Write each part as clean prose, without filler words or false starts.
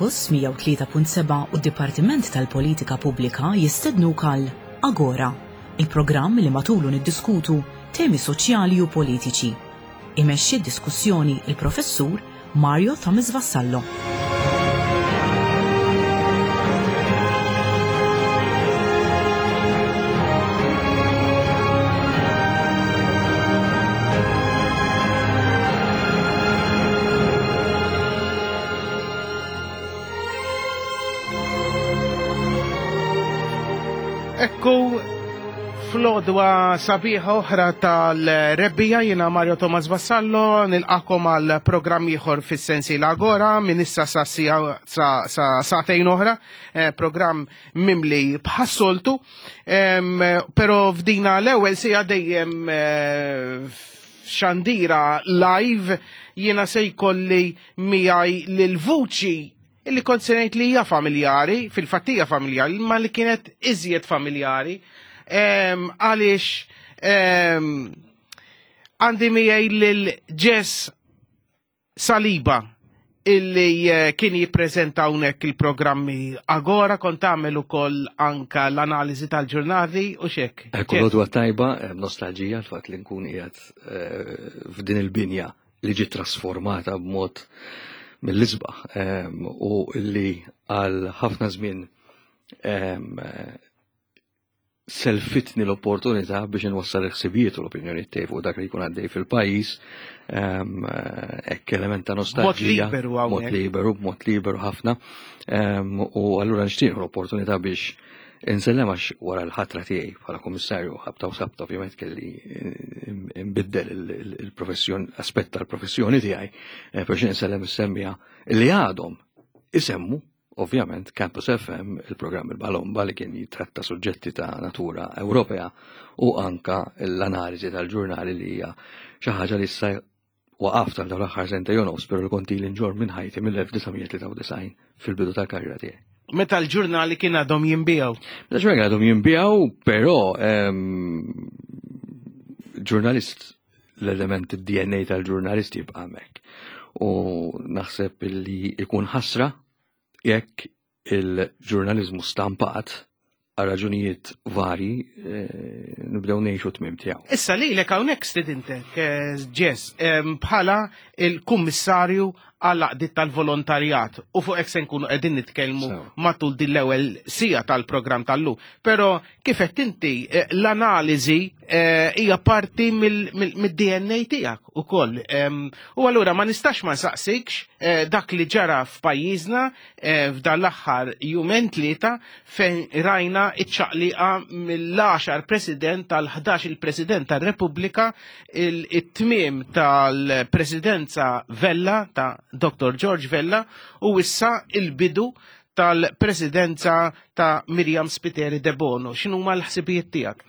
Campus 103.7 u d-Dipartiment tal-Politika Pubblika jistednuk għal Agora, il-programm li matulu niddiskutu temi soċjali u politiċi. Imexxi d-diskussjoni il-Professur Mario Thomas Vassallo. Ekku Flodwa sabiħa oħra tal-rebbija jiena Mario Thomas Vassallo nilqakom għal programm ieħor fis-sensi l-Agora minn issa sa sagħtejn oħra, eh, programm mimli bħas-soltu, però f'dina l-ewwel sija dejjem eh, xandira live jiena se jkolli miegħi lil vuċi illi kont se ngħid li hija familjari, fil-fatt hija familjari, ma li kienet iżjed familjari, għaliex għandi miegħi lil Jess Saliba illi eh, kien jippreżenta hawnhekk il-programmi Agora kont tagħmel ukoll anka l-analiżi tal-ġurnali u xek. Ekku l tajba, eh, nostalġija l-fatt li nkun qiegħed eh, f'din il-binja li ġiet trasformata b'mod mill-isbaħ ehm, u li għal ħafna żmien ehm, selfitni l-opportunità biex nwassal il-ħsibijiet u l-opinjoni tiegħi fuq dak li jkun għaddej fil-pajjiż ehm, hekk element ta' nostalġija. Mod liberu Mod liberu, b'mod liberu ħafna. U allura nixtieq l-opportunità biex Insellem għax wara l-ħatra tiegħi bħala kummissarju ħabta u sabta ovvjament kelli eh, nbiddel il-professjon aspett tal-professjoni tiegħi eh, biex insellem is-semmija li għadhom isemmu ovvjament Campus FM il-programm il-Balomba li kien jitratta suġġetti ta' natura Ewropea u anka l-analiżi tal-ġurnali li hija xi ħaġa li issa Waqaft għal dawn l-aħħar sentejn u nofs, però li kont ili nġorr minn ħajti mill-1993 fil-bidu tal-karriera tiegħi. Meta l-ġurnali kien għadhom jinbiegħu. Meta l-ġurnali għadhom jinbiegħu, però ehm, ġurnalist l-element DNA tal-ġurnalist jibqa' hemmhekk. U naħseb li ikun ħasra jekk il-ġurnaliżmu stampat għal raġunijiet vari eh, nibdew ngħixu tmiem tiegħu. Issa lilek hawnhekk stidintek eh, Ġes bħala il-kummissarju għal għaqdiet tal-volontarjat u fuq hekk se nkunu qegħdin nitkellmu matul din l-ewwel sija tal-programm tal-lum. Però kif qed inti eh, l-analiżi hija parti mid-DNA tiegħek ukoll. U allura ma nistax ma nsaqsikx dak li ġara f'pajjiżna Eh, f'dan l-aħħar jumejn tlieta fejn rajna iċ-ċaqliqa mill-10 president tal-11 il-President tar-Repubblika it-tmiem tal-Presidenza Vella ta' Dr. George Vella u issa il-bidu tal-presidenza ta' Miriam Spiteri De Bono. X'inhuma l-ħsibijiet tiegħek?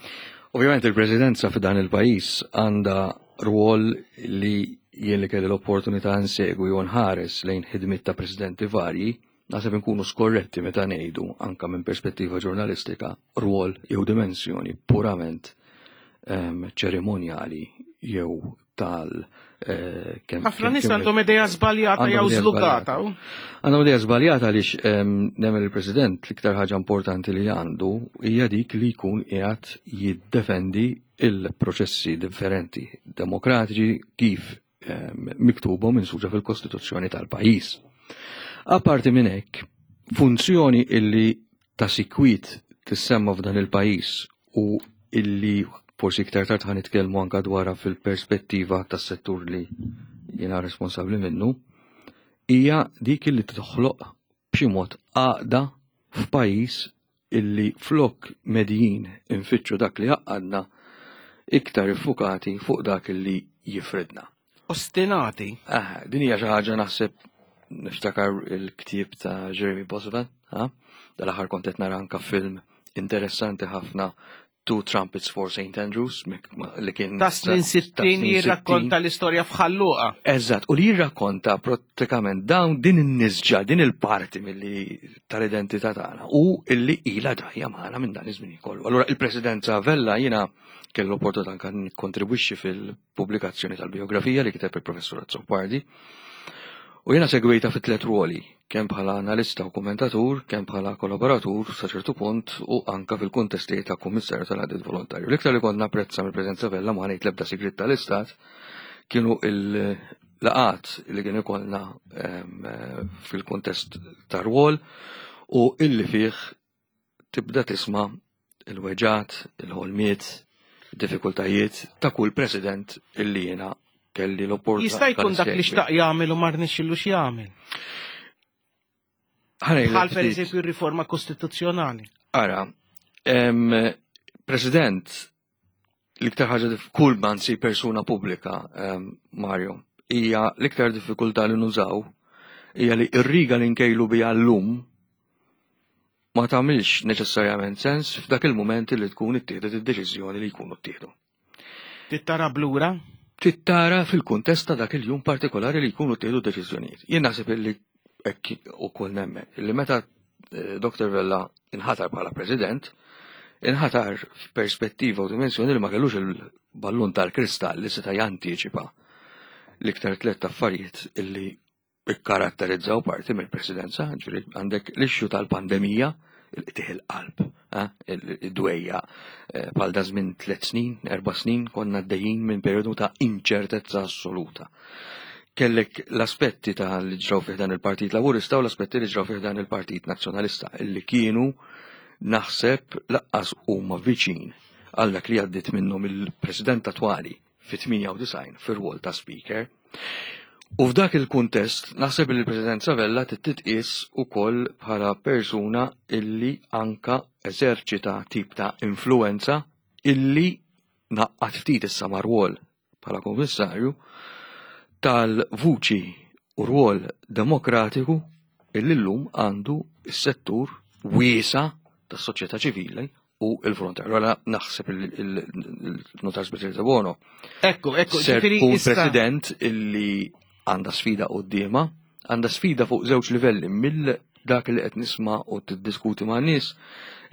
Ovvjament il-presidenza f'dan il-pajjiż għandha rwol li jien li kelli l-opportunità nsegwi u nħares lejn ħidmiet ta' presidenti varji, naħseb inkunu skorretti meta ngħidu anka minn perspettiva ġurnalistika rwol jew dimensjoni purament ehm, ċerimonjali jew tal eh, kemm. Ħafna nies għandhom idea żbaljata jew żlugata. Għandhom idea żbaljata għaliex ehm, nemmen il-President l-iktar ħaġa importanti li għandu hija dik li jkun qiegħed jiddefendi il-proċessi differenti demokratiċi kif ehm, miktuba minn suġa fil-Kostituzzjoni tal-pajjiż. Apparti minn hekk, funzjoni illi ta' sikwit tissemma f'dan il-pajjiż u illi forsi iktar tard ħan nitkellmu anka dwarha fil-perspettiva tas-settur li jiena responsabbli minnu, hija dik li toħloq b'xi mod għaqda f'pajjiż illi flok medjin infittxu dak li jgħaqqadna, iktar iffukati fuq dak li jifridna. Ostinati. Ah, din hija xi ħaġa naħseb Niftakar il-ktieb ta' Jeremy Bosman, dal-aħħar kont qed nara anka film interessanti ħafna Two Trumpets for St. Andrews, li kien. Ta' snin 60 jirrakkonta l-istorja f'Ħalluqa. Eżatt, u li jirrakkonta pratikament dawn din in-nisġa, din il-parti milli tal-identità tagħna u illi ilha ġajja magħna minn dan iż-żmien kollu. Allura il-Presidenza Vella jiena kellu opportunità anke nikkontribwixxi fil-pubblikazzjoni tal-biografija li kiteb il-Professur Azzopardi. U jiena segwejta fi tliet ruoli, kemm bħala analista u kommentatur, kemm bħala kollaboratur sa ċertu punt u anka fil-kuntesti ta' kummissarju tal-għadid volontarju. L-iktar li kont napprezza mill-preżenza Vella ma ngħid l-ebda sigriet tal-Istat kienu il-laqat li kien ikollna fil-kuntest ta' rwol u illi fih tibda tisma' il-weġgħat, il-ħolmiet, diffikultajiet ta' kull president illi jiena kelli l-opportunità. Jista' jkun dak li xtaq jagħmel u ma rnexxillux jagħmel. Bħal per eżempju r-riforma kostituzzjonali. Ara, President, l-iktar ħaġa kull mansi persuna pubblika, Mario, hija l-iktar diffikultà li nużaw hija li r-riga li nkejlu biha llum ma tagħmilx neċessarjament sens f'dak il-mument li tkun ittieħdet id-deċiżjoni li jkunu ttieħdu. Tittara blura? Tittara fil-kuntest ta' dak il-jum partikolari li jkunu ttieħdu deċiżjonijiet. Jien naħseb li hekk ukoll nemmen li meta eh, Dr. Vella inħatar bħala President, inħatar f'perspettiva u dimensjoni li ma kellux il-ballun tal-kristall li seta' jantiċipa l-iktar tliet affarijiet illi ikkaratterizzaw parti mill-presidenza, ġifieri għandek l-issue tal-pandemija, il-qtih il-qalb, eh, id-dwejja eh, bħal da żmien tliet snin, erba' snin konna għaddejjin minn perjodu ta' inċertezza assoluta. Kellek l-aspetti ta' li ġraw fih dan il-Partit Laburista u l-aspetti li ġraw fih dan il-Partit Nazzjonalista illi kienu naħseb laqqas huma viċin għal dak li għaddit minnhom il-President attwali fit-98 fir-rwol ta' Speaker. U f'dak il-kuntest naħseb li l-President Savella titqis ukoll bħala persuna illi anka eżerċita tip ta' influenza illi naqqat ftit issa ma' rwol bħala kummissarju tal-vuċi u rwol demokratiku illi llum għandu s-settur wiesa tas-soċjetà ċivili u il-frontier. Allora naħseb il-notar Speċjali ta' Bono. Ekku, ekku, ser tkun president illi għandha sfida qudiema, għandha sfida fuq żewġ livelli mill dak li qed nisma' u tiddiskuti ma' nies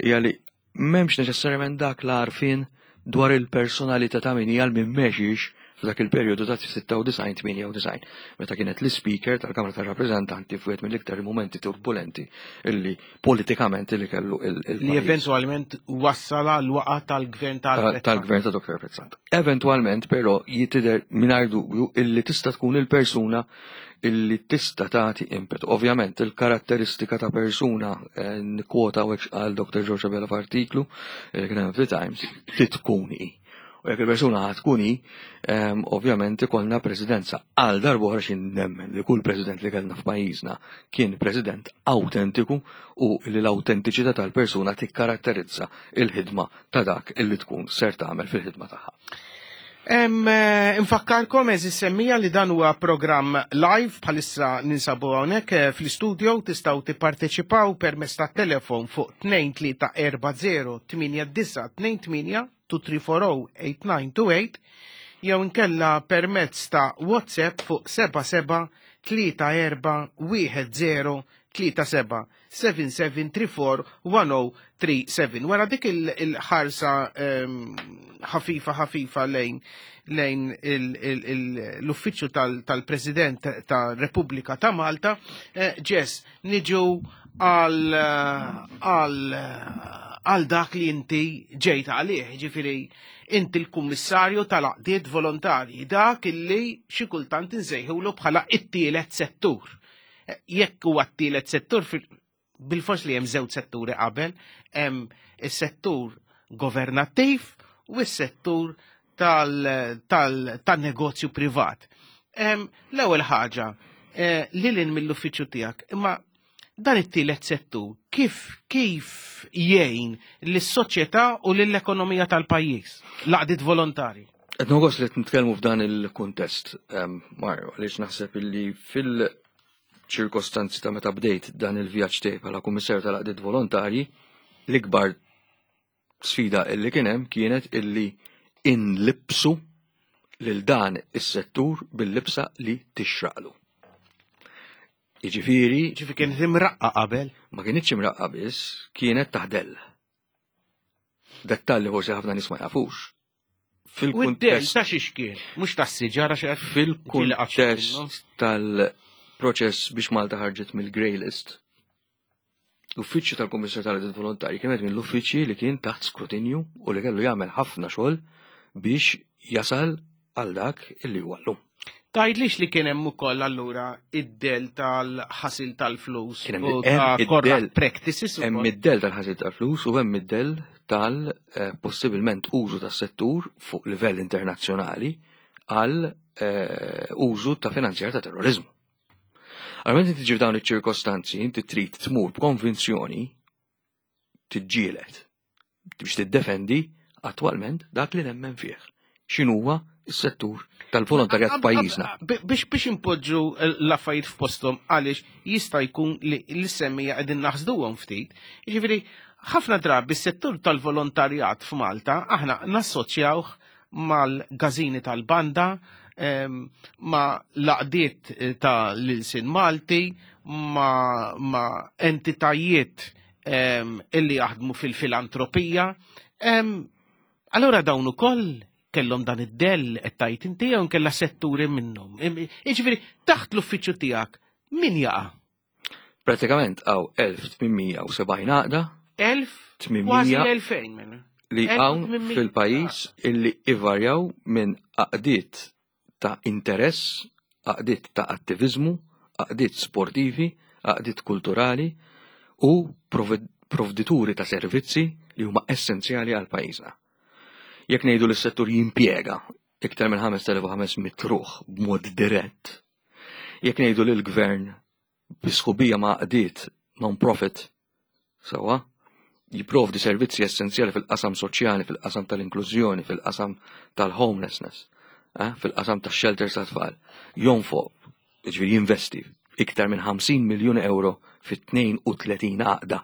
hija li m'hemmx neċessarjament dak l-għarfien dwar il-personalità ta' min hija minn mexiex f'dak il-perjodu ta' 96-98, meta kienet l-Speaker tal-Kamra tar-Rappreżentanti f'wieħed mill-iktar momenti turbulenti illi politikament li kellu il Li eventualment wassala l-waqa tal-gvern tal Tal-gvern ta' Dr. Prezzant. Eventualment, però, jitider mingħajr dubju illi tista' tkun il-persuna illi tista' tagħti impetu. Ovvjament, il-karatteristika ta' persuna eh, nikkwota u għal Dr. George Abela f'artiklu eh, kien hemm Times titkun hi. U jekk il-persuna ħad tkun hi, ehm, ovvjament ikollna presidenza għal darb'oħra xi nemmen li kull president li kellna f'pajjiżna kien president awtentiku u li l-awtentiċità tal-persuna tikkaratterizza il-ħidma ta' dak illi tkun ser tagħmel fil-ħidma tagħha. Eh, infakkarkom eżis semmija li dan huwa programm live bħalissa ninsabu hawnhekk eh, fl-istudio tistgħu tipparteċipaw permezz tat-telefon fuq 2340 8928 2340-8928 jew inkella permezz ta' WhatsApp fuq 77 34 10 37 7734 1037. Wara dik il-ħarsa ehm, ħafifa ħafifa lejn lejn l-uffiċċju tal-President tal-Repubblika ta' Malta, eh, Ġes, niġu għal għal għal dak li inti ġejt għalih, ġifiri inti l-kummissarju tal-għaqdiet volontarji, dak illi xi kultant insejħulu bħala it-tielet settur. Jekk huwa t-tielet settur bil-fors li hemm żewġ setturi qabel, hemm is-settur governattiv u s-settur tal-negozju privat. L-ewwel ħaġa, eh, lilin mill-uffiċċju tiegħek, imma dan it-tielet settur kif kif jgħin lis-soċjetà u lill-ekonomija tal-pajjiż, l-għaqdiet volontari? Qed nogos li nitkellmu f'dan il-kuntest, Mario, għaliex naħseb illi fil- ċirkostanzi ta' meta bdejt dan il-vjaġġ tiegħi bħala Kummissarju tal-Għaqdiet Volontarji, l-ikbar sfida illi kien hemm kienet illi inlibsu lil dan is-settur bil-libsa li tixraqlu. Jiġifieri. Ġifieri kienet imraqqa qabel? Ma kinitx imraqqa biss, kienet taħdell. Dettalli forsi ħafna nies ma jafux. Fil-kuntest ta' xiex kien, mhux tas-siġar għax fil-kuntest tal-proċess biex Malta ħarġet mill-grey list. L-uffiċċju tal-Kummissarju tal-Għaqdiet Volontarji kien wieħed mill-uffiċċji li kien taħt skrutinju u li kellu jagħmel ħafna xogħol biex jasal għal dak illi huwa llum. Tgħidlix li kien hemm ukoll allura id-del tal-ħasil tal-flus u ta' corrupt practices. Hemm id-del tal-ħasil tal-flus u hemm id-del tal-possibilment użu tas-settur fuq livell internazzjonali għal eh, użu ta' finanzjar ta' terrorizmu. Għal meta tiġi f'dawn iċ-ċirkostanzi, inti trid tmur b'konvinzjoni tiġġieled biex tiddefendi attwalment dak li nemmen fih. X'inhuwa s-settur tal-volontarjat f'pajjiżna. Biex biex impoġġu l-affarijiet f'posthom għaliex jista' jkun li l-semmija qegħdin naħsduhom ftit. Jiġifieri ħafna drabi s-settur tal-volontarjat f'Malta aħna nassoċjawh mal-gażini tal-banda, ma' laqdiet eh, ta' l-ilsin Malti, ma', ma entitajiet illi jaħdmu fil-filantropija. Allora dawn ukoll kellhom dan id-dell qed tajt inti jew kellha setturi minnhom. Jiġifieri taħt l-uffiċċju tiegħek min jaqa'? Pratikament għaw 1870 għaqda. 1800 minn. Li hawn fil-pajjiż illi ivarjaw minn għaqdiet ta' interess, għaqdiet ta' attiviżmu, għaqdiet sportivi, għaqdiet kulturali u provdituri ta' servizzi li huma essenzjali għal pajjiżna. Jekk ngħidu li s-settur jimpjega iktar minn 5500 ruħ b'mod dirett, jekk ngħidu li l-gvern bi sħubija ma' għaqdiet non-profit sewwa jipprovdi servizzi essenzjali fil-qasam soċjali, fil-qasam tal-inklużjoni, fil-qasam tal-homelessness, eh, fil-qasam tax-shelters tat-tfal, jonfoq, jiġifieri jinvesti iktar minn 50 miljun euro fit-32 għaqda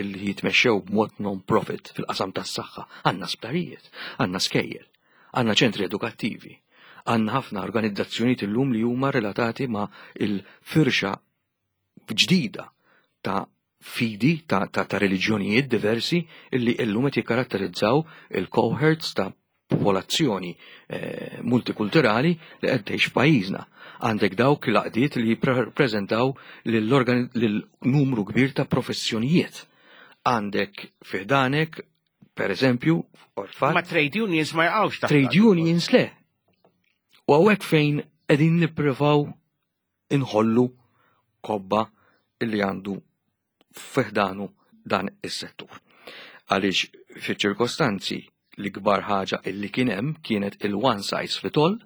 illi jitmexxew b'mod non-profit fil-qasam tas-saħħa. Għandna sptarijiet, għandna skejjel, għandna ċentri edukattivi, għandna ħafna organizzazzjonijiet illum li huma relatati ma' il-firxa ġdida ta' fidi ta', ta, ta reliġjonijiet diversi illi illum qed jikkaratterizzaw il-cohorts ta' popolazzjoni eh, multikulturali li qed tgħix f'pajjiżna. Għandek dawk l-għaqdiet li jippreżentaw lil numru kbir ta' professjonijiet. Għandek fiħdanek, per eżempju, orfan. Ma trade unions ma jaqgħux ta' Trade unions le. U hawnhekk fejn qegħdin nippruvaw inħollu kobba illi għandu fiħdanu dan is-settur. Għaliex fiċ-ċirkostanzi li kbar ħaġa illi kien hemm kienet il-one size fit all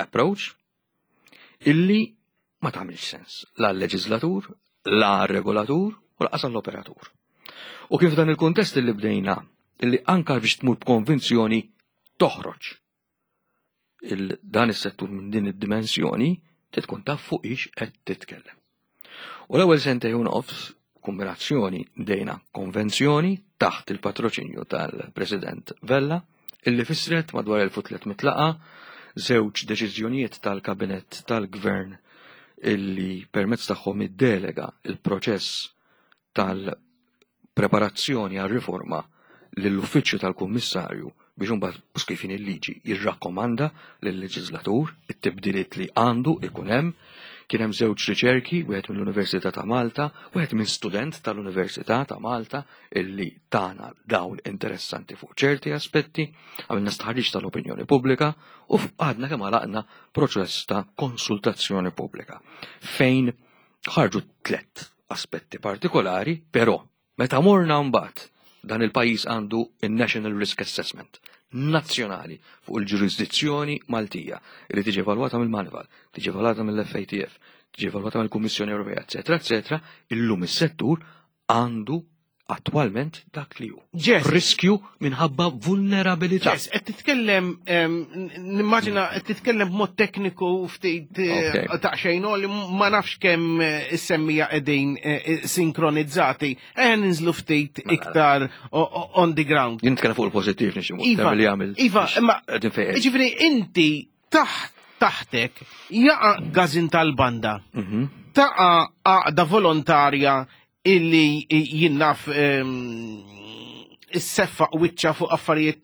approach illi ma tagħmilx sens la l-leġislatur, la regolatur u laqas l-operatur. U kif dan il-kuntest illi bdejna illi anka biex tmur b'konvinzjoni toħroġ dan is-settur minn din id-dimensjoni trid tkun taf fuq ix qed titkellem. U l-ewwel sentejn u nofs kombinazzjoni dejna konvenzjoni taħt il-patroċinju tal-President Vella illi fissret madwar 1300 laqa żewġ deċiżjonijiet tal-Kabinett tal-Gvern illi permezz tagħhom iddelega il-proċess tal-preparazzjoni għar-riforma lill-Uffiċċju tal-Kummissarju biex imbagħad kif inhi l-liġi jirrakkomanda lill-leġislatur it-tibdiliet li għandu ikun hemm. Kien hemm żewġ riċerki, wieħed mill-Università ta' Malta, wieħed minn student tal-Università ta' Malta illi tana dawl interessanti fuq ċerti aspetti, għamilna stħarriġ tal-opinjoni pubblika u għadna kemm għalaqna proċess ta' konsultazzjoni pubblika fejn ħarġu tlett aspetti partikolari, però meta morna mbagħad dan il-pajjiż għandu il-National Risk Assessment nazzjonali fuq il-ġurisdizzjoni Maltija li tiġi evalwata mill-Moneyval, tiġi evalwata mill-FATF, tiġi evalwata mill-Kummissjoni Ewropea, eċetera, eċetera, illum is-settur għandu Attwalment dak li hu. Jess. Riskju minħabba vulnerabilità. Jess, qed titkellem, nimmaġina qed titkellem b'mod tekniku ftit eh, ta' xejn li ma nafx kemm eh, is-semmija qegħdin eh, sinkronizzati. Eh ninżlu ftit mela. iktar on the ground. Jien nitkellem fuq il-pożittiv nixi iva, li għamil. Iva, imma ġifieri inti taħt taħtek jaqa' gazin tal-banda. Mhm. Taqa' għaqda volontarja illi jien naf isseffa wiċċa fuq affarijiet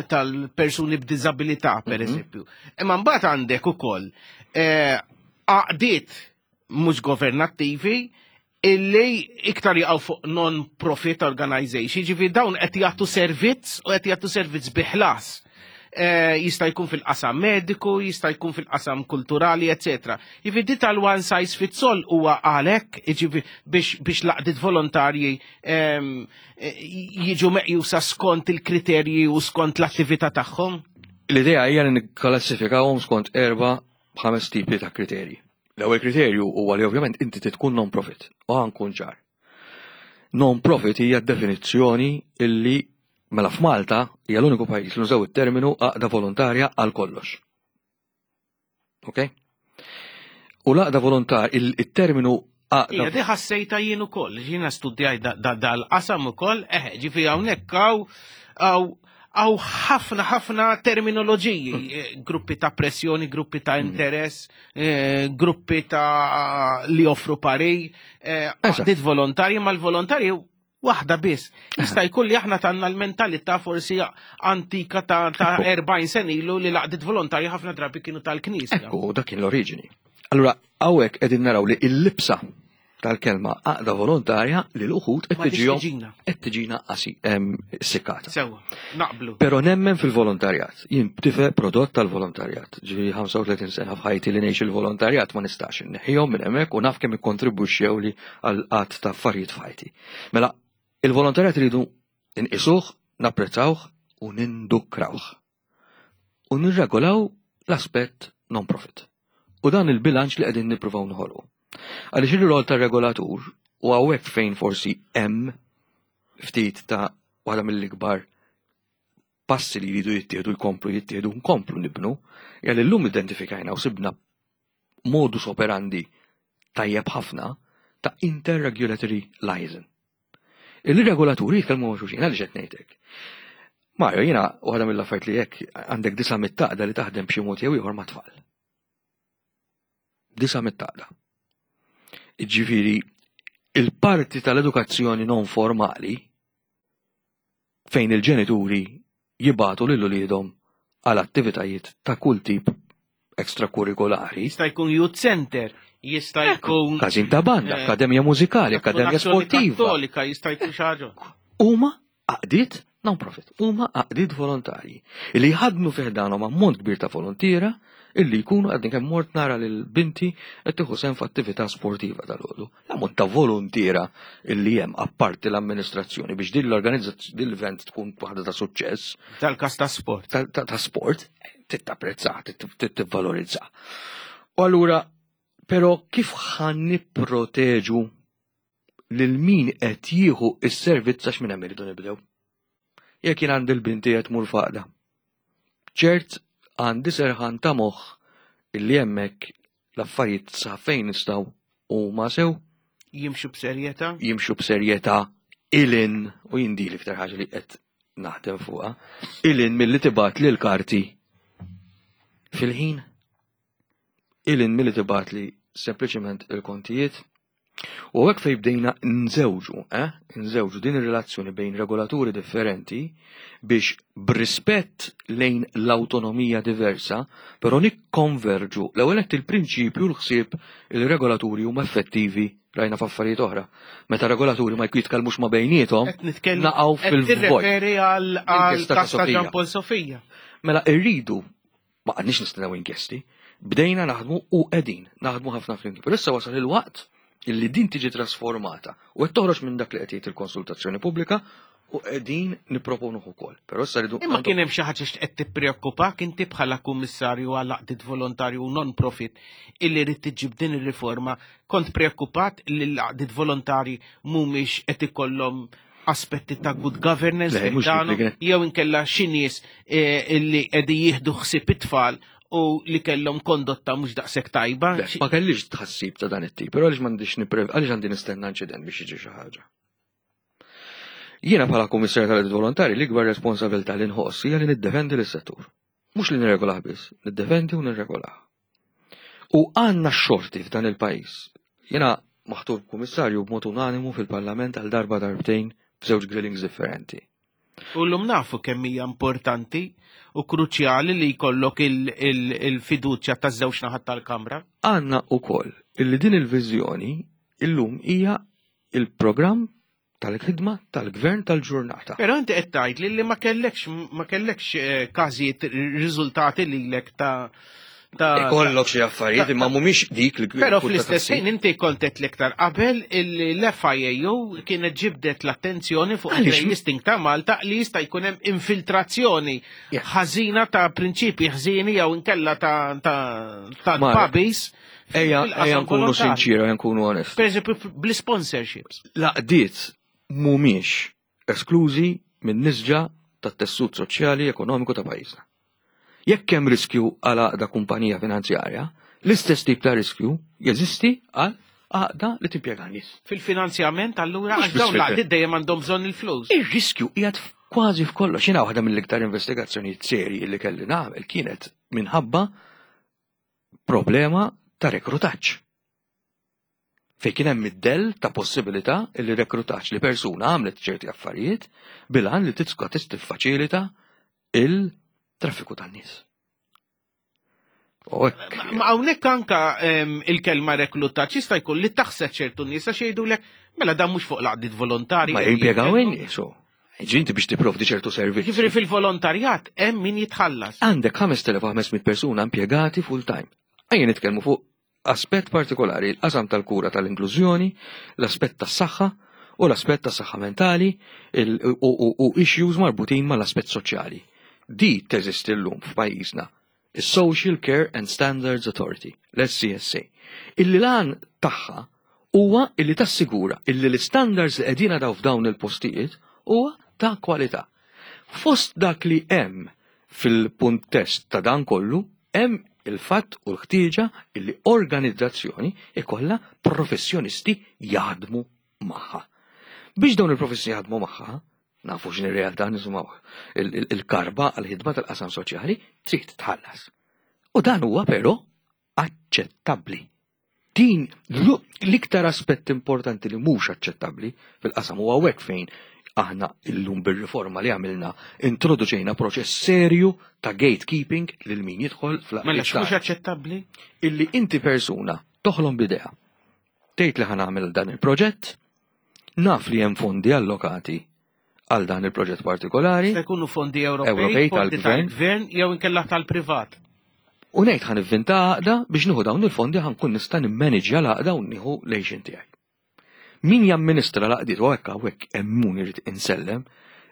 tal-persuni b'diżabilità, per mhm. eżempju. Imma mbagħad għandek ukoll eh, għaqdiet mhux governattivi illi iktar jaqgħu fuq non-profit organization, ġifi dawn qed jagħtu servizz u qed jagħtu servizz biħlas. Eh, jista' jkun fil-qasam mediku, jista' jkun fil-qasam kulturali, etc. Jiġifieri di tal-one size fits all huwa għalhekk jiġifieri biex biex laqdiet volontarji ehm, eh, jiġu meqjusa skont il-kriterji u skont l-attività tagħhom. L-idea hija li nikklassifikawhom skont erba' ħames tipi ta' kriterji. L-ewwel kriterju huwa li ovvjament inti tkun non-profit u ħankun ċar. Non-profit hija definizzjoni illi mela f'Malta hija l-uniku pajjiż li nużaw it-terminu għaqda volontarja għal kollox. Ok? U l-għaqda volontar, il-terminu għaqda. Ija, di ħassejta jien ukoll, jiena studjaj dal-qasam ukoll, eh, ġifi hawnhekk hawn għaw ħafna ħafna terminoloġiji, eh, gruppi ta' pressjoni, gruppi ta' mm. interess, eh, gruppi ta' li offru pari, eh, għaqdiet volontarji, ma l-volontarji Waħda biss. Jista' jkun li aħna tanna l-mentalità forsi antika ta' 40 sen ilu li laqdiet volontarji ħafna drabi kienu tal-Knisja. Ekku, dak kien l-oriġini. Allura, hawnhekk qegħdin naraw li l-libsa tal-kelma għaqda volontarja li l-uħud qed tiġihom qed tiġina qasi sikkata. Sewa, naqblu. Però nemmen fil-volontarjat. Jien tifel prodott tal-volontarjat. Ġifieri 35 sena f'ħajti li ngħix il-volontarjat ma nistax inneħħihom minn hemmhekk u naf kemm ikkontribwixxew li għal qatt ta' affarijiet f'ħajti. Mela, il-volontarjat iridu nqisuh, napprezzawh u nindukrawh. U nirregolaw l-aspett non-profit. U dan il-bilanċ li qegħdin nippruvaw noħolqu. Għaliex ir-rol tar-regolatur u hawnhekk fejn forsi hemm ftit ta' waħda mill-ikbar passi li jridu jittieħdu jkomplu jittieħdu nkomplu nibnu, hija li llum identifikajna u sibna modus operandi tajjeb ħafna ta' interregulatory liaison. Il-regolaturi jitkellmu ma' xulxin, għaliex qed ngħidlek. Mario, jiena waħda mill-affarijiet li jekk għandek disa' mit-taqda li taħdem b'xi mod jew ieħor ma' tfal. Disa' mit-taqda. Ġifieri, il-parti tal-edukazzjoni non formali fejn il-ġenituri jibagħtu lil uliedhom għal attivitajiet ta' kull tip extrakurrikolari. Jista' jkun youth center, jista' jkun. Każin ta' banda, eh, akkademja mużikali, akkademja sportiva. Kattolika jista' jkun xi ħaġa. Huma għaqdiet non-profit, huma għaqdiet volontarji li jħadnu fih danhom ammont kbir ta' volontiera illi jkunu għadni kemm mort nara lil binti qed tieħu sehem f'attività sportiva dal-għodu. L-ammont ta' voluntiera illi hemm apparti l-amministrazzjoni biex din l-organizzazzjoni din l-event tkun waħda ta' suċċess. Tal-każ ta' sport. Ta' sport, titapprezza, tivvalorizza. U allura, però kif ħan nipproteġu lil min qed jieħu s-servizz għax minn hemm irridu nibdew. Jekk jien għandi l-binti qed tmur faqda. Ċert għandi serħan ta' moħħ illi hemmhekk l-affarijiet sa fejn nistgħu huma sew. Jimxu b'serjetà? Jimxu b'serjetà ilin u jien di l-iktar ħaġa li qed naħdem fuqha, ilin milli tibgħat lil karti fil-ħin. Ilin milli tibgħat li sempliċement il-kontijiet. U hekk fejn bdejna nżewġu, eh? Nżewġu din ir-relazzjoni bejn regolaturi differenti biex b'rispett lejn l-awtonomija diversa, però nikkonverġu l-ewwel nett il-prinċipju l-ħsieb il-regolaturi huma effettivi rajna f'affarijiet oħra. Meta regolaturi ma jitkellmux ma bejniethom, naqgħu fil-vojt. Tirreferi għal każ ta' Jean Paul Sofia. Mela rridu Ma qgħadniex nistennew inkjesti, bdejna naħdmu u qegħdin naħdmu ħafna flimkien. Però issa wasal il-waqt illi din tiġi trasformata u qed toħroġ minn dak li qed jgħid il-konsultazzjoni pubblika u qegħdin nipproponuh ukoll. Però issa rridu Imma kien hemm xi ħaġa x'qed tippreokkupak inti bħala kummissarju għal għaqdiet volontarju u non-profit illi rrid tiġib din ir-riforma, kont preokkupat li l-għaqdiet volontarji mhumiex qed ikollhom aspetti ta' good governance jew inkella xi nies eh, li qegħdin jieħdu ħsieb it-tfal u li kellhom kondotta mhux daqshekk tajba. Ma kellix tħassib ta' dan it-tip, però għaliex m'għandix niprev, għaliex għandi nistenna inċident biex jiġi xi ħaġa. Jiena bħala kummissarju tal-Għaqdiet Volontari l-ikbar responsabilità li nħoss hija li niddefendi lis-settur. Mhux li nirregolah biss, niddefendi u nirregolah. U għandna x-xorti f'dan il-pajjiż. Jiena maħtur kummissarju b'mod unanimu fil-Parlament għal darba darbtejn f'żewġ grillings differenti. U llum nafu kemm hija importanti u kruċjali li jkollok il-fiduċja taż-żewġ naħat tal-Kamra. Għandna wkoll illi din il-viżjoni illum hija il-programm tal-ħidma tal-gvern tal-ġurnata. Però inti qed tgħid li ma kellekx ma kellekx eh, każijiet riżultati lilek ta' ta' Ikollok xi affarijiet imma mhumiex dik li Però fl-istess ħin inti kont qed l-iktar qabel illi l-FIAU kienet ġibdet l-attenzjoni fuq il-listing ta' Malta li jista' jkun hemm infiltrazzjoni ħażina ta' prinċipji ħżieni jew inkella ta' ta' pubbies. Ejja, ejja nkunu sinċira, ejja nkunu onest. Per eżempju, bl-sponsorships. Laqdiet mhumiex esklużi minn nisġa tat-tessut soċjali ekonomiku ta' pajjiżna. Jekk hemm riskju għal għaqda kumpanija finanzjarja, l-istess tip ta' riskju jeżisti għal għaqda li timpjega nies. Fil-finanzjament allura għax dawn l-għaqdiet dejjem għandhom bżonn il-flus. Ir-riskju qiegħed kważi f'kollox. Jiena waħda mill-iktar investigazzjonijiet serji li kelli nagħmel kienet minħabba problema ta' rekrutaġġ. Fejn kien hemm id-dell ta' possibilità li rekrutaġġ li persuna għamlet ċerti affarijiet bil-għan li titska tiffaċilita il-traffiku tan-nies. Ma hawnhekk anka il-kelma reklutaġġ jista' jkun li taħseb ċertu nies għax jgħidulek mela dan mhux fuq l-għaqdiet volontarji. Ma jimpjegaw in-nies Ġinti biex tipprovdi ċertu servizz. Ġifieri fil-volontarjat hemm min jitħallas. Għandek 5500 persuna impjegati full time. Ejja nitkellmu fuq aspett partikolari, il-qasam tal-kura tal-inklużjoni, l-aspett tas-saħħa u l-aspett tas-saħħa mentali u issues marbutin mal-aspett soċjali. Di teżisti llum f'pajjiżna is-Social Care and Standards Authority, l-SCSA, illi l-għan tagħha huwa illi tassigura illi l-istandards li qegħdin daw f'dawn il-postijiet huwa ta' kwalità. Fost dak li hemm fil-puntest ta' dan kollu hemm il-fatt u l-ħtieġa illi organizzazzjoni ikollha professjonisti jaħdmu magħha. Biex dawn il-professjonisti jaħdmu magħha, nafu x'inhi realtà nisimgħu il-karba għal-ħidma tal-qasam soċjali trid tħallas. U dan huwa però aċċettabbli. Din l-iktar aspett importanti li mhux aċċettabbli fil-qasam huwa hawnhekk fejn aħna illum bir-riforma li għamilna introduċejna proċess serju ta' gatekeeping lil min jidħol fl Mela x'mhux aċċettabbli? Illi inti persuna toħlom b'idea. Tgħid li ħa nagħmel dan il-proġett, naf li hemm fondi allokati għal dan il-proġett partikolari. Se jkunu fondi Ewropej, tal-gvern jew inkella tal-privat. U ngħid ħan ivvinta għaqda biex nieħu dawn il-fondi ħan kun nista' nimmanġja l-għaqda u nieħu l-għixin tiegħi. Min jamministra l-għaqdiet u hekk hawnhekk hemm irid insellem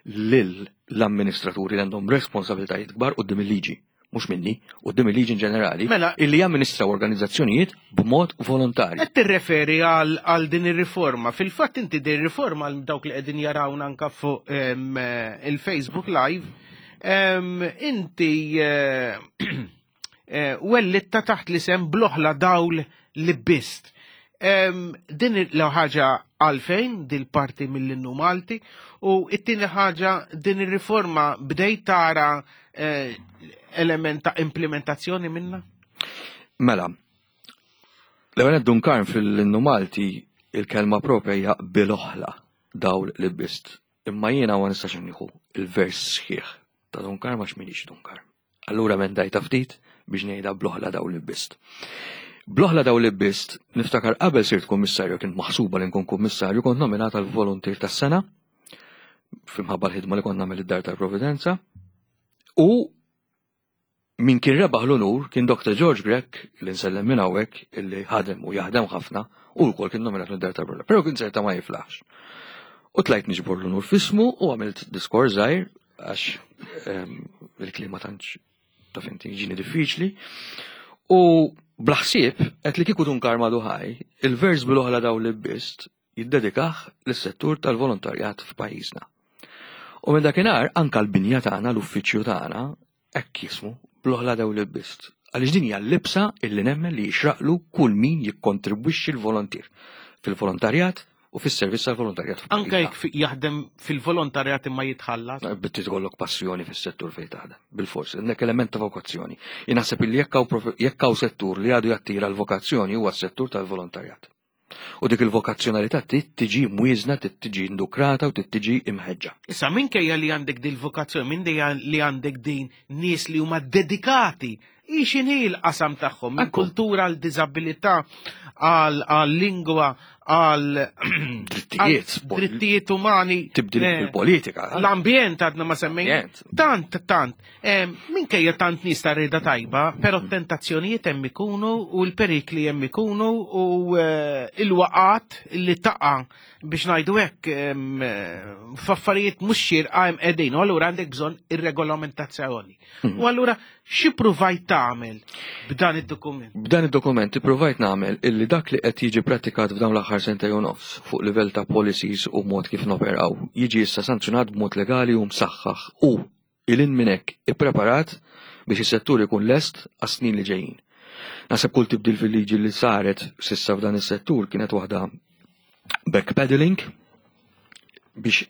lil l-amministraturi li għandhom responsabilitajiet kbar quddiem il-liġi mhux minni, quddiem il-liġi ġenerali, mela, illi jamministraw organizzazzjonijiet b'mod volontarju. Qed tirreferi għal din ir-riforma. Fil-fatt inti din ir-riforma għal dawk li qegħdin jarawna anka fuq il-Facebook Live, inti eh, eh, wellitta taħt l-isem bloħla dawl li bist. Din l ħaġa għalfejn dil-parti mill-innu Malti u it-tieni ħaġa din ir-riforma bdejt tara eh, element ta' implementazzjoni minna? Mela, l-ewwel Dun Karm fil-innu Malti il-kelma propja hija bil-oħla dawl li bist. Imma jiena ma nistax nieħu il-vers sħiħ ta' Dun Karm għax minix Dun Karm. Allura mendajta ftit biex ngħidha bl-oħla dawl li bist. Bl-oħla dawl li bist, niftakar qabel sirt kummissarju, kien maħsuba li nkun kummissarju, kont nominata l-volontier tas-sena fimħabba l-ħidma li kont nagħmel id-dar tal-Providenza. U min kien rebaħ l-unur kien Dr. George Grech, li nsellem minn hawnhekk, illi ħadem u jaħdem ħafna, u wkoll kien nominat mid-dar tal-Providenza. Però kien serta ma jiflaħx. U tlajt niġbor l-unur fismu u għamilt diskors żgħir għax ehm, il-klima tantx taf inti ġini diffiċli. U blaħsieb qed li kieku dun karma duħaj, il-vers bil-oħla daw li bist. jiddedikah lis-settur tal-volontarjat f'pajjiżna. U minn dakinhar anka l-binja tagħna, l-uffiċċju tagħna, hekk jismu, bl-oħla dew libbist. Għaliex din hija l-libsa illi nemmen li jixraqlu kull min jikkontribwixxi l-volontier fil-volontarjat u fis-servizz tal-volontarjat. Anke jekk jaħdem fil-volontarjat imma jitħallas. Bitti tkollok passjoni fis-settur fejn taħdem, bil-fors, għandek element ta' vokazzjoni. Jien naħseb illi jekk hawn settur li għadu jattira l-vokazzjoni huwa s-settur tal-volontarjat. U dik il-vokazzjonalità trid tiġi mwieżna, trid tiġi indukrata u trid tiġi imħeġġa. Issa minkejja li għandek din il-vokazzjoni, minkejja li għandek din nies li huma dedikati, hi x'inhi l-qasam tagħhom, minn kultura għal diżabilità, għal lingwa, għal drittijiet, drittijiet umani, tibdil eh, fil-politika. L-ambjent għadna ma semmejna. Tant, tant. Minkejja tant nies ta' rida tajba, però tentazzjonijiet hemm ikunu u l-perikli hemm ikunu u eh, il-waqat li taqa' biex ngħidu hekk eh, f'affarijiet mhux xierqa hemm qegħdin. U allura għandek bżonn ir-regolamentazzjoni. U allura xi pruvajt tagħmel b'dan id-dokument? B'dan id-dokument ippruvajt nagħmel illi dak li qed jiġi prattikat f'dawn l-aħħar sentejn u nofs fuq livell ta' policies u mod kif noperaw jiġi issa sanzjonat b'mod legali u msaħħaħ u 'il hinn minn hekk ippreparat biex is-settur ikun lest għas-snin li ġejjin. Naħseb kull tibdil fil-liġi li saret s'issa f'dan is-settur kienet waħda backpedaling biex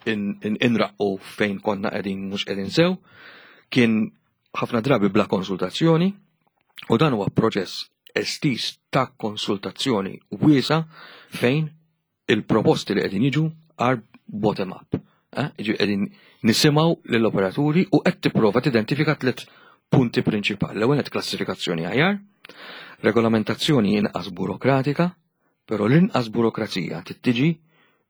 inraqqu fejn konna qegħdin mhux qegħdin sew, kien ħafna drabi bla konsultazzjoni u dan huwa proċess estiż ta' konsultazzjoni wiesa fejn il-proposti li qegħdin jiġu are bottom up. Eh? Jiġi qegħdin nisimgħu lill-operaturi u qed tipprova tidentifika tliet punti prinċipali. L-ewwel qed klassifikazzjoni aħjar, regolamentazzjoni inqas burokratika, però l-inqas burokrazija tittiġi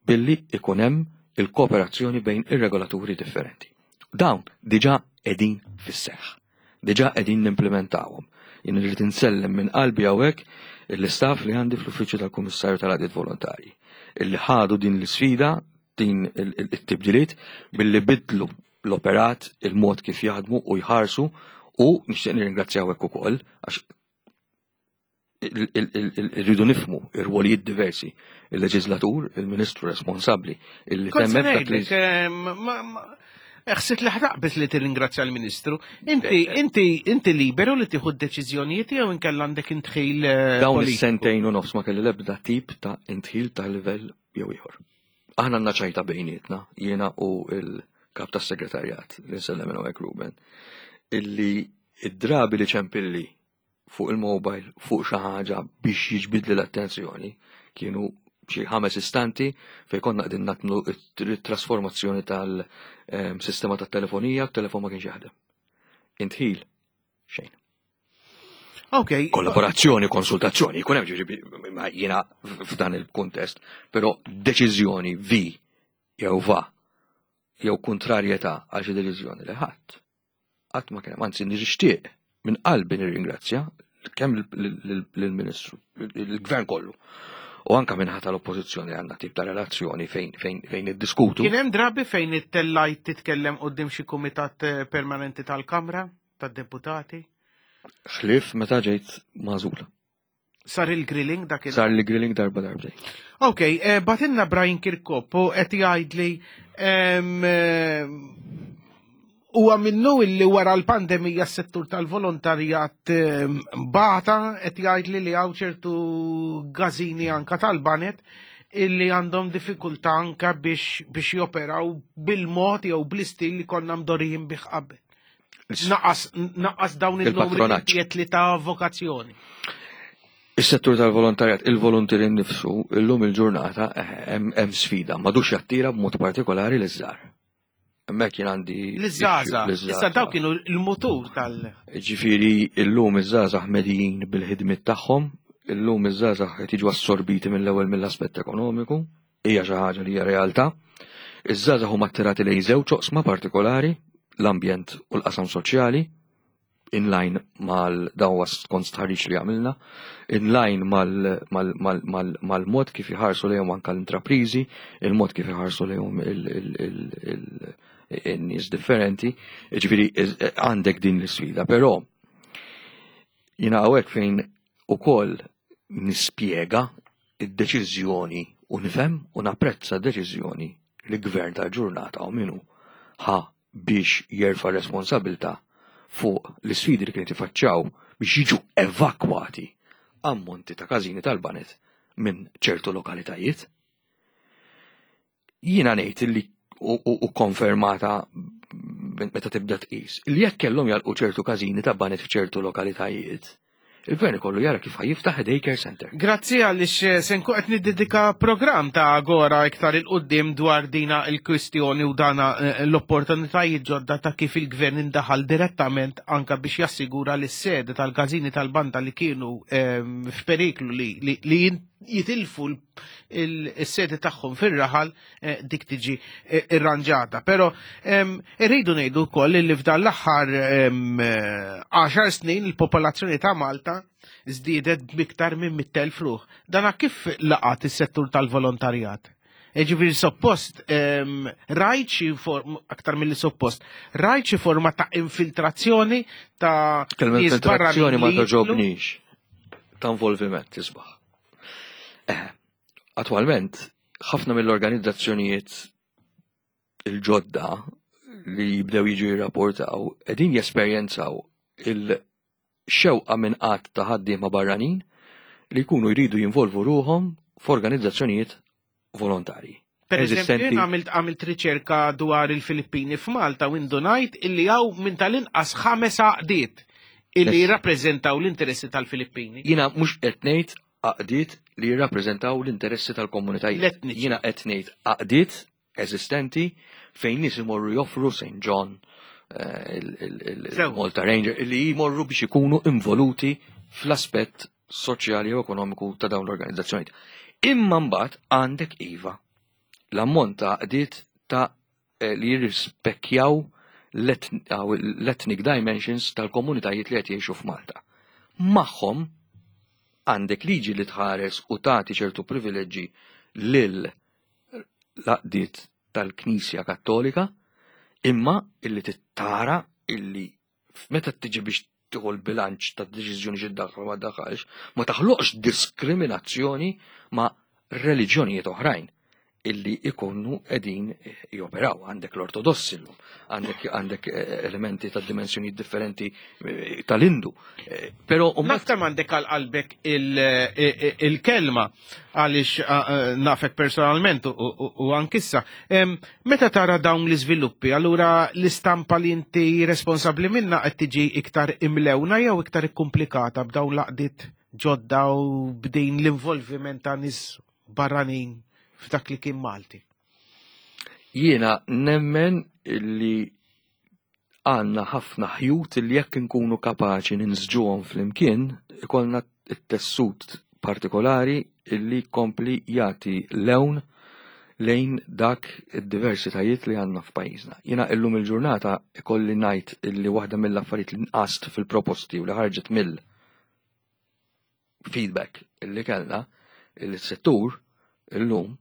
billi ikun hemm il-kooperazzjoni bejn ir-regolaturi differenti. Dawn diġà qegħdin fis-seħħ. Diġà qegħdin nimplimentawhom. Jien irrid insellem minn qalbi hawnhekk l-istaff li għandi fl-Uffiċċju tal-Kummissarju tal-Għaqdiet Volontarji illi ħadu din l-isfida, din it-tibdiliet billi bidlu l-operat, il-mod kif jaħdmu u jħarsu u nixtieq nirringrazzjaw hekk ukoll għax irridu nifmu ir-rwolijiet diversi. Il-leġislatur, il-ministru responsabbli, illi temmen dak li. Ħsibt li ħtaqbis li tirringrazzja l-Ministru. Inti, eh, eh. inti, inti liberu li tieħu d-deċiżjonijiet jew inkella għandek intħil. Eh, Dawn is-sentejn u nofs ma kelli l-ebda tip ta' intħil ta' livell jew ieħor. Aħna għandna ċajta bejnietna, jiena u il-kap tas-segretarjat li nsellem minn hawnhekk Ruben, illi id-drabi li ċempilli fuq il-mobile fuq xi ħaġa biex jiġbidli l-attenzjoni kienu xi ħames istanti fejn konna qegħdin nagħmlu t-trasformazzjoni tal-sistema tat-telefonija, t-telefon ma kienx jaħdem. Intħil xejn. Ok. Kollaborazzjoni, konsultazzjoni, jkun hemm ġifieri jiena f'dan il-kuntest, però deċiżjoni vi jew va jew kontrarjetà għal xi deċiżjoni li ħadd. Qatt ma kien hemm, anzi nixtieq minn qalbi nirringrazzja kemm lill-Ministru, il-Gvern kollu. U anka minn ħata l-oppożizzjoni għandna tip ta' relazzjoni fejn fejn fejn iddiskutu. Kien hemm drabi fejn ittellajt titkellem quddiem xi kumitat eh, permanenti tal-Kamra tad-Deputati? Ħlief meta ġejt magħżula. Sar il-grilling dak Sar il-grilling darba darbtejn. Ok, eh, batinna Brian Kirkop u qed jgħidli eh, huwa minnu illi wara l-pandemija s-settur tal-volontarjat bata qed jgħidli li hawn ċertu gażini anka tal-banet illi għandhom diffikultà anka biex biex joperaw bil-mod jew bl-istil li konna mdorijin bih qabel. Naqas, naqas dawn il-numri li ta' vokazzjoni. Is-settur tal-volontarjat, il-volontieri nnifsu, illum il-ġurnata eh, hemm sfida, madux jattira b'mod partikolari l-iżżar. Hemmhekk jien għandi. L-żgħażagħ. Issa daw kienu l-mutur tal. Ġifieri illum iż-żgħażagħ medijin bil-ħidmiet tagħhom, illum iż-żgħażagħ qed jiġu assorbiti mill-ewwel mill-aspett ekonomiku, Hija xi ħaġa li hija realtà. Iż-żgħażagħ huma attirati lejn żewġ oqsma partikolari, l-ambjent u l-qasam soċjali, in line mal dan huwa skont stħarriġ li għamilna, in line mal-mod kif iħarsu lejhom anke l-intrapriżi, il-mod kif iħarsu lejhom il-nies differenti, ġifieri għandek din l-isfida, però jiena hawnhekk fejn ukoll nispjega id-deċiżjoni U nifhem u napprezza deċiżjoni li gvern tal-ġurnata u minu ħa biex jerfa' responsabilità fuq l-isfidi li kienet jifaċċaw biex jiġu evakwati ammonti ta' każini tal-baned minn ċertu lokalitajiet. Jiena ngħid li u konfermata meta tibda tqis li jekk kellhom jalqu ċertu każini ta' baned f'ċertu lokalitajiet, il-gvern ikollu jara kif jiftaħ daycare center. Grazzi għaliex se nkun qed niddedika programm ta' Agora iktar 'il quddiem dwar dina il-kwistjoni u dana l-opportunitajiet ġodda ta' kif il-gvern indaħal direttament anka biex jassigura li s-sede tal-każini tal-banda li kienu f'periklu li jitilfu il-sede tagħhom fir-raħal dik tiġi irranġata. Però irridu ngħidu wkoll li f'dan l-aħħar 10 snin il-popolazzjoni ta' Malta żdiedet b'iktar minn 100,000 ruħ. Dana kif laqat is-settur tal-volontarjat? Ġifieri suppost rajt xi form aktar mill suppost, rajt xi forma ta' infiltrazzjoni ta' Kelma nies infiltrazzjoni barranin ma li jidħlu? toġobnix. Ta' involviment isbaħ. Attualment, ħafna mill-organizzazzjonijiet il-ġodda li jibdew jiġu jirrapportaw qegħdin jesperjenzaw il-xewqa minn qatt ta' ħaddiema barranin li jkunu jridu jinvolvu ruħhom f'organizzazzjonijiet volontarji. Per eżempju, Eżistenti. jien għamilt riċerka dwar il-Filippini f'Malta u indunajt illi hawn minn tal-inqas 5 għaqdiet illi jirrappreżentaw l-interessi tal-Filippini. Jiena mhux qed ngħid għaqdiet li jirrappreżentaw l-interessi tal-komunitajiet. L-etniċi. Jiena qed ngħid għaqdiet eżistenti fejn nies imorru joffru St. John, il-Malta Ranger, li jmorru biex ikunu involuti fl-aspett soċjali u ekonomiku ta' dawn l-organizzazzjonijiet. Imma mbagħad għandek iva l-ammont ta' għaqdiet ta' li jirrispekkjaw l-ethnic dimensions tal-komunitajiet li qed jgħixu f'Malta. Magħhom għandek liġi li tħares u tagħti ċertu privileġġi lil l-għaqdiet tal-Knisja Kattolika, imma illi tittara illi meta tiġi biex tieħu l-bilanċ ta' deċiżjoni xi ddaħħal ma ddaħħalx, ma taħloqx diskriminazzjoni ma' reliġjonijiet oħrajn illi ikunu qegħdin joperaw. Għandek l-ortodossi llum, għandek elementi ta' dimensjoni differenti tal-Indu. Però u Naf kemm għandek għal qalbek il-kelma għaliex nafek personalment u ankissa. Meta tara dawn l-iżviluppi, allura l-istampa li inti responsabbli minna qed tiġi iktar imlewna jew iktar ikkumplikata b'dawn l-għaqdiet ġodda u b'din l-involviment ta' nies barranin f'dak li kien Malti? Jiena nemmen li għandna ħafna ħjut li jekk inkunu kapaċi ninsġuhom flimkien, ikollna t-tessut partikolari illi kompli jagħti lewn lejn dak id-diversitajiet li għandna f'pajjiżna. Jiena illum il-ġurnata ikolli ngħid illi waħda mill-affarijiet li nqast fil-proposti u li ħarġet mill-feedback illi kellna, illi s-settur illum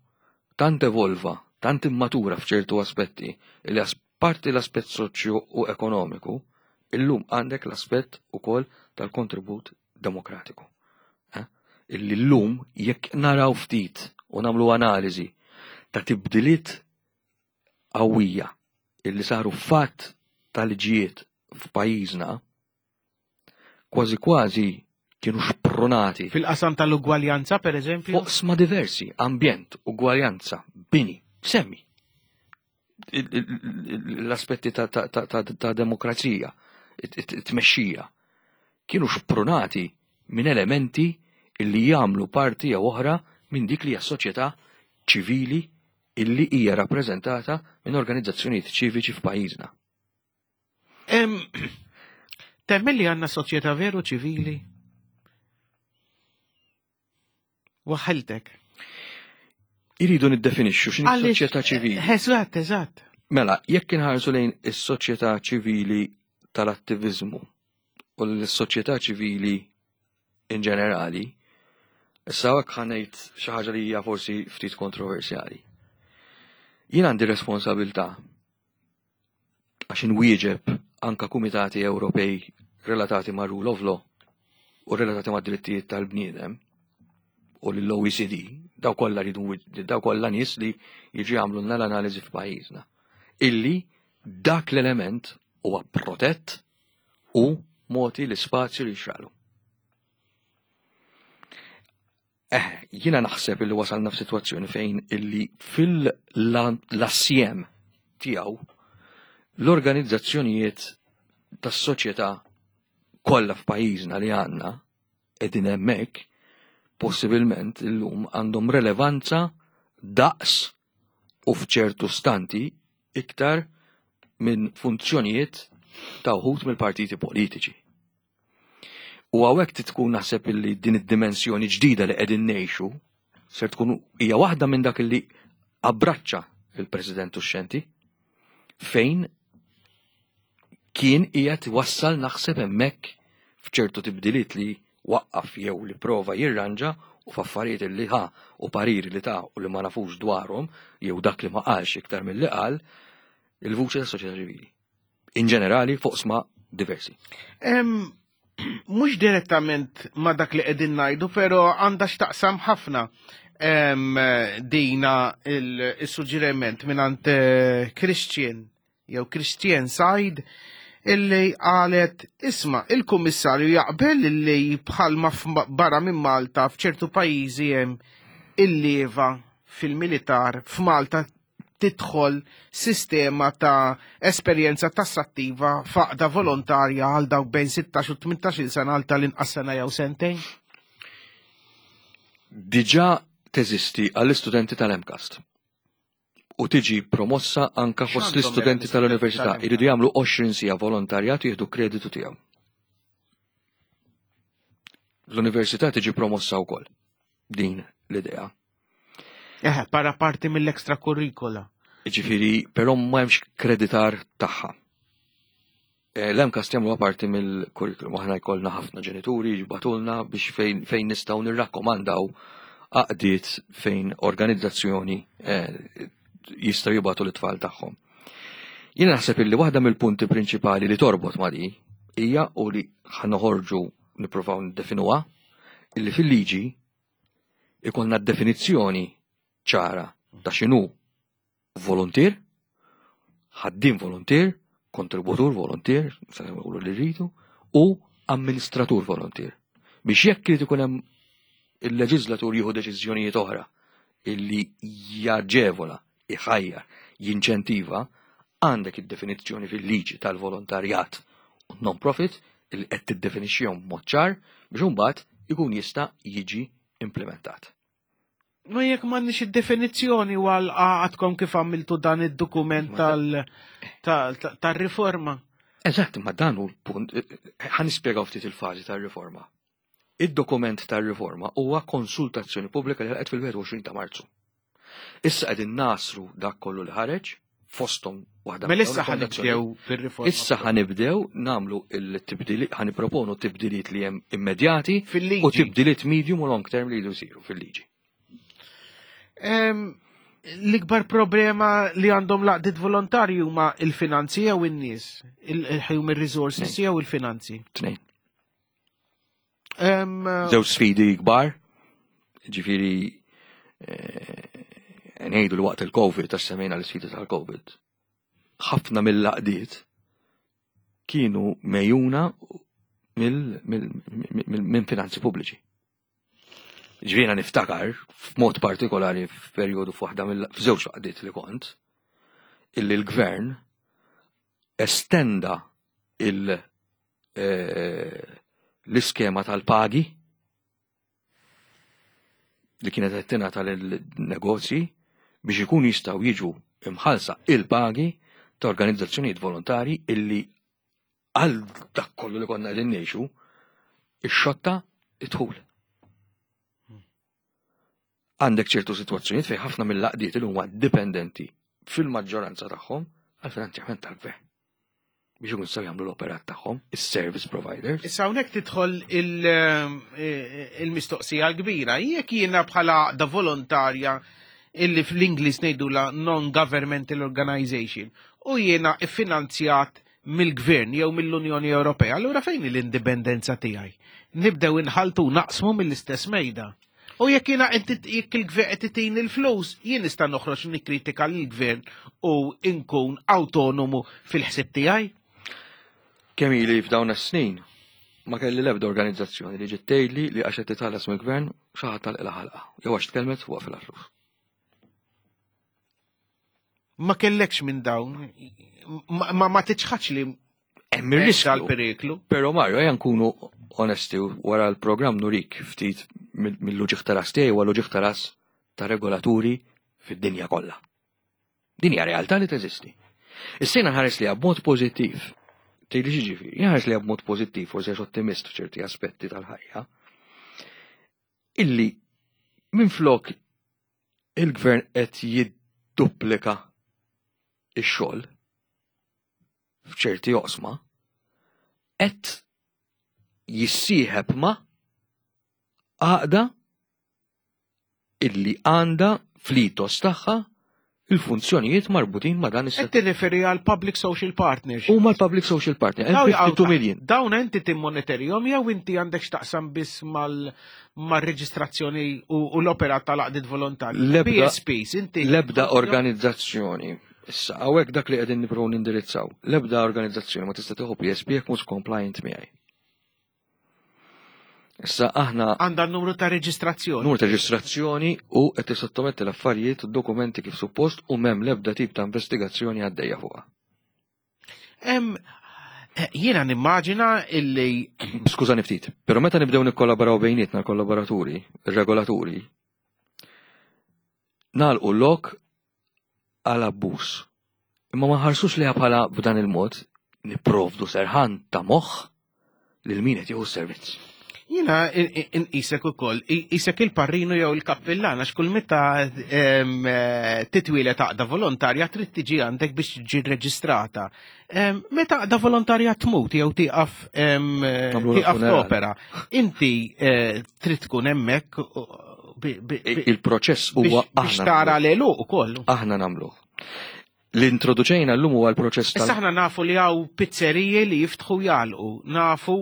tant evolva, tant immatura f'ċertu aspetti, illi parti l-aspett soċju u ekonomiku, illum għandek l-aspett ukoll tal-kontribut demokratiku. Illi llum jekk naraw ftit u nagħmlu analiżi ta' tibdiliet qawwija illi saru fatt tal-liġijiet f'pajjiżna, kważi kważi kienu xprunati. Fil-qasam tal-ugwaljanza, per eżempju? Oqsma diversi, ambjent, ugwaljanza, bini, semmi. L-aspetti ta' demokrazija, it-tmexxija, kienu xprunati minn elementi illi jagħmlu parti jew oħra minn dik li hija soċjetà ċivili illi hija rappreżentata minn organizzazzjonijiet ċiviċi f'pajjiżna. Temmen li għandna soċjetà veru ċivili? Waħħiltek. Iridu niddefinixxu x'inhi Għaliex- soċjetà ċivili. Eżatt, eżatt. Mela, jekk inħarsu lejn is-soċjetà ċivili tal-attiviżmu u l-soċjetà ċivili in ġenerali, issa hekk ħa ngħid xi ħaġa li hija forsi ftit kontroversjali. Jien għandi responsabilità għax inwieġeb anka kumitati Ewropej relatati ma' rule of law u relatati ma' drittijiet tal-bniedem u l-OECD Daw kollha ridu daw kollha nies li jiġu jagħmlulna l-analiżi f'pajjiżna. Illi dak l-element huwa protett u mogħti l-ispazju li jixraqlu. Eh, jiena naħseb illi wasalna f'sitwazzjoni fejn illi fil-assjem tiegħu l-organizzazzjonijiet tas-soċjetà kollha f'pajjiżna li għandna qegħdin hemmhekk possibilment illum għandhom relevanza daqs u f'ċertu stanti iktar minn funzjonijiet ta' uħud mill-partiti politiċi. U hawnhekk tkun naħseb illi din id-dimensjoni ġdida li qegħdin ngħixu ser tkun hija waħda minn dak illi abbraċċa il-President Uxxenti fejn kien qiegħed wassal naħseb hemmhekk f'ċertu tibdiliet li waqqaf jew li prova jirranġa u f'affarijiet li ħa u pariri li ta' u li ma nafux dwarhom jew dak li ma qalx iktar milli qal il-vuċi tas-soċjetà ċivili. In ġenerali fuq sma diversi. Mhux direttament ma dak li qegħdin ngħidu, però għandha x'taqsam ħafna dina il-suġġeriment mingħand eh, Christian jew Christian Said illi qalet isma' il-kummissarju jaqbel illi bħalma barra minn Malta f'ċertu pajjiżi hemm il-leva fil-militar f'Malta tidħol sistema ta' esperjenza tassattiva f'għaqda volontarja għal dawk bejn 16 u 18 sena għal tal-inqas sena jew sentejn? Diġà teżisti għall-istudenti tal-MCAST u tiġi promossa anka fost l-istudenti tal-università jridu jagħmlu 20 sija volontarjat jieħdu kreditu tiegħu. L-università tiġi promossa wkoll din l-idea. Eħe, para parti mill-extra curricula. Ġifiri, però ma hemmx kreditar tagħha. Eh, L-MCAST jagħmluha parti mill-kurrikulum, aħna jkollna ħafna ġenituri jibatulna biex fejn, fejn nistgħu nirrakkomandaw għaqdiet fejn organizzazzjoni eh, jistgħu jibatu l-tfal tagħhom. Jiena naħseb illi waħda mill-punti prinċipali li torbot ma' di hija u li ħanoħorġu nippruvaw niddefinuha illi fil-liġi ikollna definizzjoni ċara ta' x'inhu voluntier, ħaddiem voluntier, kontributur voluntier, se nqulu li rridu, u amministratur voluntier. Biex jekk irid ikun hemm il-leġislatur jieħu deċiżjonijiet oħra illi jaġevola, iħajjar, jinċentiva, għandek id-definizzjoni fil-liġi tal-volontarjat u non-profit li qed tiddefinixxihom b'mod ċar biex imbagħad ikun jista' jiġi implementat. Ma jekk m'għandniex id-definizzjoni u għal għadkom kif għamiltu dan id-dokument tal-riforma. Eżatt, ma dan hu l-punt, ħa nispjegaw ftit il-fażi tar-riforma. Id-dokument tar-riforma huwa konsultazzjoni pubblika li ħalqet fil-21 ta' Marzu. Issa qegħdin nasru dak kollu li ħareġ fosthom waħda. Mela issa ħanibdew bir-riforma. Issa ħanibdew nagħmlu il-tibdili ħaniproponu tibdiliet li hemm immedjati u tibdiliet medium u long term li jridu jsiru fil-liġi. L-ikbar problema li għandhom laqdiet volontarji huma il-finanzi jew in-nies, il-human resources jew il-finanzi. Tnejn. Żewġ sfidi kbar, ġifiri eh, ngħidu li waqt il-Covid, għax semmejna l-sfidi tal-Covid, ħafna mill-laqdiet kienu mejuna minn finanzi pubbliċi. Ġvina niftakar, f'mod partikolari f'perjodu f'waħda mill-żewġ laqdiet li kont, illi l-gvern estenda il- Eh, l-iskema tal-pagi li kienet qed tingħata lin-negozji biex ikun jistgħu jiġu imħalsa il-pagi ta' organizzazzjonijiet volontari illi għal dak kollu li konna qegħdin ngħixu ix-xotta idħul. Għandek ċertu sitwazzjonijiet fejn ħafna mill-laqdiet li huma dipendenti fil-maġġoranza tagħhom għal finanzjament tal-gvern biex ikun jistgħu jagħmlu l-operat tagħhom, is-service providers. Issa hawnhekk tidħol eh, il-mistoqsija l-kbira. Jekk jiena bħala da volontarja illi fl-Ingliż ngħidula non-governmental organization u jiena iffinanzjat mill-gvern jew mill-Unjoni Ewropea, allura fejn l-indipendenza tiegħi? Nibdew inħaltu naqsmu mill-istess mejda. U jekk jiena jekk il-gvern qed itini l-flus, jien nista' noħroġ nikkritika lill-gvern u nkun awtonomu fil-ħsieb tiegħi. Kemm ili f'dawn is-snin ma kelli l-ebda organizzazzjoni li ġiet tgħidli li għax qed titħallas mill-gvern xi ħadd għalqilha ħalqa jew għax tkellmet waqfilha flus. Ma kellekx minn dawn, ma ma tiċħadx li hemm ir-riskju periklu. Però Mario, ejja nkunu onesti wara l-programm nurik ftit mill-uġigħ ta' ras tiegħi huwa l-uġigħ ta' ras ta' regolaturi fid-dinja kollha. Din hija realtà li teżisti. Issa jiena nħares liha b'mod pożittiv. Tgħidli x'jiġifieri? Jien nħares liha b'mod pożittiv, forsi għax ottimist f'ċerti aspetti tal-ħajja, illi minflok il-gvern qed jidduplika x-xogħol f'ċerti oqsma, qed jissieħeb ma' għaqda illi għandha fl-ethos tagħha il-funzjonijiet marbutin ma' dan is-settur. Qed tirreferi għal Public Social Partnership. Huma l-Public Social Partner, hemm 52 million. Dawn inti timmonitorjhom jew inti għandek x'taqsam biss mal-reġistrazzjoni u l-operat tal-għaqdiet volontarji? PSPs, inti. L-ebda organizzazzjoni. Issa, hawnhekk dak li qegħdin nippruvaw nindirizzaw. L-ebda organizzazzjoni ma tista' tieħu PSP jekk mhux compliant miegħi. Issa aħna għandha n-numru ta' reġistrazzjoni. Numru ta' reġistrazzjoni u qed tissottometti l-affarijiet u d-dokumenti kif suppost u m'hemm l-ebda tip ta' investigazzjoni għaddejja fuqha. Eh, jiena nimmaġina illi. Skużani ftit, però meta nibdew nikkollaboraw bejnietna l-kollaboraturi, ir-regolaturi, nagħlqu lok għal abbuż. Imma ma nħarsux liha bħala b'dan il-mod nipprovdu serħan ta' moħħ lil min qed jieħu s-servizz. Jina inqisek ukoll, isek il-parrinu jew il-kappillan għax kull meta eh, titwilet għaqda volontarja trid tiġi għandek biex tiġi reġistrata. Meta għaqda volontarja tmut jew tieqaf tieqaf opera, inti eh, trid tkun hemmhekk Il-proċess huwa biex tara l-għeluq ukoll. Aħna nagħmluh. L-introduċejna llum huwa l-proċess tal. Issa aħna nafu li hawn pizzeriji li jiftħu jagħlqu, nafu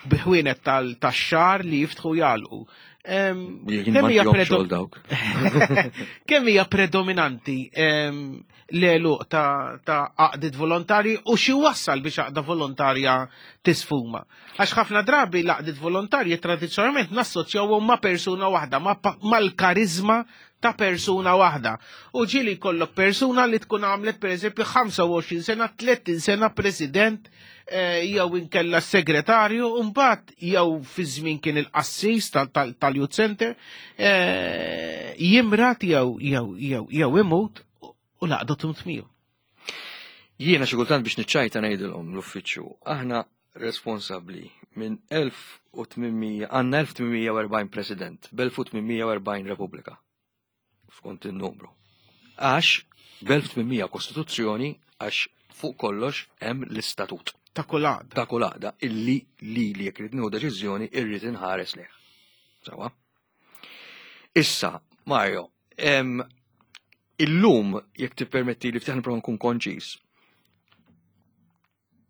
biħwienet tal-xar li jiftħu jagħlqu. Kemm hija predominanti l-għeluq ta' għaqdiet volontarji u xi wassal biex għaqda volontarja tisfuma. Għax ħafna drabi l-għaqdiet volontarji tradizzjonalment nassoċjawhom ma' persuna waħda, mal-karizma ta' persuna waħda. U ġieli jkollok persuna li tkun għamlet pereżempju 25 sena, 30 sena president eh, jew inkella segretarju, u mbagħad jew fi żmien kien il-qassis tal-youth center, eh, jimrat jew jew jew jew imut u laqdu tmut miegħu. Jiena xi kultant biex niċċajta ngħidilhom l-uffiċċju, aħna responsabbli minn 1800 għandna 1840 president b'1840 repubblika skont in-numru. Għax b'1800 kostituzzjoni għax fuq kollox hemm l-istatut. Ta' kull għaqda. Ta' kull għaqda illi li li jekk irid nieħu deċiżjoni irrid inħares lejh. Sawa? Issa, Mario, illum jekk tippermetti li ftit nipprova nkun konċis.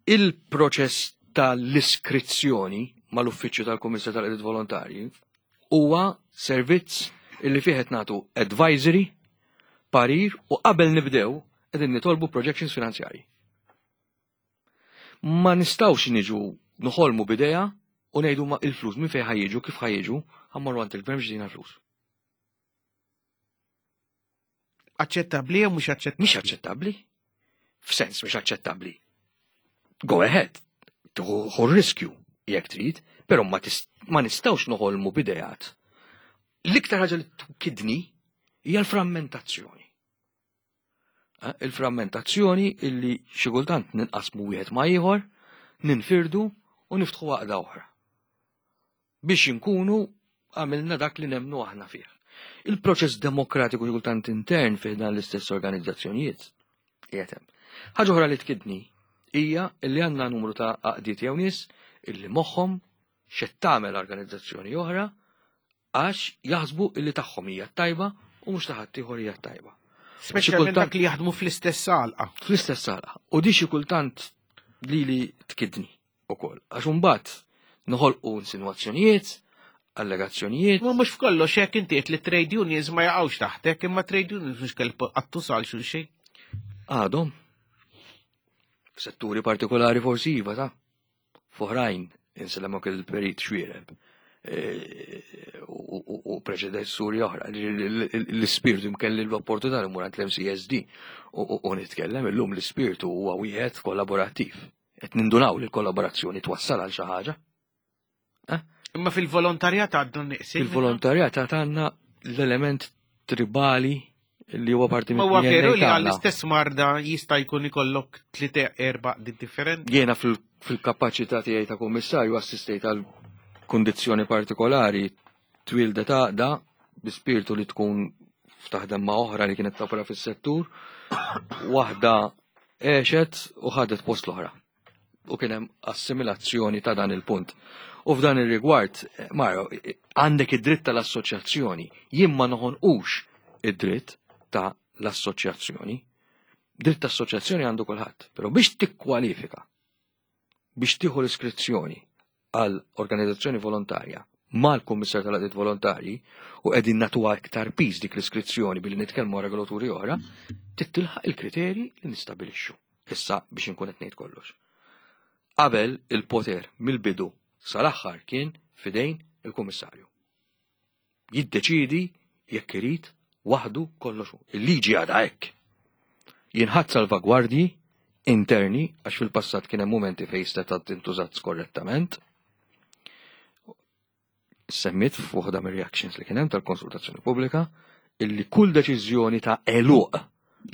Il-proċess tal-iskrizzjoni mal-Uffiċċju tal-Kummissar tal-Qdiet Volontarji huwa servizz illi fih qed nagħtu advisory, parir u qabel nibdew qegħdin nitolbu projections finanzjarji. Ma nistgħux niġu noħolmu b'idea u ngħidu ma il-flus minn fejn ħajjiġu, kif ħajjiġu, ħammorru għand il-gvern biex jtina flus. Aċċettabbli jew mhux aċċettabbli? Mhix aċċettabbli. F'sens mhux aċċettabbli. Go ahead, tieħu riskju jekk trid, però ma, ma nistgħux noħolmu b'idejat. L-iktar ħaġa li tukidni hija l-frammentazzjoni. Eh, il-frammentazzjoni illi xi kultant ninqasmu wieħed ma' ieħor, ninfirdu u niftħu għaqda oħra. Biex inkunu għamilna dak li nemnu aħna fih. Il-proċess demokratiku xi kultant intern fih dan l-istess organizzazzjonijiet qiegħed hemm. Ħaġa oħra li tkidni hija li għandna numru ta' għaqdiet jew nies illi moħħhom x'qed tagħmel organizzazzjoni oħra għax jaħsbu illi tagħhom hija t-tajba u mhux ta' ħaddieħor hija t-tajba. Speċjalment dak li jaħdmu fl-istess għalqa. Fl-istess għalqa. U di xi kultant lili tkidni ukoll. Għax imbagħad noħolqu insinwazzjonijiet, Allegazzjonijiet. Ma mhux f'kollox hekk inti qed li trade unions ma jaqgħux taħtek, imma trade unions mhux kelb qattu sal xulxin. Għadhom. F'setturi partikolari forsi iva ta' f'oħrajn insellemok il-perit Xuereb u preċedessuri oħra. L-ispirtu mkelli l-opportunità li mur għand l-MCSD u nitkellem illum l-ispirtu huwa wieħed kollaborattiv. Qed nindunaw li l-kollaborazzjoni twassal għal xi ħaġa. Eh? Imma fil-volontarjat għaddu niqsin. Fil-volontarjat għandna l-element tribali li huwa parti minn. Huwa veru li għall-istess marda jista' jkun ikollok tlieta erba' differenti. Jiena fil-kapaċità tiegħi ta' kummissarju assistejt għal kundizzjoni partikolari twildet għaqda bi spirtu li tkun f'taħdem ma' oħra li kienet topera fis-settur, waħda għexet u ħadet post l-oħra. U kien hemm assimilazzjoni ta' dan il-punt. U f'dan ir-rigward, Mario, għandek id-dritt tal-assoċjazzjoni. Jien ma noħonqux id-dritt ta' l-assoċjazzjoni. Dritt ta' assoċjazzjoni għandu kulħadd, però biex tikkwalifika biex tieħu l-iskrizzjoni għal organizzazzjoni volontarja mal-Kummissar tal-Għaqdiet Volontarji u qegħdin nagħtuha iktar piż dik l-iskrizzjoni billi nitkellmu regolaturi oħra, tittilħaq il-kriterji li nistabilixxu. Issa biex inkun qed ngħid kollox. Qabel il-poter mill-bidu sal-aħħar kien fidejn il-Kummissarju. Jiddeċiedi jekk irid waħdu kollox hu. Il-liġi għadha hekk. Jinħadd salvagwardji interni għax fil-passat kien hemm mumenti fejn seta' tintużat skorrettament. Semmit f'waħda mir-reactions li kien hemm tal-konsultazzjoni pubblika illi kull deċiżjoni ta' għeluq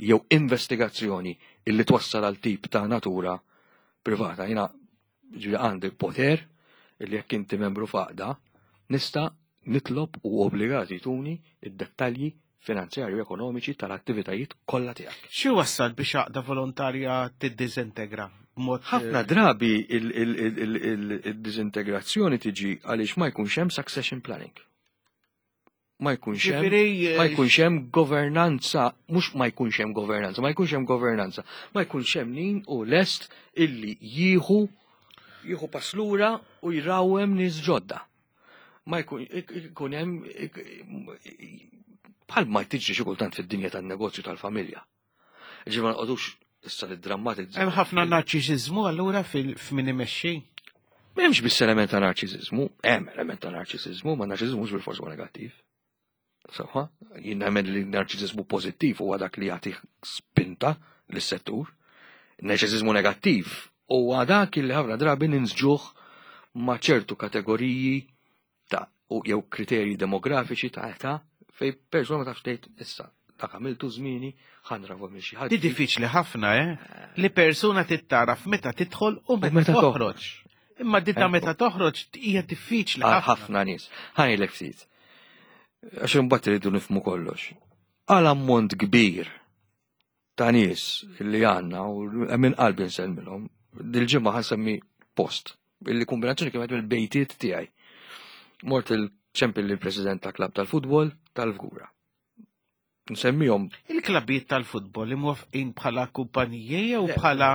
jew investigazzjoni illi twassal għal tip ta' natura privata. Jiena ġifieri għandi poter illi jekk inti membru f'għaqda nista' nitlob u obbligati tuni id-dettalji finanzjarju ekonomiċi tal-attivitajiet kollha tiegħek. Xi wassal biex għaqda volontarja tiddiżintegra? B'mod Ħafna drabi il-diżintegrazzjoni tiġi għaliex ma jkunx hemm succession planning. Ma jkunx hemm Ġifieri, ma jkunx hemm governanza, mhux ma jkunx hemm governanza, ma jkunx hemm governanza, ma jkunx hemm min u lest illi jieħu jieħu pass lura u jrawhem nies ġodda. Ma jkun ikun hemm bħal ma tiġri xi kultant fid-dinja tan-negozju tal-familja. Ġifieri ma nqogħdux issa niddrammatizzaw. Hemm ħafna narċisiżmu allura fil-min imexxi. M'hemmx biss element ta' narċisiżmu, hemm element ta' narċisiżmu, ma narċisiżmu mhux bil-fors huwa negattiv. Sewwa, jien nemmen li narċisiżmu pożittiv huwa dak li jagħti spinta lis-settur. Narċisiżmu negattiv huwa dak li ħafna drabi ninsġuh ma' ċertu kategoriji ta' u jew kriterji demografiċi ta' età fej persuna ma tafx tgħid issa dak għamiltu żmieni ħa nravu minn xi ħadd. Di diffiċli ħafna, eh? Li persuna tittaraf meta tidħol u meta meta toħroġ. Imma di ta' meta toħroġ hija diffiċli Għal ħafna. ħafna nies. Ħajlek ftit. Għax imbagħad iridu nifhmu kollox. Għal ammont kbir ta' nies li għandna u minn qalbi nsellmilhom, dil-ġimgħa ħansemmi post illi kombinazzjoni kienet mill-bejtiet tiegħi. Mort il-ċempil lill-president ta' klab tal-futbol tal-Fgura. Nsemmihom Il-klabijiet tal-futbol imwafqin bħala kumpaniji jew bħala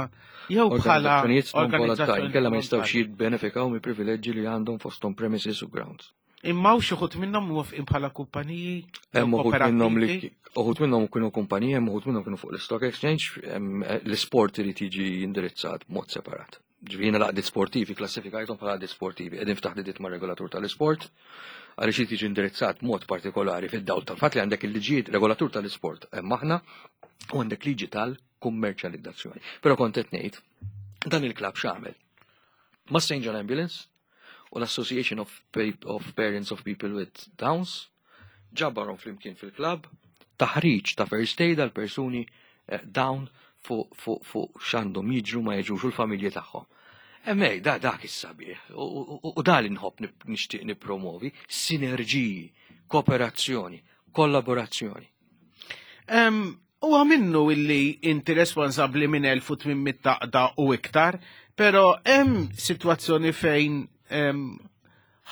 jew bħala organizzazzjonijiet non volontari, organizzazzjoni kella ma jistgħux volontarji. jibbenefikaw mill privileġġi li għandhom fosthom premises u grounds. Imma hawn xi wħud minnhom mwafqin bħala kumpaniji jew Hemm uħud minnhom li kooperattivi? uħud minnhom kienu kumpaniji, hemm uħud minnhom kienu fuq l-stock exchange, hemm l-isport irid jiġi indirizzat b'mod separat. Ġifieri jiena l-għaqdiet sportivi klassifikajthom bħala għaqdiet sportivi, qegħdin f'taħdidiet mar-regolatur tal-isport, għaliex irid jiġi indirizzat b'mod partikolari fid-dawl tal-fatt li għandek il-liġijiet regolatur tal-isport hemm aħna u għandek liġi tal-kummerċjalizzazzjoni. Però kont qed ngħid, dan il-klabb x'għamel? Ma' St. John Ambulance u l-Association of Parents of People with Downs ġabarhom flimkien fil-klabb, taħriġ ta' first aid għal persuni down fuq x'għandhom jiġru ma jiġrux u l-familji tagħhom. Emmej, dak is-sabiħ, u da li nħobb nixtieq nippromovi, sinerġiji, kooperazzjoni, kollaborazzjoni. Huwa minnu illi inti responsabbli minn 1800 taqda u iktar, però hemm sitwazzjoni fejn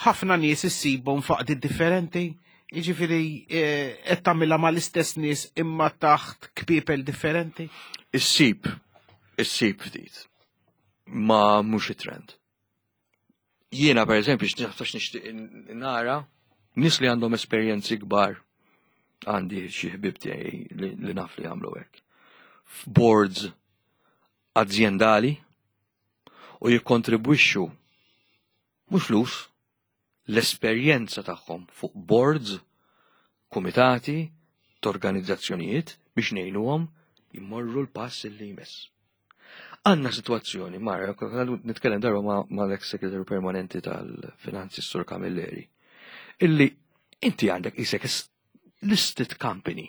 ħafna nies issibhom f'għaqdiet differenti. Jiġifieri qed tagħmilha mal-istess nies imma taħt kpiepel differenti. Issib, issib ftit. Ma mhux it-trend. Jiena per eżempju, x'naftax nixtieq nara nies li għandhom esperjenzi kbar għandi xi ħbieb tiegħi li naf li jagħmlu hekk. F'boards azjendali u jikkontribwixxu mhux flus, l-esperjenza tagħhom fuq boards, kumitati, t'organizzazzjonijiet biex ngħinuhom jmorru l-pass li jmiss. Għanna situazzjoni, Mara, nitkellem darba ma l-ex segretarju permanenti tal-Finanzi Sur Camilleri, illi inti għandek isek listed company.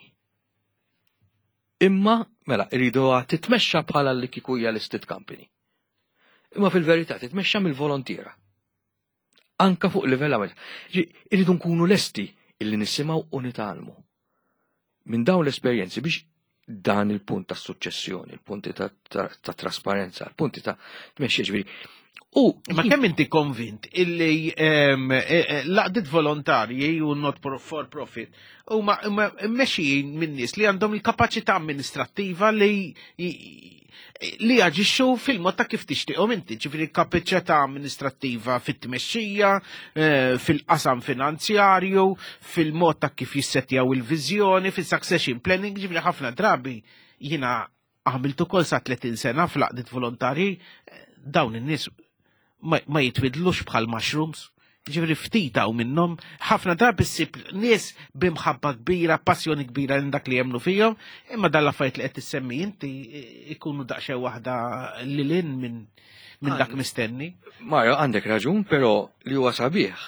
Imma, mela, irridu titmexxa bħala li kieku hija listed company. Imma fil-verità titmexxa mill-volontiera. Anka fuq livell għamel. Irridu nkunu lesti illi nisimgħu u nitgħallmu. Minn dawn l-esperjenzi biex dan il-punt ta' suċċessjoni, il-punti ta', ta, ta trasparenza, il-punti ta' tmexxija ġifieri. U ma kemm inti konvint illi e, e, laqdiet volontarji u not for profit huma mmexxijin minn nies li għandhom il-kapaċità amministrattiva li li jaġixxu fil-mod ta' kif tixtieqhom inti, ġifieri kapaċità amministrattiva fit-tmexxija, eh, fil-qasam finanzjarju, fil-mod ta' kif jissettjaw il-viżjoni, fis-succession planning, ġifieri ħafna drabi jiena għamilt ukoll sa 30 sena fl-għaqdiet volontarji, eh, dawn in-nies ma jitwidlux bħal mushrooms. Ġifieri ftit hawn minnhom, ħafna drabi ssib nies b'imħabba kbira, passjoni kbira lejn dak li jemmnu fihom, imma dan l-affarijiet li qed tissemmi inti ikunu daqsxejn waħda lil hinn minn min dak mistenni. Mario, għandek raġun, però li huwa sabiħ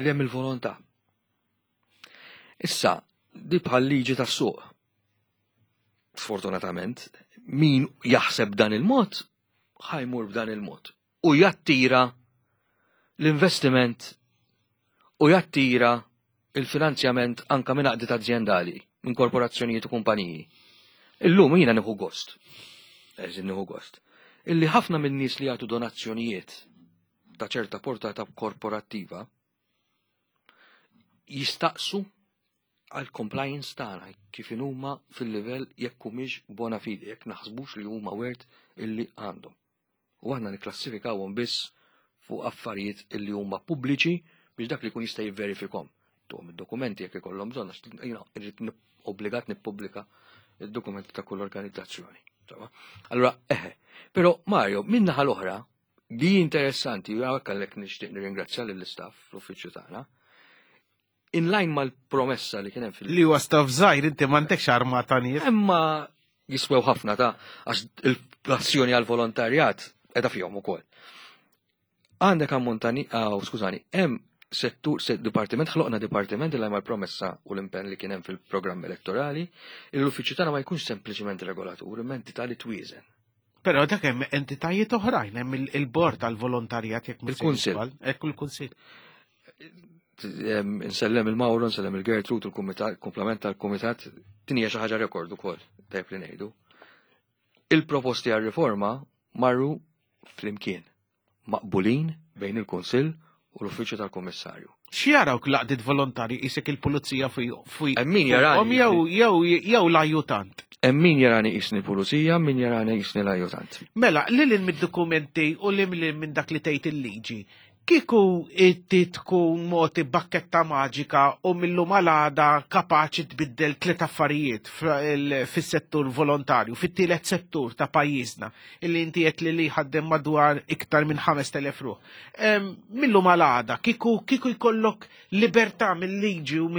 li hemm il-volontà. Issa, di bħal liġi tas-suq. Sfortunatament, min jaħseb dan il-mod, ħajmur b'dan il-mod. U jattira l-investiment u jattira il-finanzjament anka minn għaqdiet azjendali, minn korporazzjonijiet u kumpaniji. Illum jiena nieħu gost. Eżin nieħu gost. Illi ħafna minn nies li jagħtu donazzjonijiet ta' ċerta portata korporattiva jistaqsu għal compliance tagħna kif huma fil-livell jekk humiex bona fide, jekk naħsbux li huma wert illi għandhom. U aħna nikklassifikawhom biss fuq affarijiet illi huma pubbliċi biex dak li jkun jista' jivverifikhom. Tuhom id-dokumenti jekk ikollhom bżonn għax jiena irrid obbligat nippubblika id-dokumenti ta' kull organizzazzjoni. Allura, eħe, però Mario, minn naħa l-oħra, li interessanti, u għalhekk għalhekk nixtieq nirringrazzja lill-istaff fl-uffiċċju tagħna, in line mal-promessa li kien hemm fil- Li huwa staff żgħir inti m'għandekx armata nies. Imma jiswew ħafna ta' għax il-passjoni għal-volontarjat edha fihom ukoll. Għandek ammont ta' ah, skużani, hemm settur, set dipartiment, ħloqna dipartiment li mal-promessa u l-impenn li kien hemm fil-programm elettorali, l-uffiċċju tagħna ma jkunx sempliċement regolatur, imma entità li twieżen. Però dak hemm entitajiet oħrajn, hemm il-bord tal-volontarjat jekk il-kunsill. Ekku l-kunsill. Insellem il-Mauro, insellem il-Gertrud, il-kumitat, il-komplement tal-kumitat, din hija xi ħaġa rekord ukoll, tajb li ngħidu. Il-proposti għar-riforma marru flimkien, maqbulin bejn il-Kunsill u l-Uffiċċju tal-Kummissarju. X'jarawk l-għaqdiet volontarji qisek il-pulizija fuq Hemm min jarani. Jew jew jew l-ajjutant. Hemm min jarani qisni pulizija, min jarani qisni l-ajjutant. Mela, lil hinn mid-dokumenti u lil minn dak li tgħid il-liġi, Kieku inti tkun mogħti bakketta maġika u mil-lum għal għada kapaċi tbiddel tliet affarijiet fis-settur volontarju, fit-tielet settur ta' pajjiżna, illi inti qed li li jħaddem madwar iktar minn 5,000 ruħ. Mil-lum għal għada, kieku kieku jkollok libertà mill-liġi u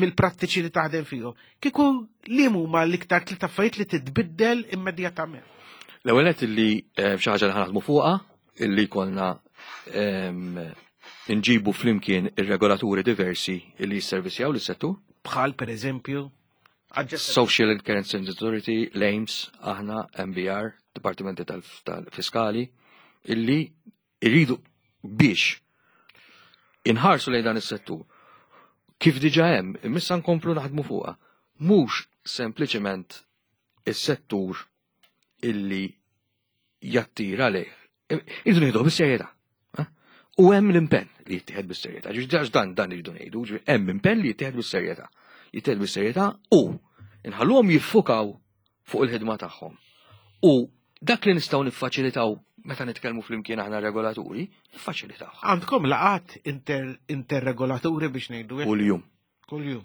mill-prattiċi li taħdem fihom, kieku li huma l-iktar tliet affarijiet li titbiddel immedjatament? L-ewwel nett illi eh, xi ħaġa li ħanaħdmu fuqha illi jkollna nġibu flimkien ir-regolaturi diversi illi jisservisjaw lis-settur. Bħal per eżempju? Social and Currency Authority, l-AIMS, aħna, MBR, Dipartimenti tal-Fiskali, illi irridu biex inħarsu lejn dan is-settur. Kif diġa hemm, imissa nkomplu naħdmu fuqha. Mhux sempliċement is-settur illi jattira lejh. Irridu nieħduh bis-serjetà. Eh? U hemm l-impenn li jittieħed bis-serjetà. Ġifieri dan dan irridu ngħidu, ġifieri hemm impenn li jittieħed bis-serjetà. Jittieħed bis-serjetà u nħalluhom jiffukaw fuq il-ħidma tagħhom. U dak li nistgħu niffaċilitaw meta nitkellmu flimkien aħna regolaturi, niffaċilitawh. Għandkom laqat interregolaturi biex ngħidu hekk? Kuljum. Kuljum.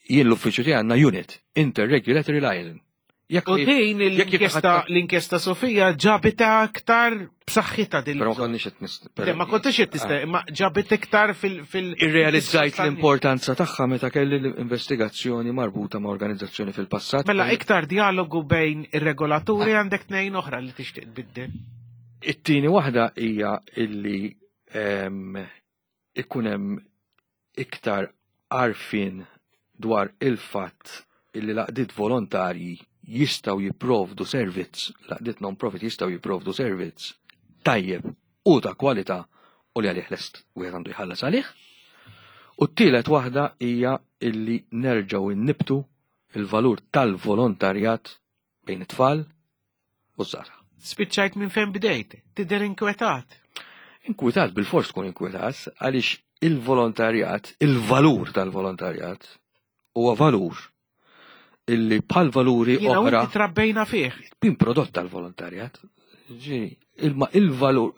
Jien l-uffiċċju tiegħi għandna unit, Interregulatory Liaison. U din l-inkjesta Sofija ġabita aktar b'saħħitha din. Però ma konniex qed nist. Ma kontix qed tista' ah. ma ġabit iktar fil Irrealizzajt l-importanza tagħha meta kelli l-investigazzjoni marbuta ma' organizzazzjoni fil-passat. Mela iktar dialogu bejn ir-regolaturi ah. għandek tnejn oħra li tixtieq tbiddel. It-tieni waħda hija illi ehm, ikun hemm iktar għarfien dwar il-fatt illi l-għaqdiet volontarji jistgħu jipprovdu servizz, l-għaqdiet non-profit jistgħu jipprovdu servizz tajjeb u ta' kwalità u li għalih lest wieħed għandu jħallas għalih. U t-tielet waħda hija illi nerġgħu innibtu il-valur tal-volontarjat bejn it-tfal u ż-żgħażagħ. Spiċċajt minn fejn bdejt, tidher inkwetat. Inkwetat bil-fors tkun inkwetat għaliex il-volontarjat, il-valur tal-volontarjat huwa valur illi bħal valuri oħra. Jiena trabbejna fih. Bin prodott tal-volontarjat. Il-valur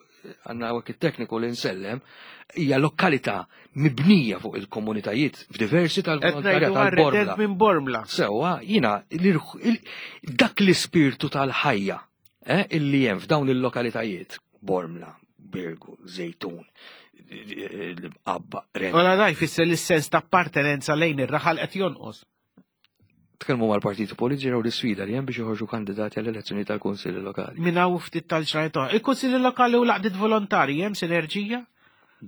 għanna għak il-tekniku li nsellem, hija lokalità mibnija fuq il-komunitajiet f'diversi tal-volontarjat tal-Bormla. Minn Bormla. Sewa, jina, dak l-ispirtu tal-ħajja eh, illi hemm f'dawn il-lokalitajiet, Bormla, Birgu, Zejtun, l-Abba, Ola daj fisser l-sens ta' appartenenza lejn ir-raħal qed jonqos. Tkellmu mal-partiti politiċi raw l-isfida li hemm biex joħorġu kandidati għall-elezzjoni tal-Kunsilli Lokali. Minn hawn ftit tal-ġranet oħra. Il-Kunsilli Lokali u l-għaqdiet volontarji hemm sinerġija?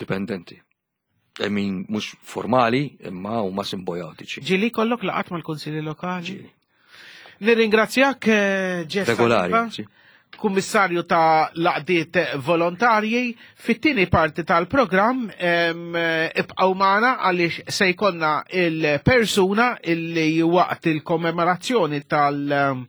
Dipendenti. I mean, mhux formali, imma huma simbojotiċi. Ġieli kollok laqgħat mal-Kunsilli Lokali? Ġieli. Nirringrazzjak, eh, Ġess. Regolari. Kummissarju ta' laqdiet volontarji. Fit-tieni parti tal-programm ibqgħu magħna għaliex se jkollna il-persuna illi waqt il-kommemorazzjoni tal-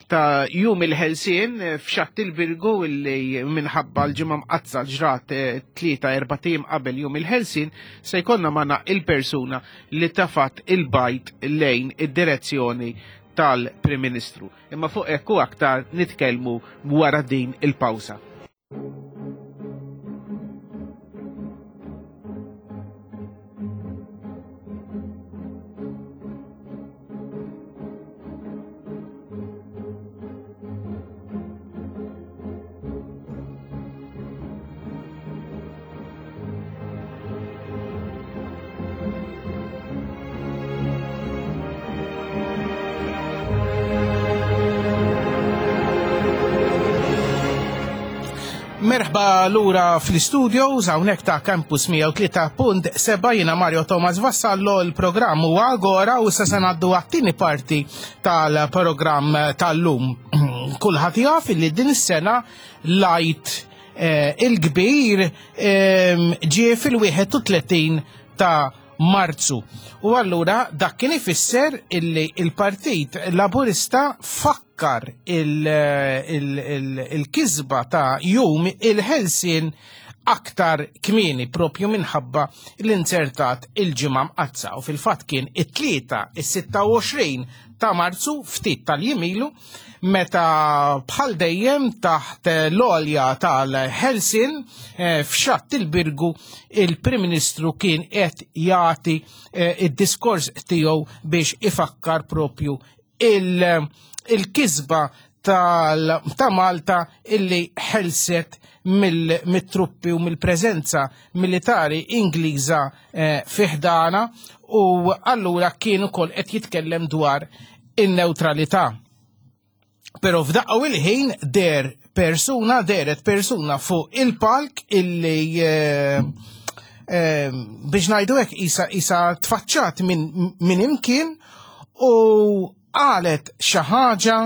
ta' jum il-ħelsien f'xatt il-Birgu illi minħabba l-ġimgħa mqazza ġrat eh, tlieta erba' tim qabel jum il-ħelsien se jkollna magħna il-persuna li tafat il-bajt lejn id-direzzjoni tal-Prim Ministru. Imma fuq hekk u aktar nitkellmu wara din il-pawża. Merħba lura fl-studios hawnhekk ta' Campus 103.7 jiena Mario Thomas Vassallo l-programm huwa Agora u issa se ngħaddu għat-tieni parti tal-programm tal-lum. Kulħadd jaf li din is-sena lajt eh, il-kbir ehm, ġie fil-31 ta' Marzu. U allura dak kien ifisser illi il-Partit Laburista fakkar il-kisba ta' jum il-ħelsien aktar kmieni propju minħabba l-inzertat il-ġimgħa mqazza u fil-fatt kien it-tlieta is-26 ta' Marzu ftit tal-jimilu meta bħal dejjem taħt l-għolja tal-Helsin eh, f'xatt il-Birgu il-Prim Ministru kien qed jagħti eh, id-diskors tiegħu biex ifakkar propju il-kisba ta' Malta illi ħelset mill-truppi u mill-preżenza militari Ingliża eh, fiħdana u allura kien ukoll qed jitkellem dwar in-newtralità. Però f'daqqa u il-ħin der persuna, deret persuna fuq il-palk illi eh, eh, biex ngħidu hekk isa, isa tfaċċat minn min imkien u qalet xi ħaġa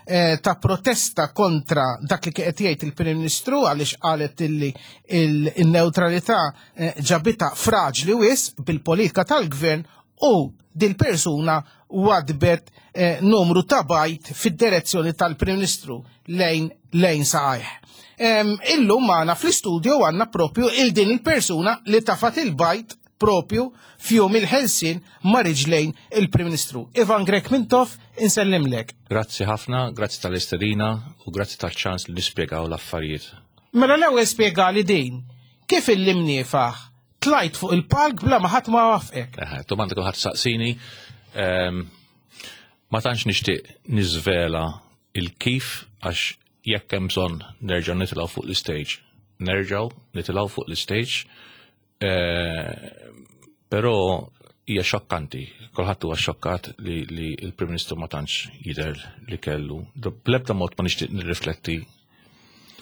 eh, ta' protesta kontra dak li qed jgħid il-Prim Ministru għaliex qalet illi il-neutralità ġabita fraġli wis bil-politika tal-gvern u dil-persuna wadbet eh, numru ta' bajt fid-direzzjoni tal-Prim Ministru lejn lejn saqajh. Illum magħna fl-istudio għandna propju il din il-persuna li tafat il-bajt propju fjum il-ħelsin ma' riġlejn il-Prim Ministru. Ivan Grek Mintoff, insellimlek. Grazzi ħafna, grazzi tal-istedina u grazzi tal-ċans li nispjegaw l-affarijiet. Mela l-ewwel spjegali din. Kif il-imniefaħ tlajt fuq il-palk bla ma ħadd ma wafqek? Domanda kulħadd saqsini. Ehm, ma tantx nixtieq niżvela il-kif għax jekk hemm bżonn nerġgħu nitilgħu fuq l-istage. Nerġgħu nitilgħu fuq l-istage. Eh, però hija xokkanti, kulħadd huwa xokkat li, li l-Prim Ministru ma tantx jidher li kellu. Bl-ebda mod ma nixtieq nirrifletti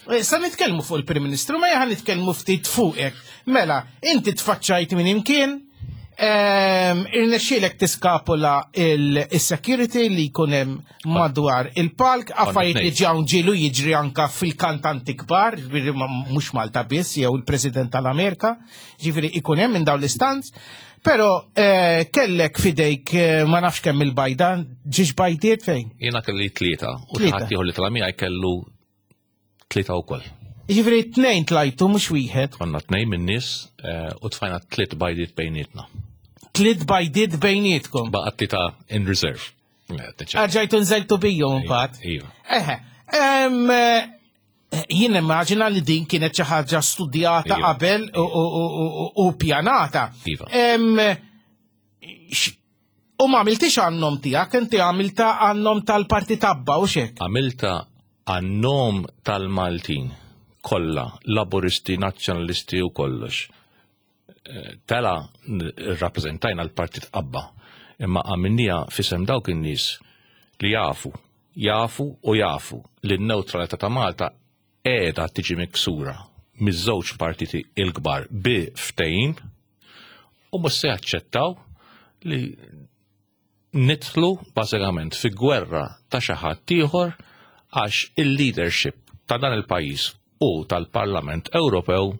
Eh, sa nitkellmu fuq il-Prim Ministru, ma jaħan nitkellmu ftit fuqek. Mela, inti tfaċċajt minn imkien, ehm, irnexxielek tiskapula il-security li jkun hemm madwar il-palk, affarijiet li ġew ġielu jiġri anka fil-kantanti kbar, mhux Malta biss jew il-President tal-Amerika, ġifieri ikun hemm minn dawn l-istanz. Pero eh, kellek fidejk eh, ma nafx kemm il-bajda, ġiex bajdiet fejn? Jiena kelli tlieta u ħadd ieħor li tla miegħi kellu tlieta wkoll. Jiġifieri tnejn tlajtu mhux wieħed. Konna tnejn min-nies eh, u tfajna tliet bajdiet bejnietna. Tliet bajdiet bejnietkom. Baqa' tlieta in reserve. Erġajtu nżeltu bijom imbagħad. Iva. Eħe. Eh, jien immaġina li din kienet xi ħaġa studjata iva. qabel u pjanata. Iva. U ma għamiltix għan-nom tiegħek, inti għamilta għan-nom tal-Partit Abba u xek. Għamilta għan-nom tal-Maltin kollha, Laburisti, Nazzjonalisti u kollox. Eh, tela rrappreżentajna l-Partit Abba, imma għamilnija fisem dawk in-nies li jafu, jafu u jafu li n-newtralità ta' Malta qiegħda tiġi miksura miż-żewġ partiti il-kbar bi ftehim u mhux se jaċċettaw li nidħlu bażikament fi gwerra ta' xi ħadd ieħor għax il-leadership ta' dan il-pajjiż u tal-Parlament Ewropew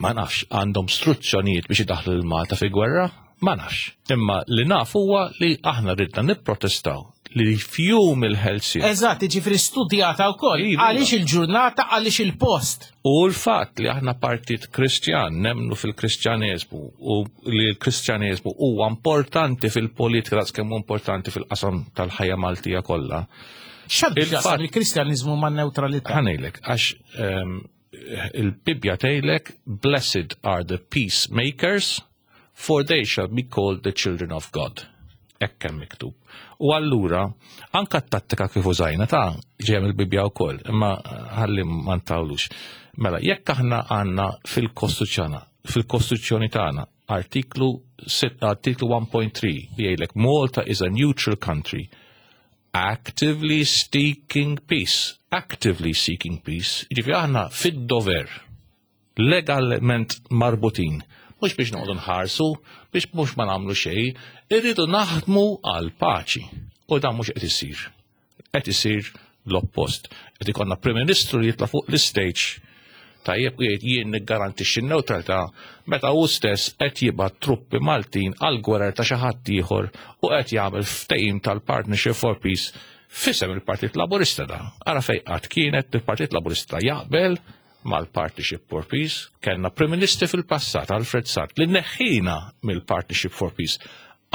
ma nafx għandhom struzzjonijiet biex idaħlu lil Malta fi gwerra, ma nafx. Imma li naf huwa li aħna ridna nipprotestaw li fjum il-ħelsien. Eżatt, jiġifieri studjata wkoll. Iva. Għaliex il-ġurnata, għaliex il-post. U l-fatt li aħna partit Kristjan, nemnu fil-Kristjaneżmu u li l-Kristjaneżmu huwa importanti fil-politika daqs kemm importanti fil-qasam tal-ħajja Maltija kollha. X'għandu x'jaqsam il-Kristjaniżmu man-newtralità? Ħa ngħidlek, għax ehm, il-Bibbja tgħidlek blessed are the peacemakers for they shall be called the children of God. Hekk hemm miktub. U allura anka t-tattika kif użajna ta' ġejja mill-Bibbja wkoll, imma ħalli ma ntawlux. Mela, jekk aħna għandna fil-Kostituzzjoni fil-Kostituzzjoni tagħna artiklu artiklu 1.3 li jgħidlek Malta is a neutral country actively seeking peace, actively seeking peace, jiġifieri aħna fid-dover, legalment marbutin, mhux biex noqogħdu nħarsu, biex mhux ma nagħmlu xejn, irridu naħdmu għal paċi. U dan mhux qed isir. Qed isir l-oppost. Qed ikollna Prim Ministru li jitla' fuq l-istage tajjeb u jgħid jien niggarantixxi n-newtralità meta hu stess qed jibgħat truppi Maltin għal gwerer ta' xi ħadd ieħor u qed jagħmel ftehim tal-Partnership for Peace f'isem il-Partit Laburista da. Ara fejn qatt kienet il-Partit Laburista jaqbel mal-Partnership for Peace, kellna Prim Ministri fil-passat Alfred Sant li neħħina mill-Partnership for Peace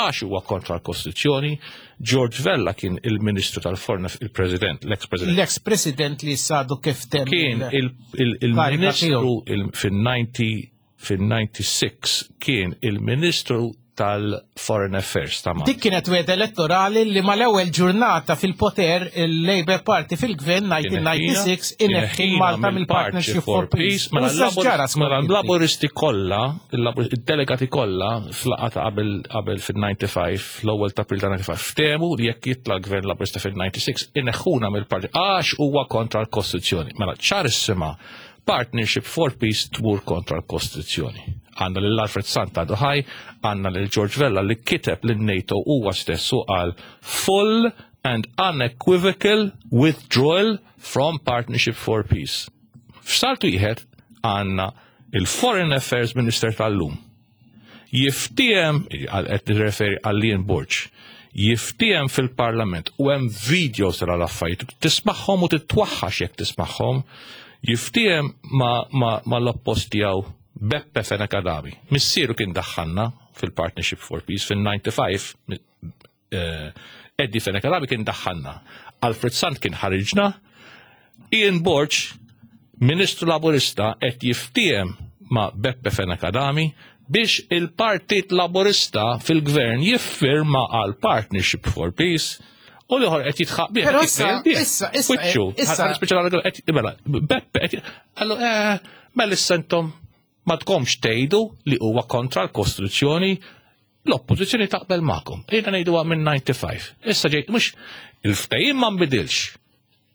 għax huwa kontra l-Kostituzzjoni. George Vella kien il-Ministru tal-Foreign il-President, l-ex-President. L-ex-President li sadu kif temm. Kien il-Ministru fil-90 fil-96 kien il-Ministru tal-Foreign Affairs ta' Malta. Dik kienet wegħda elettorali li mal-ewwel ġurnata fil-poter il-Labour Party fil-gvern 1996 ineħħi Malta mill-Partnership for Peace. Mela mela l-Laburisti kollha, id-delegati kollha fl-laqgħa ta' qabel qabel fil-95, l-ewwel ta' April ta' 95, ftehmu li jekk jitla' l-gvern Laburista fil-96 ineħħuna mill-parti għax huwa kontra l-Kostituzzjoni. Mela ċarissima Partnership for Peace tmur kontra l-Kostituzzjoni. Għandna lil Alfred Sant għadu ħaj, għandna lil George Vella li kiteb lin NATO huwa stess u qal full and unequivocal withdrawal from Partnership for Peace. F'saltu wieħed għandna il-Foreign Affairs Minister tal-lum jiftiehem, qed nirreferi għal Ian Borg, jiftiehem fil-Parlament u hemm videos tal affarijiet tismagħhom u titwaħħax jekk tismagħhom, jiftiehem ma, ma, ma l-oppost tiegħu Beppe Fenech Adami. Missieru kien daħħalna fil-Partnership for Peace fil-95 eh, Eddie Fenech Adami kien daħħalna. Alfred Sant kien ħariġna. Ian Borg, Ministru Laburista, qed jiftiehem ma' Beppe Fenech Adami biex il-Partit Laburista fil-gvern jiffirma għal Partnership for Peace u l-ieħor qed jitħaq bih. Però issa, issa, issa, issa. Qed mela, Beppe qed Allu, eh, mela issa intom ma tkomx tgħidu li huwa kontra l-Kostituzzjoni l-oppożizzjoni taqbel magħkom. Ejna ngħiduha minn 95. Issa ġejt mhux il-ftehim ma nbidilx.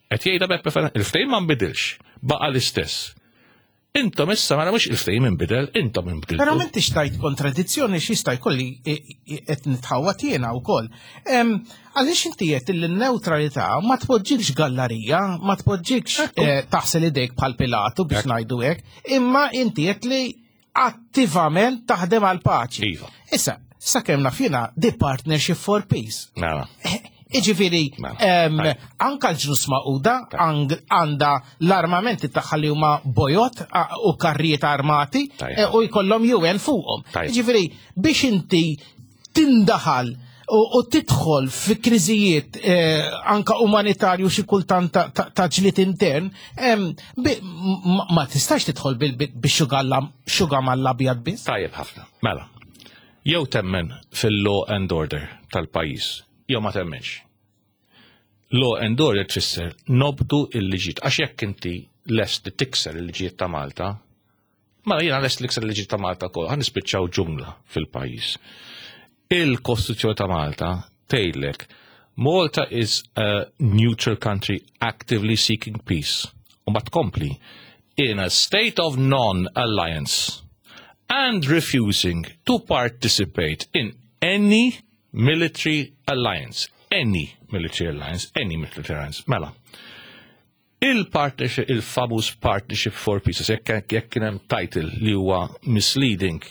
Qed jgħidha Beppe Fenech, il-ftehim ma nbidilx, baqa' l-istess. Intom issa mela mhux il-ftehim inbidel, intom inbdiltu. Però m'intix tajt kontradizzjoni x'jista' jkolli qed nitħawwad jiena wkoll. Għaliex inti qed li n-newtralità ma tpoġġikx gallarija, ma tpoġġikx eh, taħsel idejk bħal Pilatu biex ngħidu hekk, imma inti qed li attivament taħdem għal paċi. Iva. Issa, sakemm naf jiena the partnership for peace. Mela. Eh, iġifieri, Mela. anka l-ġnus maquda għandha l-armamenti tagħha li huma bojot u karrijiet armati eh, u jkollhom UN fuqhom. Iġifieri, biex inti tindaħal u tidħol fi kriżijiet eh, anka umanitarju xi kultant ta' ġlied intern, ma tistax tidħol bix-xuga mal-abjad biss. Tajjeb ħafna. Mela, jew temmen fil-law and order tal-pajjiż, jew ma temmenx. Law and order tfisser nobdu il-liġijiet, għax jekk inti lest li tikser il-liġijiet ta' Malta, mela jiena lest li tikser il-liġijiet ta' Malta wkoll, ħa nispiċċaw ġungla fil-pajjiż. Il-Kostituzzjoni ta' Malta tgħidlek Malta is a neutral country actively seeking peace. U ma tkompli in a state of non-alliance and refusing to participate in any military alliance. Any military alliance, any military alliance. Mela, il-partnership, il-famuż Partnership for Peace, jekk kien hemm title li huwa misleading,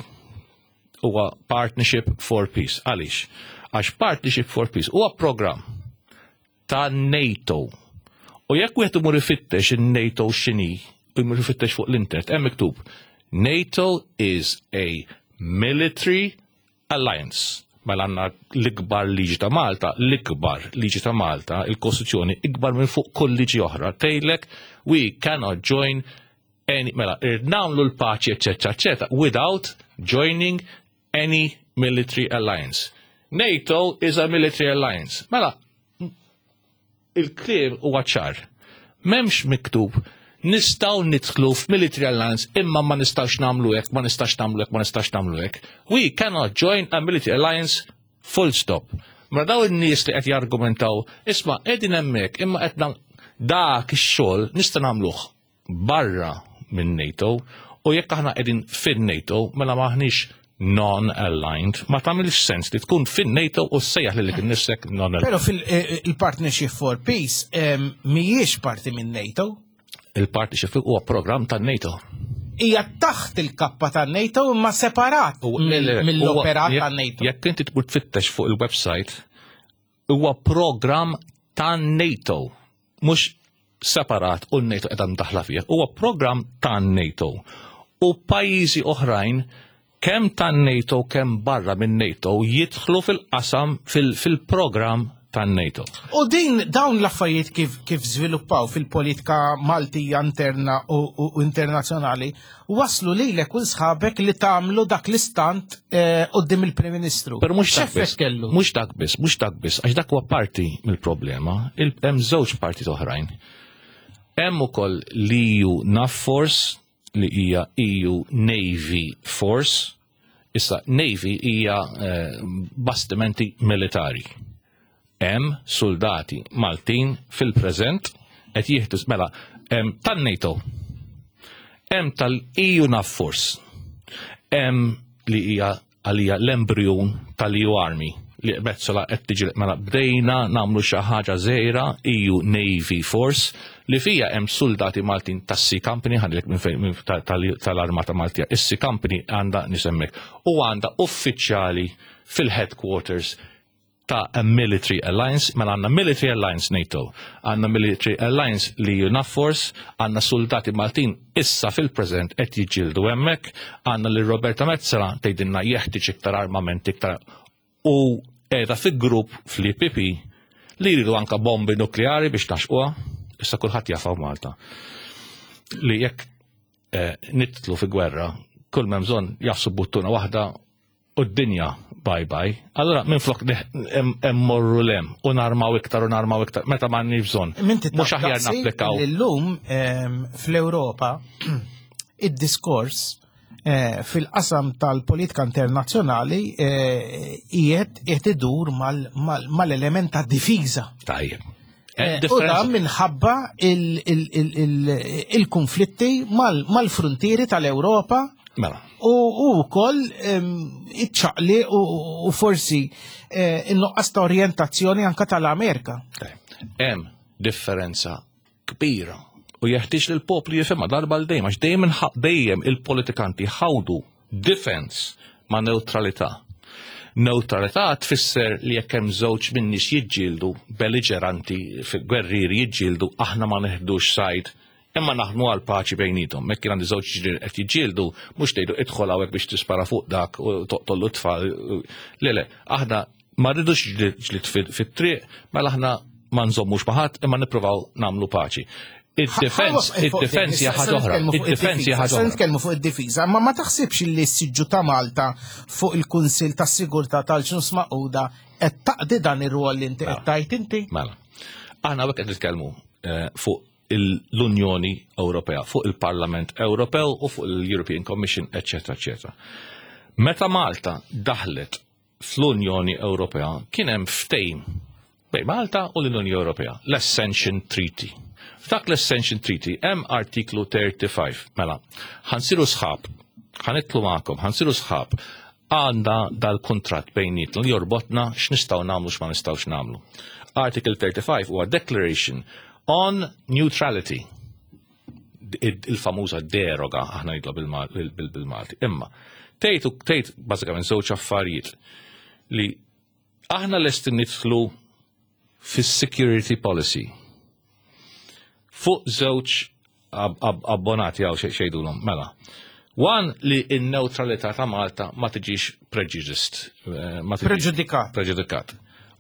huwa Partnership for Peace. Għaliex? Għax Partnership for Peace huwa program ta' NATO. U jekk wieħed imur ifittex in-NATO x'inhi, imur ifittex fuq l-internet, hemm miktub NATO is a military alliance. Mela għandna l-ikbar liġi ta' Malta, l-ikbar liġi ta' Malta, il-Kostituzzjoni ikbar minn fuq kull liġi oħra. Tgħidlek we cannot join any, mela, nagħmlu l-paċi, eccetera, eccetera, without joining any military alliance. NATO is a military alliance. Mela, il-kliem huwa ċar. M'hemmx miktub nistgħu nidħlu f'military alliance imma ma nistax nagħmlu hekk, ma nistax nagħmlu hekk, ma nistax nagħmlu hekk. We cannot join a military alliance full stop. Ma daw in-nies li qed jargumentaw, isma' qegħdin hemmhekk imma qed dak ix-xogħol nista' nagħmluh barra minn NATO u jekk aħna qegħdin fin-NATO mela maħniex non-aligned, ma tagħmilx sens li tkun fin-NATO u ssejjaħ lilek innifsek non-aligned. Però fil-Partnership for Peace mhijiex parti minn NATO. Il-Partnership huwa programm tan-NATO. Hija taħt il-kappa tan-NATO imma separat mill-operat tan-NATO. Jekk inti tmur tfittex fuq il-website, huwa programm tan-NATO, mhux separat u n-NATO qiegħda mdaħla fih. Huwa programm tan-NATO. U pajjiżi oħrajn kemm tan-NATO kemm barra minn NATO jidħlu fil-qasam fil-programm tan-NATO. U din dawn l-affarijiet kif żviluppaw fil-politika Maltija interna u internazzjonali waslu lilek u sħabek li tagħmlu dak l-istant quddiem il-Prim Ministru. Però mhux dak biss, mhux dak biss, mhux dak biss, għax dak huwa parti mill-problema, hemm żewġ parti oħrajn. Hemm ukoll l-EU NAVFORCE li hija EU Navy Force. Issa Navy hija bastimenti militari. Hemm soldati Maltin fil-preżent qed jieħdu mela hemm tan-NATO. Hemm tal-EU NAVFORCE. Hemm li hija għalija l-embryon tal-EU Army li Metsola qed tiġi mela bdejna nagħmlu xi ħaġa żgħira EU Navy Force li fija hemm soldati Maltin tas-Sea Company ħadlek minn fejn tal-Armata Maltija. Is-Sea Company għandha nisemmek u għandha uffiċjali fil-headquarters ta' a military alliance, mela għandna military alliance NATO, għandna military alliance li NAVFORCE, għandna soldati Maltin issa fil-preżent qed jiġġieldu hemmhekk, għandna li Roberta Metsola tgħidilna jeħtieġ iktar armament iktar u qiegħda fi grupp fl-IPP li jridu anka bombi nukleari biex naxquha. Issa kulħadd jaf Malta li jekk eh, nitlu fi gwerra, kull m'hemm bżonn jagħfsu buttuna waħda u d-dinja bye bye. Allora minn flok morru lem u narmaw iktar u narmaw iktar meta m'għandniex bżonn. Mhux aħjar napplikaw. Illum fl-Ewropa id-diskors eh, fil-qasam tal-politika internazzjonali eh, qiegħed qiegħed idur mal-element ta' difiża. Tajjeb. Eh, u dan minħabba il-konflitti mal-frontieri tal-Ewropa Mela. U wkoll iċ-ċaqli u forsi eh, in-nuqqas ta' orjentazzjoni anka tal-Amerika. Hemm differenza kbira u jeħtieġ li l-poplu jifhimha darba l dejjem għax dejjem dejjem il-politikanti ħawdu defense ma' neutralità. Neutralità tfisser li jekk hemm żewġ min-nies jiġġieldu belliġeranti gwerrieri jiġġieldu aħna ma neħdux side imma naħdmu għal paċi bejnietom. Mekk kien għandi żewġ ġirien qed jiġġieldu, mhux tgħidu idħol hawnhekk biex tispara fuq dak u toqtollu t-tfal. Le le, aħna ma rridux ġlied fit-triq, mela aħna ma nżommux ma' ħadd imma nippruvaw nagħmlu paċi. Id-defense, id-defense hija ħaġa oħra. Id-defense hija ħaġa oħra. Nitkellmu fuq id-difiża, ma ma taħsibx li s-siġġu ta' Malta fuq il-Kunsill tas-Sigurtà tal-Ġnus Magħquda qed taqdi dan ir-rwol li inti qed mela. tajt inti? Mela. Aħna hawnhekk qed nitkellmu eh, fuq l-Unjoni Ewropea, fuq il-Parlament Ewropew u fuq l-European Commission, eċetera, eċetera. Meta Malta daħlet fl-Unjoni Ewropea kien hemm ftehim bejn Malta u l-Unjoni Ewropea, l-Ascension Treaty. F'dak l-Ascension Treaty hemm artiklu 35, mela, ħansiru sħab, ħanitlu magħkom, ħansiru sħab, għandna dal-kuntratt bejnietna li jorbotna x'nistgħu nagħmlu x'ma nistgħux nagħmlu. Article 35 huwa Declaration on Neutrality il-famuża deroga aħna jidla bil-Malti. Imma tgħid tgħid bażikament żewġ affarijiet li aħna lesti nidħlu fis-security policy fuq żewġ abbonati għaw xejdulhom mela. One li n-neutralità ta' Malta ma tiġix prejudiced. Eh, Preġudikat. Preġudikat.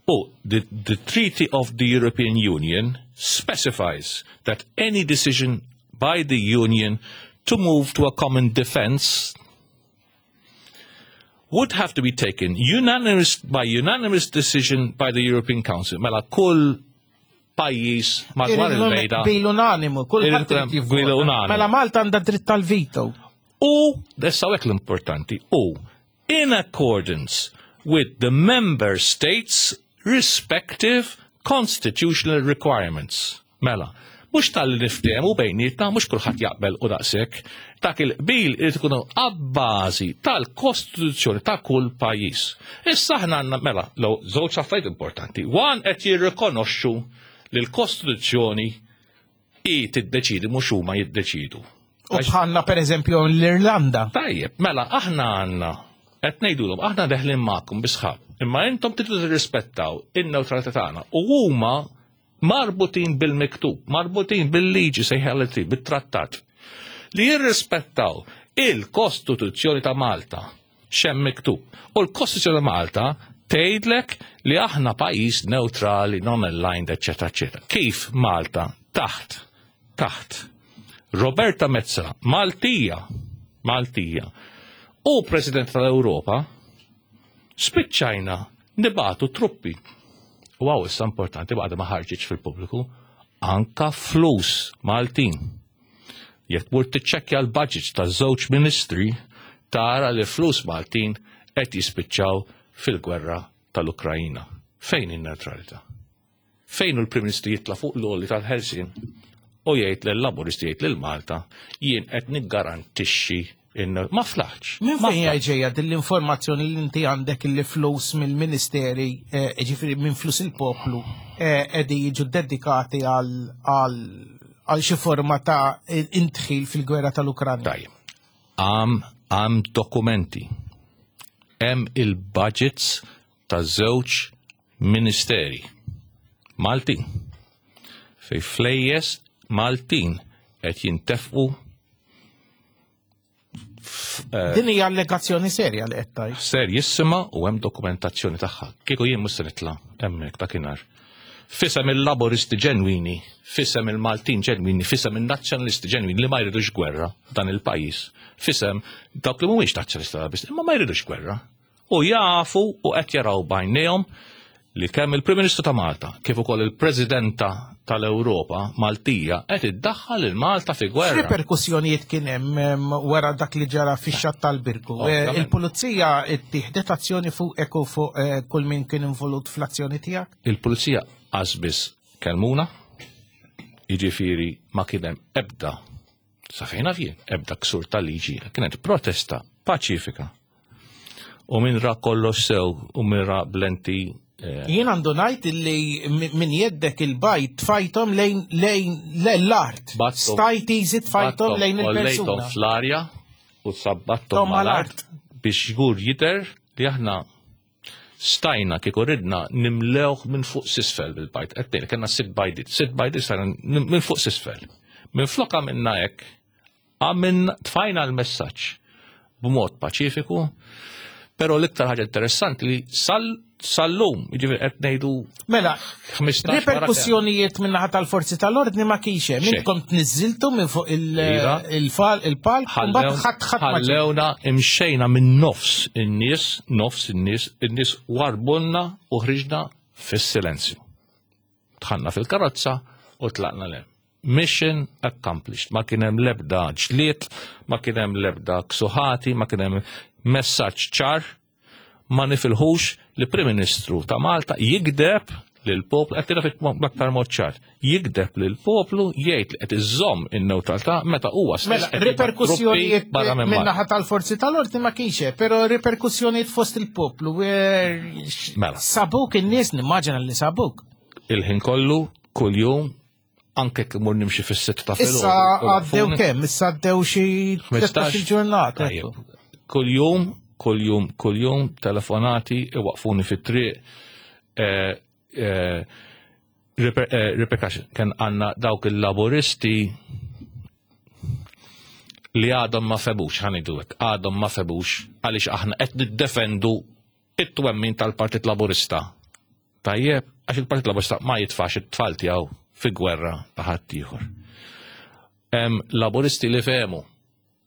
U the, the Treaty of the European Union specifies that any decision by the Union to move to a common defense would have to be taken unanimous, by unanimous decision by the European Council. Mela kull pajjiż madwar il-mejda. Bil unanimu, kull bil unanimu. Mela Malta għandha dritt tal-veto. U, issa hekk l-importanti, u in accordance with the member states respective constitutional requirements. Mela, mhux tal-li niftehmu bejnietna, mhux kulħadd jaqbel u daqshekk, dak il-qbil irid ikunu abbażi tal-kostituzzjoni ta' kull pajjiż. Issa aħna għandna mela, law żewġ affarijiet importanti. One qed jirrikonoxxu li l-kostituzzjoni hi tiddeċidi mhux huma jiddeċidu. U bħalna per eżempju l-Irlanda. Tajjeb, mela aħna għandna qed ngħidulhom aħna deħlin magħkom bi sħab, imma intom tridu tirrispettaw in-newtralità tagħna u huma marbutin bil-miktub, marbutin bil-liġi sejħaleti, bit-trattat, li jirrispettaw il-Kostituzzjoni ta' Malta x'hemm miktub. U l-Kostituzzjoni ta' Malta tgħidlek li aħna pajjiż neutrali, non-aligned, eċetera, eċetera. Kif Malta taħt taħt Roberta Metsola, Maltija, Maltija, u President tal-Ewropa, spiċċajna nibagħtu truppi. U għaw issa importanti baqda ma ħarġitx fil-pubbliku, anka flus Maltin. Jekk tmur tiċċekkja l-budgets ta' żewġ ministri, tara li flus Maltin qed jispiċċaw fil-gwerra tal-Ukrajina. Fejn in-neutralità? Fejn hu l-Prim Ministru jitla' fuq l-għoli tal-Ħelsien u jgħid lill-Laburisti jgħid lil Malta jien qed niggarantixxi ma flaħx. Minn fejn hija ġejja din l-informazzjoni li inti għandek li flus mill-ministeri, eh, ġifieri minn flus il-poplu, eh, qegħdin jiġu dedikati għal xi forma ta' intħil fil-gwerra tal-Ukranja? Tajjeb. Għam għam dokumenti. Hemm il-budgets ta' żewġ ministeri Maltin fej flejjes Maltin qed jintefqu eh, Din hija allegazzjoni serja li qed tgħid. Serjissima u hemm dokumentazzjoni tagħha. Kieku jien mhux se nitla' hemmhekk dakinhar. Fisem il-Laburisti ġenwini, fisem il-Maltin ġenwini, fisem il-Nazzjonalisti ġenwini li ma jridux gwerra dan il-pajjiż, fisem dawk li mhumiex nazzjonalisti Laburisti, imma ma jridux gwerra. U jafu u qed jaraw b'għajnejhom li kemm il-Prim Ministru ta' Malta kif ukoll il-Presidenta tal-Ewropa Maltija qed iddaħħal il Malta fi gwerra. X'riperkussjonijiet kien hemm wara dak li ġara fix-xatt tal-Birgu? Eh, il-pulizija ttieħdet azzjoni fuqek u fuq eh, kull min kien involut fl-azzjoni tiegħek? Il-pulizija qas kelmuna, jiġifieri ma kien hemm ebda sa fejn jien, ebda ksur tal-liġi, kienet protesta paċifika. U min ra kollox sew u min ra blenti eh, Jien għandu ngħid li min jeddek il-bajt tfajthom lejn lejn l-art. Stajt easy tfajthom lejn il-persuna. fl-arja u sabbattom mal-art biex żgur jidher li aħna stajna kieku ridna nimlewh minn fuq s'isfel bil-bajt. Qed ngħid kellna sitt bajdiet, sitt bajdiet stajna minn fuq s'isfel. Minn flok għamilna hekk, għamilna tfajna l-messaġġ b'mod paċifiku, però l-iktar ħaġa interessanti li sal sal-lum, jiġifieri qed ngħidu Mela, 15 riperkussjonijiet minn naħa tal-forzi tal-ordni ma kienx hemm. Intkom tniżżiltu minn fuq iva. il-palk, mbagħad ħadd ħadd ħallewna imxejna minn nofs in-nies, nofs in-nies, in-nies warbulna u ħriġna fis-silenzju. Dħalna fil-karozza u tlaqna lem. Mission accomplished. Ma kien hemm l-ebda ġlied, ma kien hemm l-ebda ksuħati, ma kien hemm messaġġ ċar ma nifilħux li Prim Ministru ta' Malta jigdeb lil poplu qed tiraf aktar mod ċar, jigdeb lil poplu jgħid li qed iżomm in-newtralità meta huwa stess. Mela, riperkussjonijiet min-naħa tal-forzi tal-ordni ma kienx hemm, però riperkussjonijiet fost il-poplu. Eh, mela. Sabuk in-nies nimmaġina li sabuk. Il-ħin kollu, kuljum, anke jekk imur nimxi fis-sitt ta' filgħodu. Issa għaddew kemm? Issa għaddew xi 15 ġurnata. Kuljum, kuljum, kuljum, telefonati, iwaqfuni fit-triq. Eh, eh, eh, repercussion, kien għanna dawk il-laboristi li għadhom ma febux, ħanidu hekk, għadhom ma febux għaliex aħna qed niddefendu it-twemmin tal-Partit Laburista. Tajjeb, għax il-Partit Laburista ma jitfax it-tfal tiegħu fi gwerra ta' ħaddieħor. Hemm Laburisti li fehmu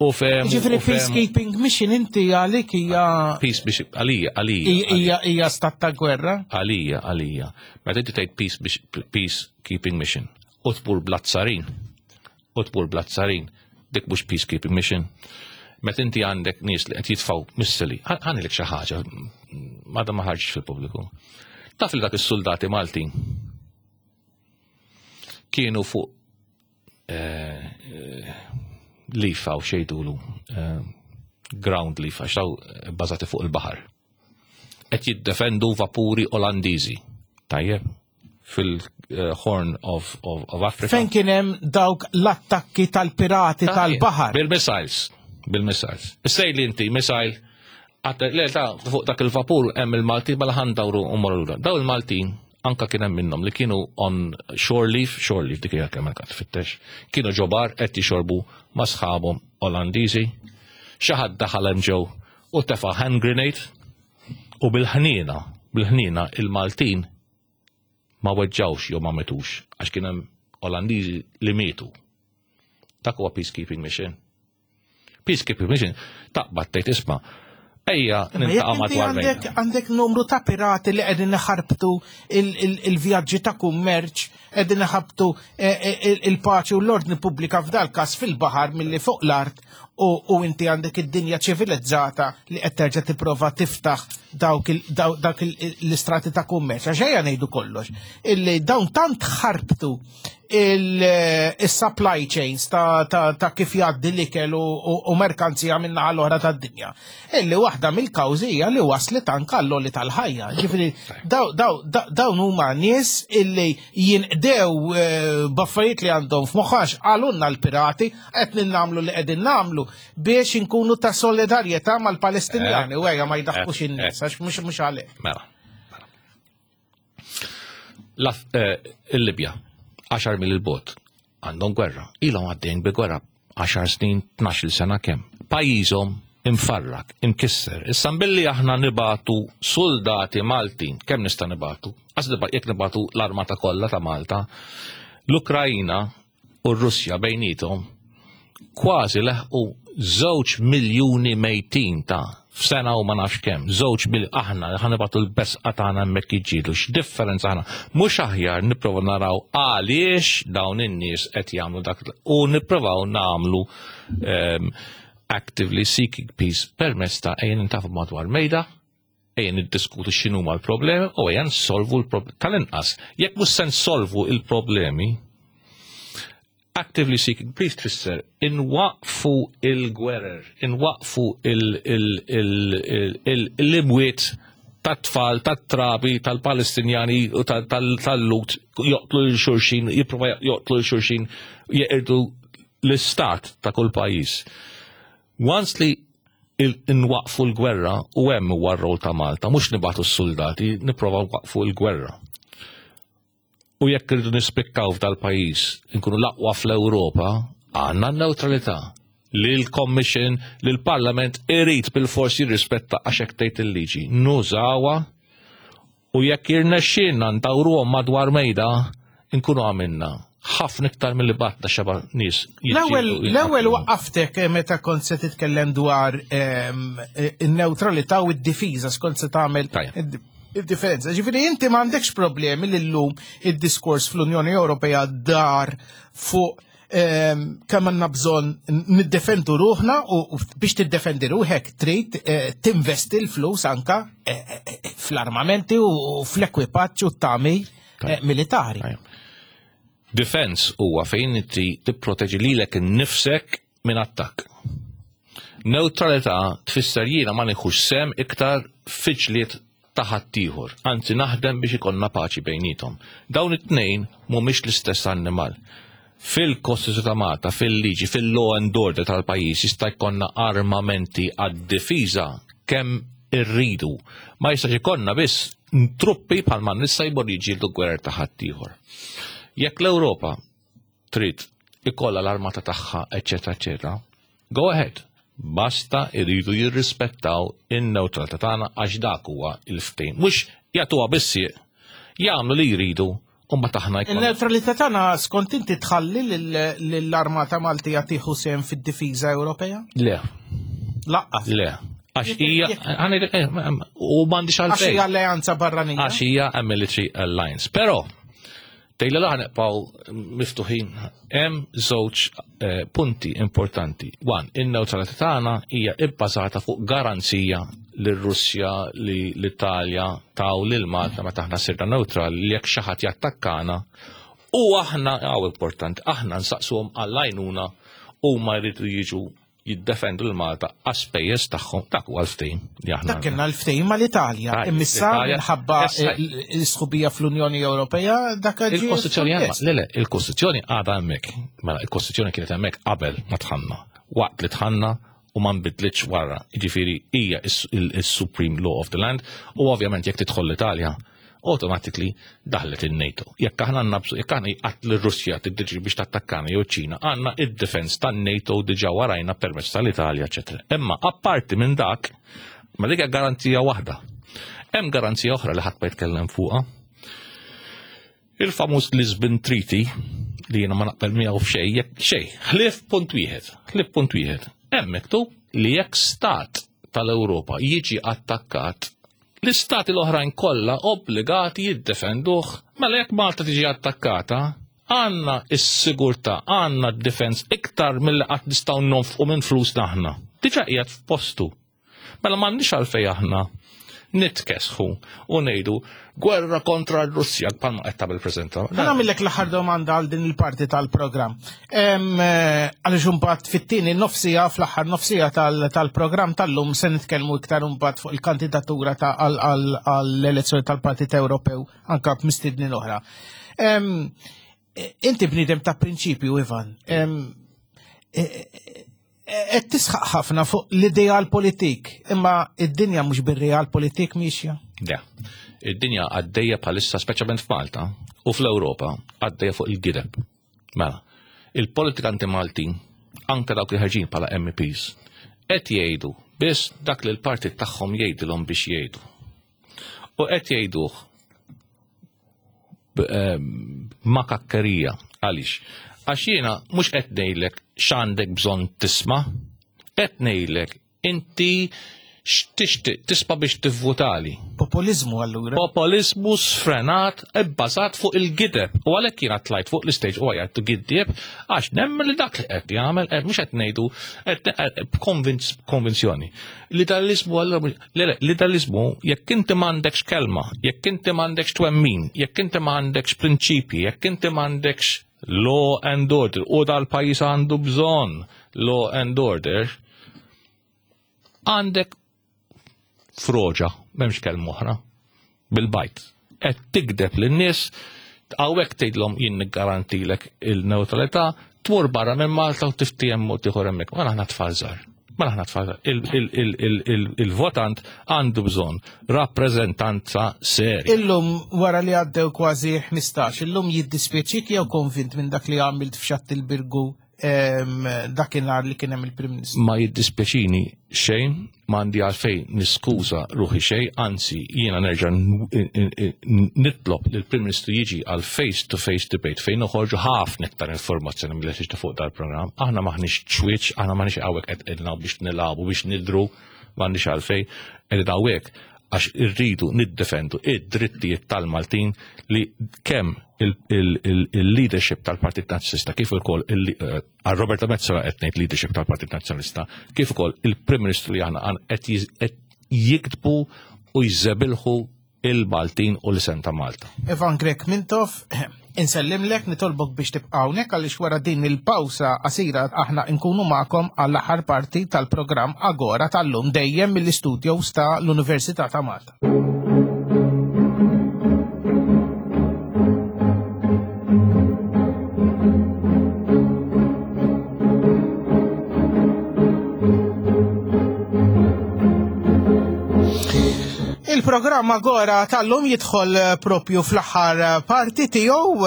u fehmu. Ġifieri peacekeeping mission inti għalik hija. Peace biex għalija, għalija. Hija hija stat ta' gwerra? Għalija, għalija. Meta inti tgħid peace peacekeeping mission u tmur bl-azzarin u tmur bl-azzarin, dik mhux peacekeeping mission. Meta inti għandek nies li qed jitfgħu missili, ħanilek xi ħaġa, għadha ma ħarġitx fil-pubbliku. Taf li dak is-soldati Maltin kienu fuq eh, eh, lifa u xejdulu eh, ground lifa, xaw bbażati fuq il-baħar. Qed jiddefendu vapuri Olandiżi. Tajjeb, fil-Horn of, of, of Africa. Fejn kien hemm dawk l-attakki tal-pirati tal-baħar. Bil-missiles, bil-missiles. Issej li inti missile le ta' fuq dak il-vapur hemm il-Maltin mela ħandawru u morru lura. Daw il-Maltin anka kien hemm minnhom li kienu on shore leave, shore leave dik hija kemm qed tfittex, kienu ġobar qed jixorbu ma' sħabhom Olandiżi. Xi ħadd daħal hemm ġew u tefa' hand grenade u bil-ħniena, bil-ħniena il-Maltin ma weġġawx jew ma metux għax kien hemm Olandiżi li mietu. Dak huwa peacekeeping mission. Peacekeeping mission taqbad tgħid isma' ejja niltaqa' madwar mejda. Għandek numru ta' pirati li qegħdin iħarbtu il-vjaġġi ta' kummerċ, qegħdin iħabtu e, e, il-paċi u l-ordni pubblika f'dal każ fil-baħar milli fuq l-art u inti għandek id-dinja ċivilizzata li qed terġa' tipprova tiftaħ dawk l-istrati ta' kummerċ. Għax ejja ngħidu kollox, illi dawn tant ħarbtu il-supply chains ta' kif jgħaddi l-ikel u merkanzija minn naħa l-oħra tad-dinja. Illi waħda mill-kawżi hija li waslet anke għall-għoli tal-ħajja. Ġifieri dawn huma nies illi jinqdew eh, b'affarijiet li għandhom f'moħħax qalulna l-pirati qed nagħmlu li qegħdin nagħmlu biex inkunu ta' solidarjetà mal-Palestinjani eh, u ejja ma jdaħħux eh, in-nies għax mhux mhux għalhekk. Mela. mela. Il-Libja, 10 mil il-bot, għandhom gwerra. Ilhom għaddejn bi gwerra 10 snin, 12 sena kemm. Pajjiżhom Imfarrak, imkisser. Issa billi aħna nibatu soldati Maltin, kemm nista' nibatu? Għax jekk nibatu l-armata kollha ta' Malta, l-Ukrajina u r-Russja bejnietom kważi leħqu 2 miljuni mejtin ta' f'sena u ma nafx kemm, żewġ mil aħna ħa nibatu l-besqa tagħna hemmhekk jiġġieldu, x'differenza aħna. Mhux aħjar nipprova naraw għaliex dawn in-nies qed jagħmlu dak u nipprovaw nagħmlu actively seeking peace permezz ta' ejja nintafu madwar mejda, ejja niddiskutu x'inhuma l-problemi u ejja nsolvu l-problemi. Tal-inqas, jekk mhux se nsolvu l-problemi, actively seeking peace tfisser inwaqfu il-gwerer, inwaqfu l-imwiet tat-tfal, tat-trabi, tal-Palestinjani u tal-Lut joqtlu l-xurxin, jipprova joqtlu l-xurxin, jeqirdu l-istat ta' kull pajjiż. Once li nwaqfu l-gwerra u hemm huwa r-rol ta' Malta, mhux nibgħatu s-soldati, nipprova nwaqfu l-gwerra. U jekk irridu nispikkaw f'dal-pajjiż, nkunu l-aqwa fl-Ewropa, għandna n-newtralità li l-Commission, li l-Parlament irid bil-fors jirrispetta għax hekk tgħid il-liġi. Nużawha U jekk jirnexxielna ndawruhom madwar mejda, inkunu għamilna ħafna iktar milli batna xeba nies. L-ewwel waqqaftek eh, meta kont se titkellem dwar ehm, eh, in-newtralità u d-difiża skont se tagħmel id-differenza. Ġifieri inti m'għandekx problemi li llum id-diskors fl-Unjoni Ewropea dar fuq kemm għandna bżonn niddefendu ruħna u biex tiddefendi ruħek trid eh, tinvesti l-flus anka eh, eh, fl-armamenti u fl-ekwipaġġ u t-tagħmir militari. Defense huwa fejn inti tipproteġi lilek innifsek minn attakk. Neutralità tfisser jiena ma nieħux sem iktar fiġliet ta' ħaddieħor, anzi naħdem biex ikollna paċi bejniethom. Dawn it-tnejn mhumiex l-istess annimal. Fil-Kostituzzjoni ta' Malta, fil-liġi, fil-law and order tal-pajjiż jista' jkollna armamenti għad-difiża kemm irridu. Ma jistax ikollna biss truppi bħalma nista' jmorru jiġġieldu gwerer ta' ħaddieħor. Jekk l-Ewropa trid ikollha l-armata tagħha, eċetera, eċetera, go ahead. Basta jridu jirrispettaw in-newtralità tagħna għax dak huwa l-ftehim. Mhux jagħtuha bis-sieq, jagħmlu li jridu u mbagħad aħna jkollna. In-newtralità tagħna skont inti tħalli lill-armata Maltija tieħu sehem fid-difiża Ewropea? Le. Laqqas. Le. Għax hija eh, u m'għandix għalfejn. Għax hija alleanza barranija. Għax hija military alliance. Però Tejla la nibqgħu miftuħin. Hemm żewġ eh, punti importanti. One, in-newtralità tagħna hija bbażata fuq garanzija lir-Russja li l-Italja taw lil Malta meta aħna sirna neutrali li jekk xi ħadd jattakkana u aħna hawn importanti, aħna nsaqsuhom għall-għajnuna huma jridu jiġu jiddefendu l-Malta għas-spejjeż tagħhom dak huwa l-ftehim li aħna. Dak kienna l-ftehim mal-Italja. Imissa minħabba l-sħubija fl-Unjoni Ewropea dak Il-Kostituzzjoni le le, il-Kostituzzjoni għadha hemmhekk. Mela il-Kostituzzjoni kienet hemmhekk qabel ma tħanna. Waqt li tħanna u ma nbidlitx wara. Jiġifieri hija is-Supreme Law of the Land u ovvjament jekk tidħol l-Italja automatically daħlet in-NATO. Jekk aħna għandna bżonn, jekk aħna jqatt l-Russja tiddiġi biex tattakkana jew ċina, għandna id-defense tan-NATO diġà warajna permezz tal-Italja, eċetera. Imma apparti minn dak, ma dik garanzija waħda. Hemm garanzija oħra li ħadd ma jitkellem fuqha. Il-famuż Lisbon Treaty li jiena ma naqbel miegħu f'xejn, jekk xejn, ħlief punt wieħed, ħlief punt wieħed. Hemm miktub li jekk stat tal-Ewropa jiġi attakkat L-istati l-oħrajn kollha obbligati jiddefenduh. Mela jekk Malta tiġi attakkata, għandna s-sigurtà, għandna d-defense iktar milli qatt nistgħu nonfqu minn flusna aħna. Diġà qiegħed f'postu. Mela m'għandniex għalfejn aħna nitkesħu u ngħidu gwerra kontra r-Russja bħalma qed tagħmel preżenta. Ħa nagħmillek l-aħħar domanda għal din il-parti tal-programm. Eh, għaliex imbagħad fit-tieni nofsija fl-aħħar nofsija tal-programm tal-lum se nitkellmu iktar imbagħad fuq il-kandidatura ta' għall-elezzjoni tal-Partit Ewropew anka b'mistednin oħra. Inti bniedem ta' prinċipju, Ivan. E, e, qed tisħaq ħafna fuq l-ideal politik, imma id-dinja mhux bir-real politik miexja. Ja. Id-dinja għaddejja bħalissa speċjalment f'Malta u fl-Ewropa għaddejja fuq il-gideb. Mela, il-politikanti Maltin, anke dawk li ħarġin bħala MEPs, qed jgħidu biss dak li l-partit tagħhom jgħidilhom biex jgħidu. U qed jgħiduh ma' kakkerija. Għaliex? Għax jiena mhux qed ngħidlek x'għandek bżonn tisma', qed ngħidlek inti x'tixtieq tisma' biex tivvutali. Populizmu allura. Populizmu sfrenat ibbażat fuq il-gideb. U għalhekk jiena tlajt fuq l-istage u għajat giddieb għax nemmen li dak li qed jagħmel mhux qed ngħidu b'konvinzjoni. L-idealizmu allura l-idealizmu jekk inti m'għandekx kelma, jekk inti m'għandekx twemmin, jekk inti m'għandekx prinċipji, jekk inti m'għandekx law and order, u dal-pajjiż għandu bżonn law and order, għandek froġa, m'hemmx kelma oħra, bil-bajt. Qed tikdeb lin-nies, hawnhekk tgħidlhom jien niggarantilek il-neutralità, tmur barra minn Malta u tiftiehem mod ieħor hemmhekk. Ma aħna tfal żgħar. Ma aħna tfal żgħar. Il-votant għandu bżonn rappreżentanza serja. Illum wara li għaddew kważi 15, illum jiddispjaċik jew konvint minn dak li għamilt f'Xatt il-Birgu dakinhar li kien hemm il-Prim Ministru? Ma jiddispjaċini xejn, m'għandi għalfejn niskuża ruħi xejn, anzi jiena nerġa' nitlob li l-Prim Ministru jiġi għal face-to-face debate fejn noħorġu ħafna iktar informazzjoni mill li fuq dal-programm. Aħna maħniex ċwieċ, aħna maħniex hawnhekk qed qegħdin biex nilagħbu biex nidru, m'għandix għalfejn, qegħdin hawnhekk għax irridu niddefendu id-drittijiet tal-Maltin li kemm il-leadership tal-Partit Nazzjonalista kif ukoll għal Roberta Metsola qed ngħid leadership tal-Partit Nazzjonalista kif ukoll il-Prim Ministru li aħna qed jiktbu u jżebilħu il-Maltin u l-isem ta' Malta. Ivan Grech Mintoff, insellimlek, nitolbok biex tibqa' hawnhekk għaliex wara din il-pawsa qasira aħna nkunu magħkom għall-aħħar parti tal-programm Agora tal-lum dejjem mill-istudios ta' l-Università ta' Malta. Il-programm Agora tal-lum jidħol propju fl-aħħar parti tiegħu,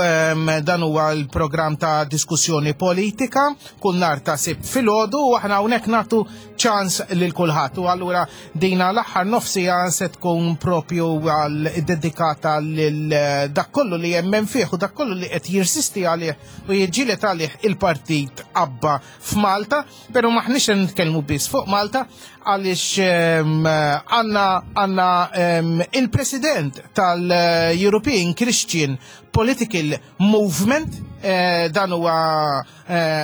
dan huwa l-programm ta' diskussjoni politika kull nhar ta' Sibt filgħodu u aħna hawnhekk nagħtu ċans lil kulħadd. U allura dina l-aħħar nofsija se tkun propju għal dedikata lil dak kollu li jemmen fih u dak kollu li qed jirsisti għalih u jiġġieled għalih il-partit Abba f'Malta, però maħniex nitkellmu biss fuq Malta għaliex għandna il-President tal-European Christian Political Movement, dan huwa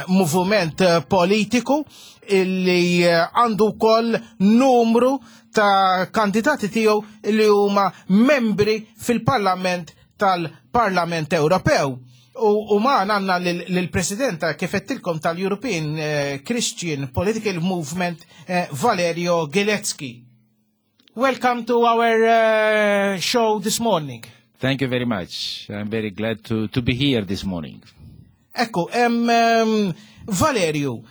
movement politiku illi għandu wkoll numru ta' kandidati tiegħu li huma membri fil-Parlament tal-Parlament Ewropew. U ma għandna lill-President kif għedtilkom tal-European Christian Political Movement, Valerio Gilecki. Welcome to our show this morning. Thank you very much. I'm very glad to be here this morning. Ekku, Valerio,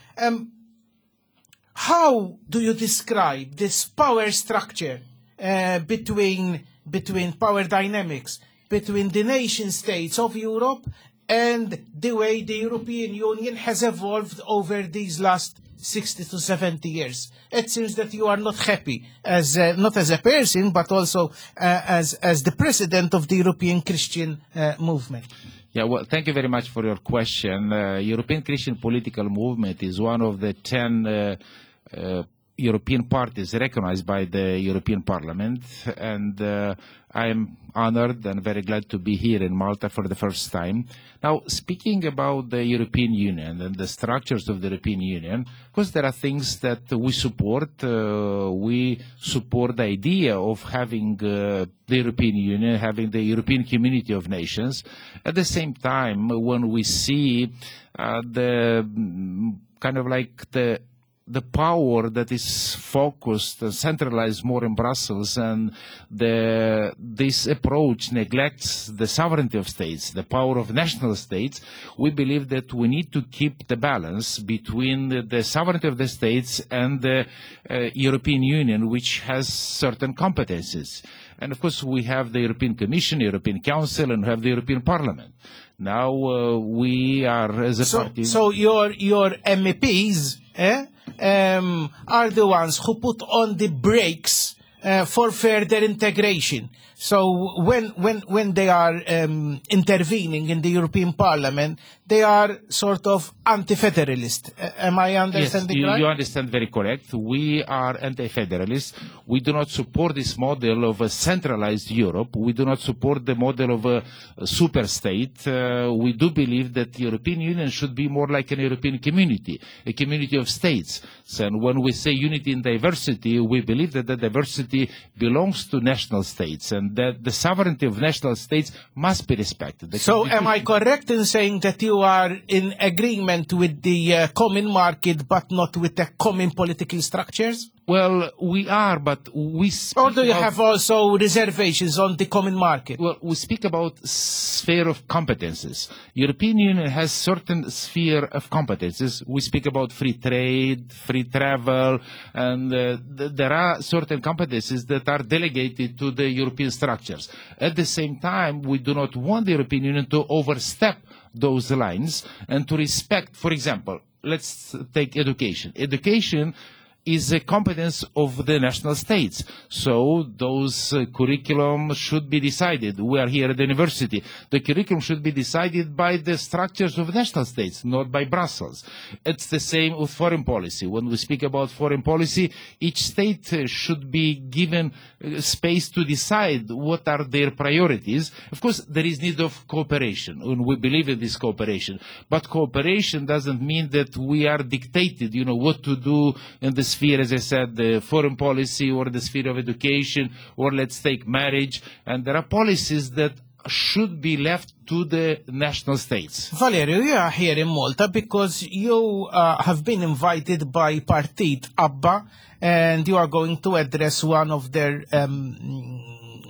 how do you describe this power structure between power dynamics, between the nation states of Europe and the way the European Union has evolved over these last 60 to 70 years? It seems that you are not happy, not as a person, but also as the president of the European Christian Movement. Thank you very much for your question. European Christian Political Movement is one of the 10 European parties recognized by the European Parliament, and I am honored and very glad to be here in Malta for the first time. Now, speaking about the European Union and the structures of the European Union, of course there are things that we support. We support the idea of having the European Union, having the European Community of Nations. At the same time, when we see the kind of like the power that is focused and centralized more in Brussels, and this approach neglects the sovereignty of states, the power of national states, we believe that we need to keep the balance between the sovereignty of the states and the European Union, which has certain competences. And of course we have the European Commission, European Council, and we have the European Parliament. Now we are as a party... So your MEPs are the ones who put on the brakes for further integration. So when they are intervening in the European Parliament, they are sort of anti-federalist. Am I understanding Yes, right? you understand very correct. We are anti-federalists. We do not support this model of a centralized Europe. We do not support the model of a super state. We do believe that the European Union should be more like an European community, a community of states. And when we say unity in diversity, we believe that the diversity belongs to national states and that the sovereignty of national states must be respected. The So am I constitution correct in saying that you are in agreement with the common market but not with the common political structures? Well, we are, but we speak Or do you about have also reservations on the common market? Well, we speak about sphere of competences. European Union has certain sphere of competences. We speak about free trade, free travel, and there are certain competences that are delegated to the European structures. At the same time, we do not want the European Union to overstep those lines and to respect, for example, let's take education. Education is a competence of the national states. So those curriculum should be decided. We are here at the university. The curriculum should be decided by the structures of national states, not by Brussels. It's the same with foreign policy. When we speak about foreign policy, each state should be given space to decide what are their priorities. Of course, there is need of cooperation, and we believe in this cooperation. But cooperation doesn't mean that we are dictated what to do in the sphere, as I said, the foreign policy or the sphere of education, or let's take marriage. And there are policies that should be left to the national states. Valerio, you are here in Malta because you have been invited by Partit ABBA and you are going to address one of their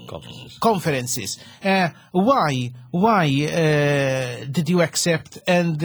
conferences. conferences. Why? Why did you accept, and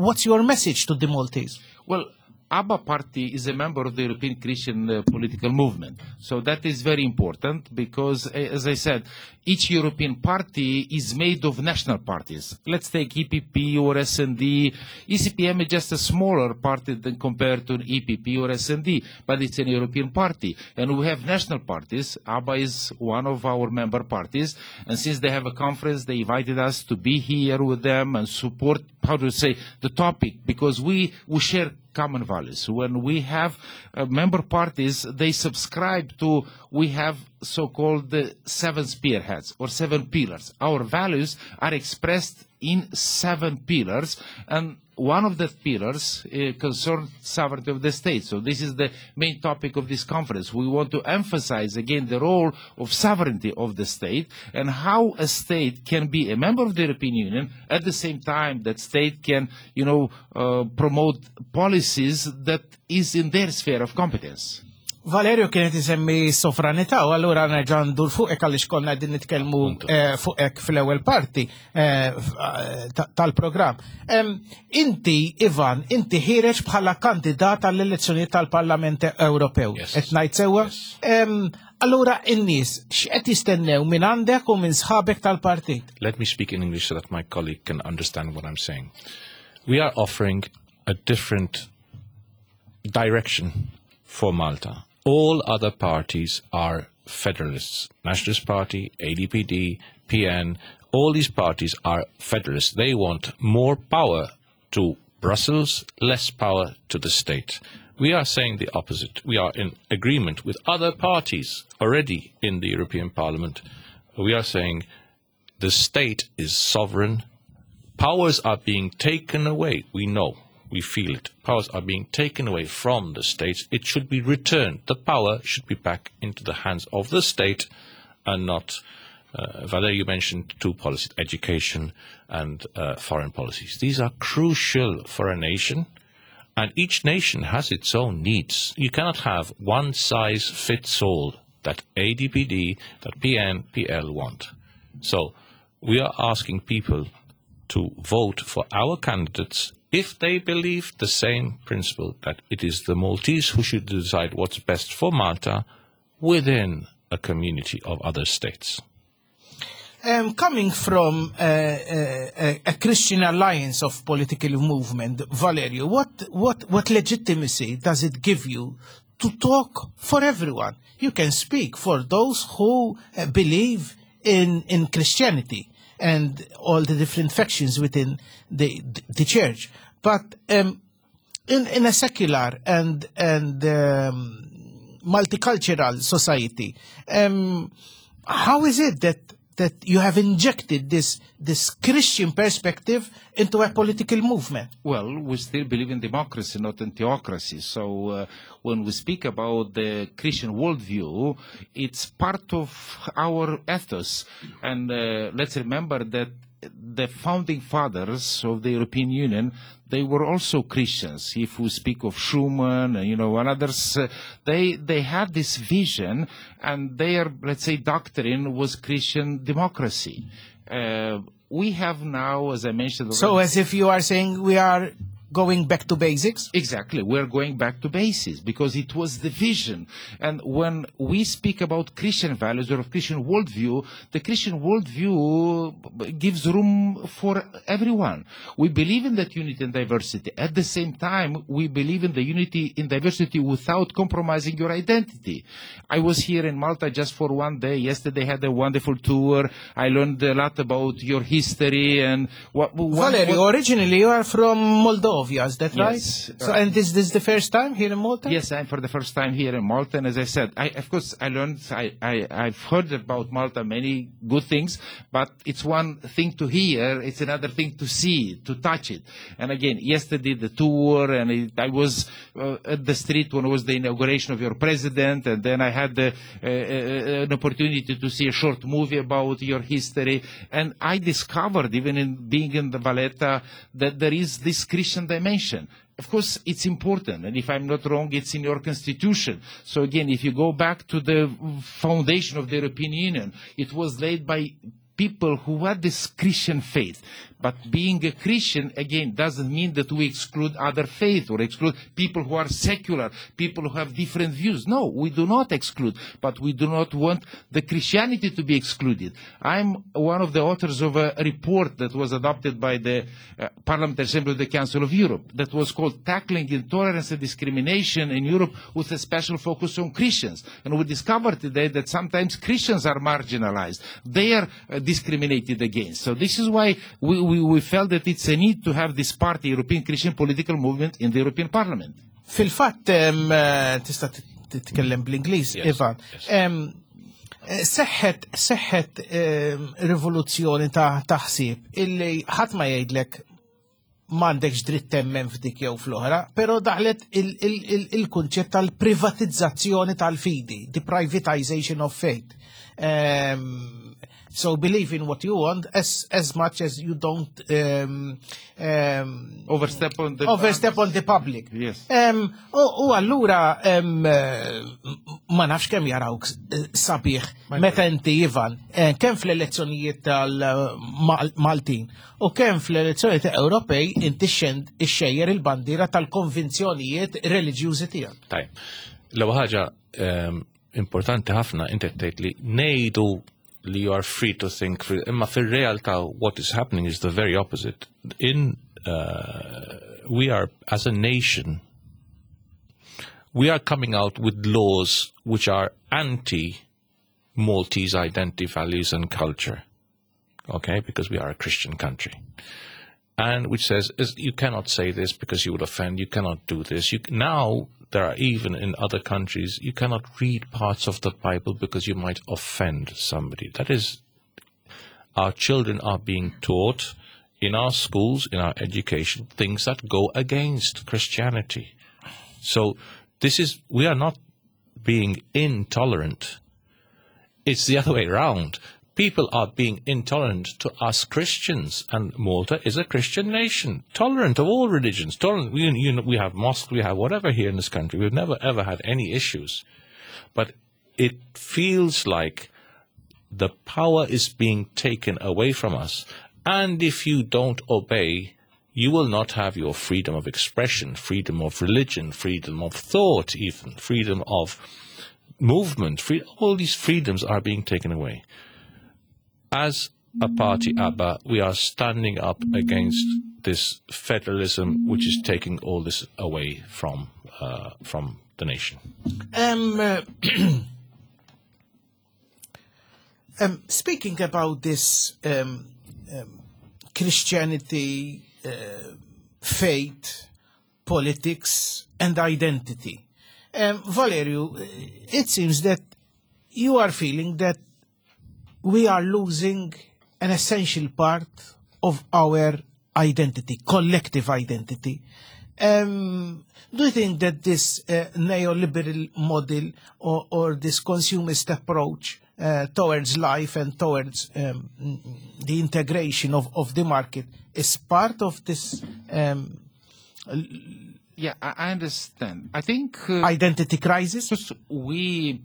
what's your message to the Maltese? Well, ABBA party is a member of the European Christian political movement. So that is very important because, as I said, each European party is made of national parties. Let's take EPP or S&D. ECPM is just a smaller party than compared to an EPP or S&D, but it's an European party. And we have national parties. ABBA is one of our member parties. And since they have a conference, they invited us to be here with them and support, how to say, the topic, because we share common values. When we have member parties, they subscribe to, we have so-called the 7 spearheads or 7 pillars. Our values are expressed in 7 pillars, and one of the pillars concerns sovereignty of the state. So this is the main topic of this conference. We want to emphasize again the role of sovereignty of the state and how a state can be a member of the European Union at the same time that state can promote policies that is in their sphere of competence. Valerio kienet isemmi sovranità u allura nerġa' ndur fuqek għaliex konna qegħdin nitkellmu, fuqek fl-ewwel parti tal-programm. Inti, Ivan, inti ħireġ bħala kandidat għall-elezzjonijiet tal-Parlament Ewropew. Yes. Qed ngħid sewwa? Yes. Allura in-nies x'qed jistennew minn għandek u minn sħabek tal-partit? Let me speak in English so that my colleague can understand what I'm saying. We are offering a different direction for Malta. All other parties are federalists. Nationalist Party, ADPD, PN, all these parties are federalists. They want more power to Brussels, less power to the state. We are saying the opposite. We are in agreement with other parties already in the European Parliament. We are saying the state is sovereign. Powers are being taken away. We know. We feel it. Powers are being taken away from the states. It should be returned. The power should be back into the hands of the state and not... Valerio, you mentioned two policies, education and foreign policies. These are crucial for a nation, and each nation has its own needs. You cannot have one size fits all that ADPD, that PN, PL want. So we are asking people to vote for our candidates if they believe the same principle, that it is the Maltese who should decide what's best for Malta within a community of other states. Coming from a Christian alliance of political movement, Valerio, what legitimacy does it give you to talk for everyone? You can speak for those who believe in Christianity and all the different factions within the church. But in a secular and multicultural society, how is it that you have injected this Christian perspective into a political movement? Well, we still believe in democracy, not in theocracy. So when we speak about the Christian worldview, it's part of our ethos. And let's remember that the founding fathers of the European Union, they were also Christians. If we speak of Schuman, and others, they had this vision, and their, let's say, doctrine was Christian democracy. We have now, as I mentioned So already. As if you are saying we are going back to basics? Exactly. We're going back to basics because it was the vision. And when we speak about Christian values or Christian worldview, the Christian worldview gives room for everyone. We believe in that unity and diversity. At the same time, we believe in the unity in diversity without compromising your identity. I was here in Malta just for one day. Yesterday I had a wonderful tour. I learned a lot about your history and what Valerio, originally you are from Moldova, is that right? Yes. So, and is this the first time here in Malta? Yes, I'm for the first time here in Malta, and as I said, of course, I learned, I've heard about Malta many good things, but it's one thing to hear, it's another thing to see, to touch it. And again, yesterday the tour, and I was at the street when it was the inauguration of your president, and then I had an opportunity to see a short movie about your history, and I discovered, even in being in the Valletta, that there is this Christian dimension. Of course, it's important, and if I'm not wrong, it's in your constitution. So again, if you go back to the foundation of the European Union, it was laid by people who had this Christian faith. But being a Christian, again, doesn't mean that we exclude other faith or exclude people who are secular, people who have different views. No, we do not exclude, but we do not want the Christianity to be excluded. I'm one of the authors of a report that was adopted by the Parliamentary Assembly of the Council of Europe that was called Tackling Intolerance and Discrimination in Europe with a special focus on Christians. And we discovered today that sometimes Christians are marginalized. They are discriminated against. So this is why we felt that it's a need to have this party, European Christian Political Movement, in the European Parliament. Fil-fatt, tista' titkellem bl-Ingliż, Yes, Ivan. Yes. Seħħet rivoluzzjoni ta' taħsib illi ħadd ma jgħidlek m'għandekx dritt temmen f'dik jew fl-oħra, però daħlet il-kunċett tal-privatizzazzjoni tal-fidi, the privatization of faith. So believe in what you want as much as you don't overstep on the overstep on the public. Yes. U allura ma nafx kemm jarawk sabiħ meta inti Ivan, kemm fl-elezzjonijiet tal-Maltin u kemm fl-elezzjonijiet Ewropej inti ixxejjer il-bandiera tal-konvinzjonijiet reliġjużi tiegħek. Tajb. L-ewwel ħaġa importanti ħafna, inti tgħid li ngħidu li you are free to think free, imma fir-realtà what is happening is the very opposite. In we are, as a nation, we are coming out with laws which are anti-Maltese identity, values and culture. Okay, because we are a Christian country. And which says is you cannot say this because you would offend, you cannot do this. Now, there are even in other countries, you cannot read parts of the Bible because you might offend somebody. That is, our children are being taught in our schools, in our education, things that go against Christianity. So we are not being intolerant. It's the other way around. People are being intolerant to us Christians, and Malta is a Christian nation, tolerant of all religions. Tolerant. We have mosques, we have whatever here in this country. We've never ever had any issues, but it feels like the power is being taken away from us, and if you don't obey, you will not have your freedom of expression, freedom of religion, freedom of thought, even freedom of movement. All these freedoms are being taken away. As a party ABBA, we are standing up against this federalism, which is taking all this away from the nation. Speaking about this Christianity, faith, politics, and identity, Valerio, it seems that you are feeling that we are losing an essential part of our identity, collective identity. Do you think that this neoliberal model or this consumist approach towards life and towards the integration of the market is part of this Yeah, I understand. I think identity crisis? Just we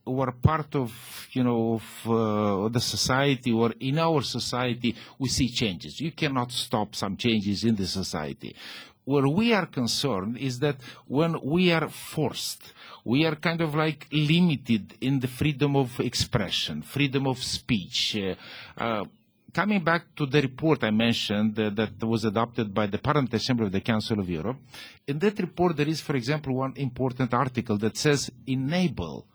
were part of the society, or in our society, we see changes. You cannot stop some changes in the society. Where we are concerned is that when we are forced, we are kind of like limited in the freedom of expression, freedom of speech. Coming back to the report I mentioned that was adopted by the Parliamentary Assembly of the Council of Europe, in that report there is, for example, one important article that says enable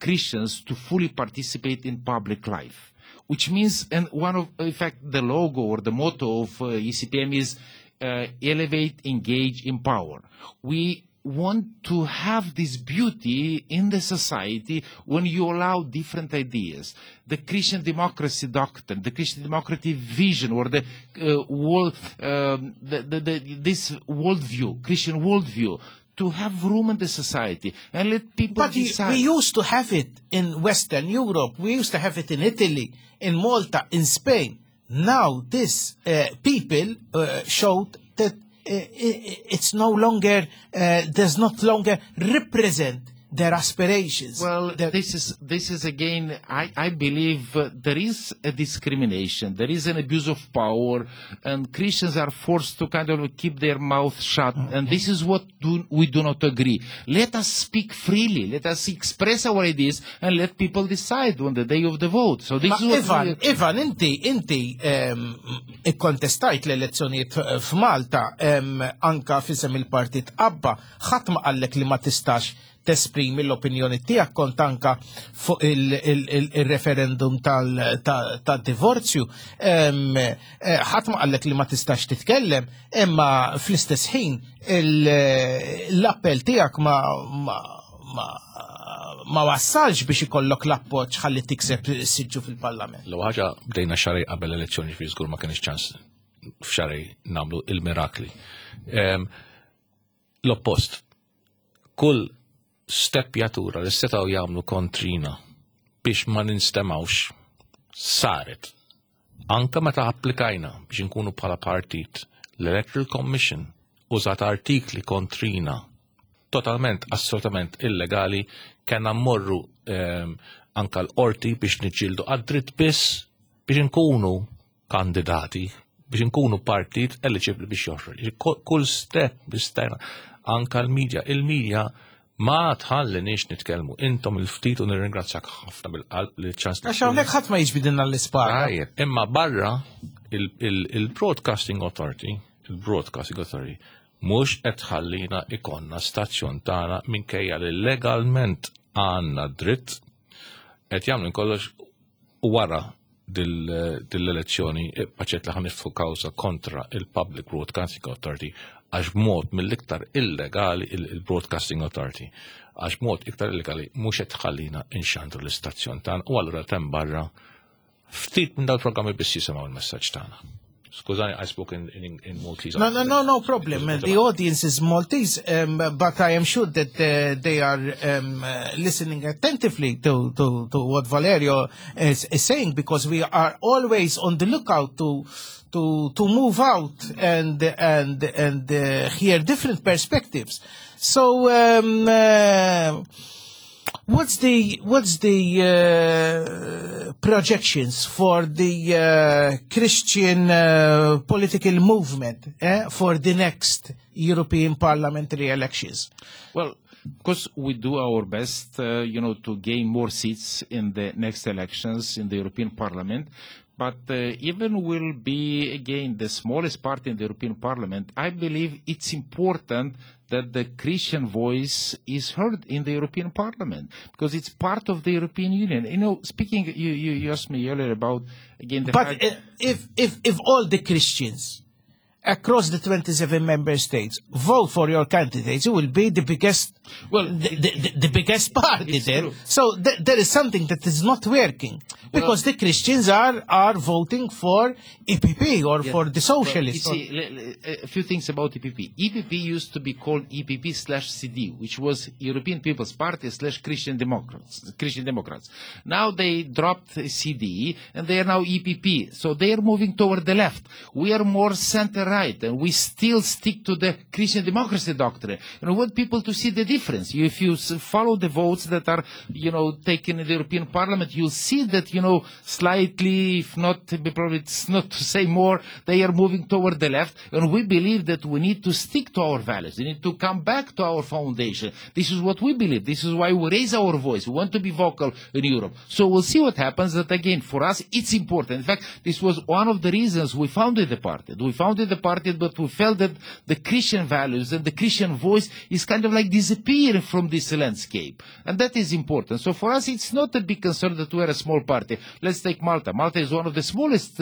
Christians to fully participate in public life, which means, and one of, in fact, the logo or the motto of ECPM is elevate, engage, empower. We want to have this beauty in the society when you allow different ideas. The Christian democracy doctrine, the Christian democracy vision, or the world, this worldview, Christian worldview, to have room in the society and let people But decide. we used to have it in Western Europe. We used to have it in Italy, in Malta, in Spain. Now this people showed that it's no longer, does not longer represent their aspirations. Well, this is again, I believe there is a discrimination, there is an abuse of power, and Christians are forced to kind of keep their mouth shut, and this is what we do not agree. Let us speak freely, let us express our ideas, and let people decide on the day of the vote. So this Ma is what Ivan, we Ivan, inti ikkontestajt l-elezzjonijiet f'Malta, anka f'isem il-partit ABBA, ħadd ma qallek li ma tistax tesprimi l-opinjoni tiegħek, kont anka fuq il-referendum tad-divorzju. Ħadd ma qallek li ma tistax titkellem, imma fl-istess ħin l-appell tiegħek ma wassalx biex ikollok l-appoġġ ħalli tikseb siġġu fil-Parlament. L ħaġa bdejna xahrejn qabel elezzjoni, fi żgur ma kienx ċans f'xahrejn nagħmlu il-mirakli. L-oppost, kull stepjatura li setgħu jagħmlu kontrina biex ma ninstemawx saret. Anka meta applikajna biex nkunu bħala partit, l-Electoral Commission użat artikli kontrina totalment, assolutament illegali, kena mmorru anka l-qorti biex niġġieldu għad-dritt biss biex nkunu kandidati, biex nkunu partit eligibli biex joħroġ. Kull step biex stajna, anka l-medja, il-medja ma tħallinix nitkellmu. Intom il-ftit u nirringrazzjak ħafna bil-qalb li ċans. Għax hawnhekk ħadd ma jiġbidilna l-ispara. Tajjeb, imma barra il-Broadcasting Authority, il-Broadcasting Authority, mhux qed tħallina ikonna stazzjon tagħna minkejja li legalment għandna dritt, qed jagħmlu kollox u wara dil-elezzjoni paċet li ħa niftħu kawża kontra il-Public Broadcasting Authority għax mod mill-iktar illegali il-Broadcasting Authority għax mod iktar illegali mhux qed tħallina inxandru l-istazzjon tagħna u allura tem barra ftit minn dal-programmi biss jisimgħu l-messaġġ tagħna. Skużani, I spoke in Maltese. No, no problem. The audience is Maltese, but I am sure that they are listening attentively to what Valerio is saying, because we are always on the lookout to move out and hear different perspectives. So, what's the projections for the Christian political movement for the next European parliamentary elections? Well, Of course, we do our best, to gain more seats in the next elections in the European Parliament. But even we'll be, again, the smallest party in the European Parliament, I believe it's important that the Christian voice is heard in the European Parliament, because it's part of the European Union. You know, speaking, you asked me earlier about, again, the But fact if all the Christians across the 27 member states vote for your candidates, it will be the biggest, Well, the biggest party it's there. true. So there is something that is not working, because the Christians are voting for EPP or for the socialists. Well, you see, a few things about EPP. EPP used to be called EPP/CD, which was European People's Party / Christian Democrats. Christian Democrats. Now they dropped CD and they are now EPP. So they are moving toward the left. We are more center-right, and we still stick to the Christian democracy doctrine. And we want people to see the difference. If you follow the votes that are taken in the European Parliament, you'll see that, slightly, if not, probably it's not to say more, they are moving toward the left. And we believe that we need to stick to our values. We need to come back to our foundation. This is what we believe. This is why we raise our voice. We want to be vocal in Europe. So we'll see what happens. That again, for us, it's important. In fact, this was one of the reasons we founded the party. We founded the party, but we felt that the Christian values and the Christian voice is kind of like disappearing from this landscape. And that is important. So for us, it's not a big concern that we are a small party. Let's take Malta. Malta is one of the smallest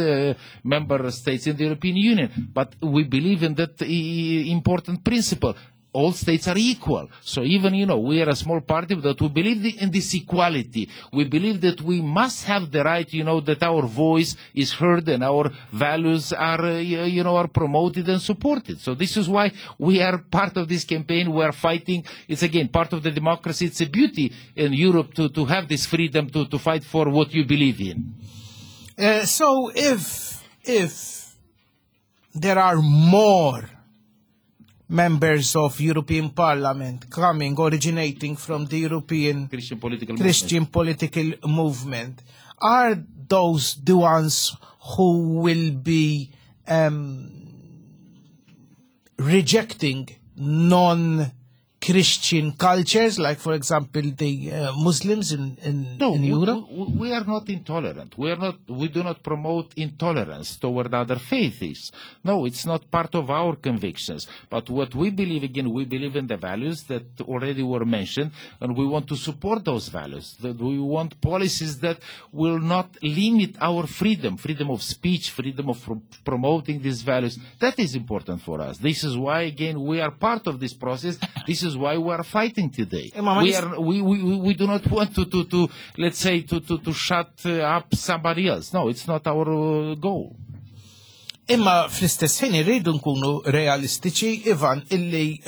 member states in the European Union, but we believe in that important principle. All states are equal. So even, we are a small party, but we believe in this equality. We believe that we must have the right, that our voice is heard and our values are promoted and supported. So this is why we are part of this campaign. We are fighting. It's, again, part of the democracy. It's a beauty in Europe to have this freedom to fight for what you believe in. So if there are more members of European Parliament coming, originating from the European Christian political Christian movement. political movement, are those the ones who will be rejecting non-Christian cultures, like, for example, the Muslims No, in Europe? we are not intolerant. We are not. We do not promote intolerance toward other faiths. No, it's not part of our convictions. But what we believe, again, we believe in the values that already were mentioned, and we want to support those values. That we want policies that will not limit our freedom, freedom of speech, freedom of promoting these values. That is important for us. This is why, again, we are part of this process. This is why we are fighting today. Imma ma We nis- do not want to shut up somebody else. No, it's not our goal. Imma fl-istess ħin irridu nkunu realistiċi, Ivan, illi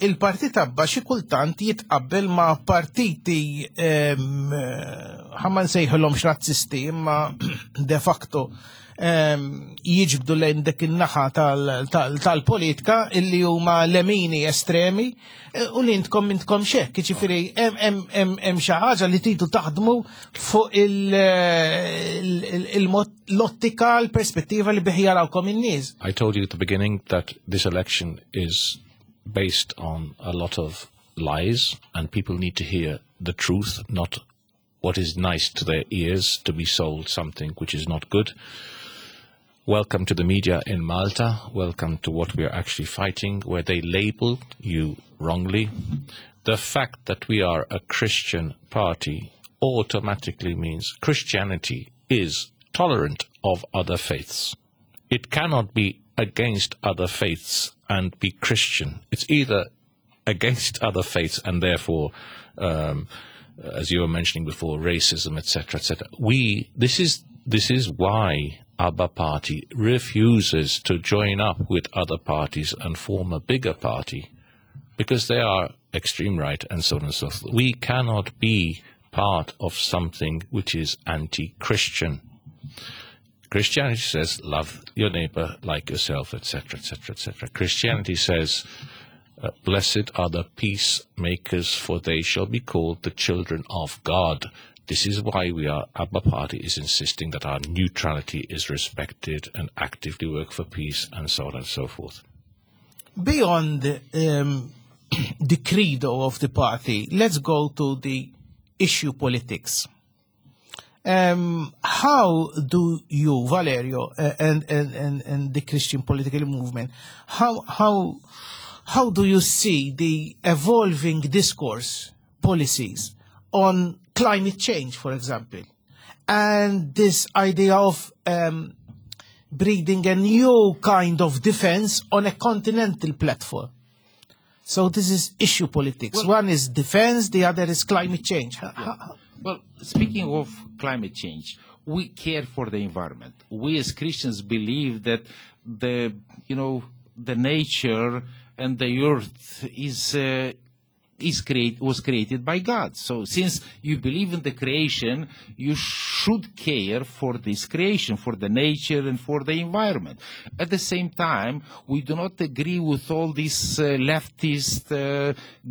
il-partit ABBA xi kultant jitqabbel ma' partiti ħa ma nsejħilhomx razzisti, imma de facto jiġbdu lejn dik in-naħa tal-politika illi huma lemini estremi u li intkom intkom xekk, jiġifieri hemm xi ħaġa li tridu taħdmu fuq il-mod l-ottika, l-perspettiva li bih jarawkom in-nies. I told you at the beginning that this election is based on a lot of lies and people need to hear the truth, not what is nice to their ears, to be sold something which is not good. Welcome to the media in Malta. Welcome to what we are actually fighting, where they label you wrongly. The fact that we are a Christian party automatically means Christianity is tolerant of other faiths. It cannot be against other faiths and be Christian. It's either against other faiths and therefore, as you were mentioning before, racism, etc., etc. This is why ABBA party refuses to join up with other parties and form a bigger party, because they are extreme right and so on and so forth. We cannot be part of something which is anti-Christian. Christianity says love your neighbor like yourself, etc., etc., etc. Christianity says, blessed are the peacemakers, for they shall be called the children of God. This is why ABBA party is insisting that our neutrality is respected and actively work for peace and so on and so forth. Beyond the credo of the party, let's go to the issue politics. How do you, Valerio, and the Christian political movement, how do you see the evolving discourse policies on climate change, for example, and this idea of breeding a new kind of defense on a continental platform? So this is issue politics. Well, One is defense, the other is climate change. Yeah. Well, speaking of climate change, we care for the environment. We as Christians believe that the nature and the earth was created by God. So since you believe in the creation, you should care for this creation, for the nature and for the environment. At the same time, we do not agree with all these leftist,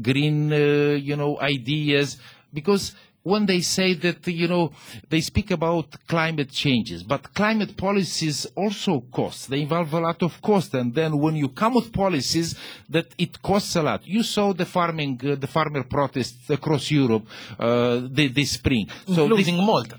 green, ideas, because when they say that, they speak about climate changes, but climate policies also cost. They involve a lot of cost, and then when you come with policies, that it costs a lot. You saw the farmer protests across Europe this spring. So Including this, Malta.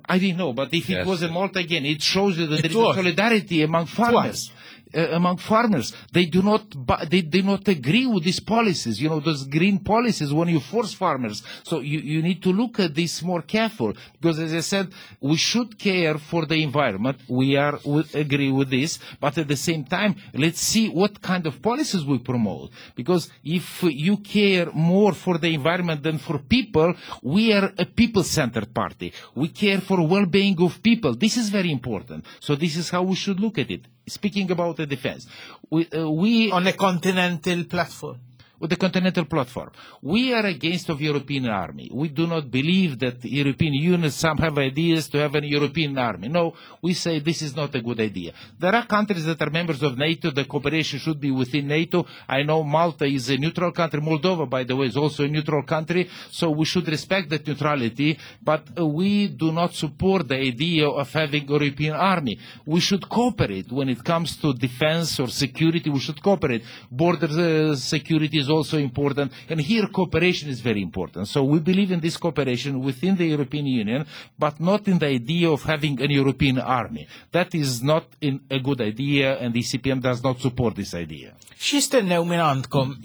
I didn't know, but if it Yes. was in Malta again, it shows you that It there is was. a solidarity among farmers. Twice. Among farmers, they do not they do not agree with these policies, those green policies when you force farmers. So you need to look at this more careful, because as I said, we should care for the environment. We agree with this, but at the same time, let's see what kind of policies we promote. Because if you care more for the environment than for people, we are a people-centered party. We care for well-being of people. This is very important. So this is how we should look at it. Speaking about the defense, we on a continental platform. With the continental platform, we are against of European army. We do not believe that the European Union, some have ideas to have an European army. No, we say this is not a good idea. There are countries that are members of NATO. The cooperation should be within NATO. I know Malta is a neutral country. Moldova, by the way, is also a neutral country. So we should respect that neutrality, but we do not support the idea of having a European army. We should cooperate when it comes to defense or security. We should cooperate. Border security is also important, and here cooperation is very important. So we believe in this cooperation within the European Union, but not in the idea of having an European army. That is not a good idea, and the ECPM does not support this idea. X'jistennew minn għandkom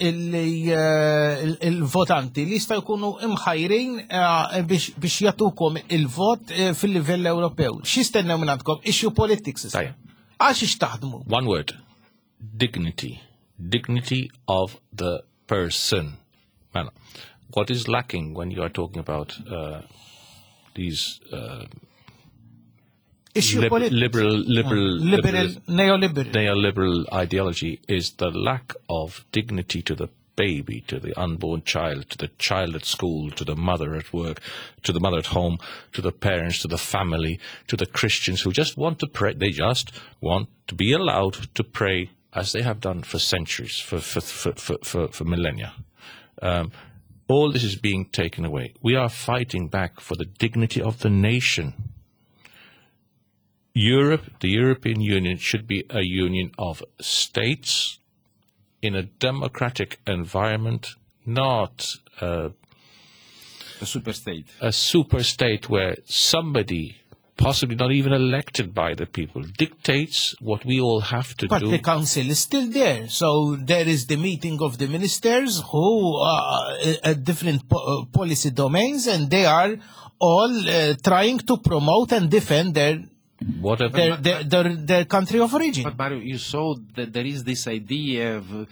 il-votanti li jistgħu jkunu imħajrin biex jagħtukom il-vot fil-livell Ewropew? X'jistennew minn għandkom? Issue politics issa. Tajjeb. Għax ix taħdmu? One word. Dignity. Dignity of the person. Mela, what is lacking when you are talking about these Issue politics. liberal, Liberal, neoliberal. neoliberal ideology is the lack of dignity to the baby, to the unborn child, to the child at school, to the mother at work, to the mother at home, to the parents, to the family, to the Christians who just want to pray. They just want to be allowed to pray as they have done for centuries, for millennia. All this is being taken away. We are fighting back for the dignity of the nation. Europe, the European Union, should be a union of states in a democratic environment, not a super state. A super state where somebody, possibly not even elected by the people, dictates what we all have to But do. the council is still there. So there is the meeting of the ministers who are at different policy domains, and they are all trying to promote and defend Whatever. their country of origin. But Mario, you saw that there is this idea of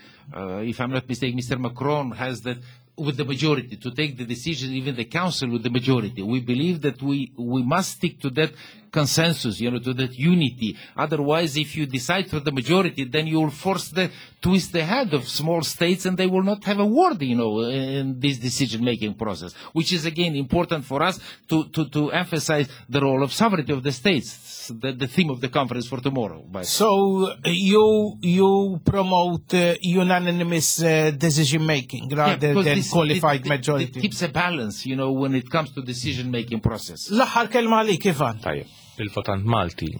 if I'm not mistaken, Mr. Macron has that with the majority, to take the decision, even the council with the majority. We believe that we must stick to that consensus, to that unity. Otherwise, if you decide for the majority, then you will force the, twist the head of small states, and they will not have a word in this decision-making process, which is, again, important for us to emphasize the role of sovereignty of the states, the theme of the conference for tomorrow. But So you promote unanimous decision-making Yeah, rather because than this, qualified it majority. It keeps a balance when it comes to decision-making process. L-aħħar kelma għalik, Ivan. Tajjeb, il-votant Malti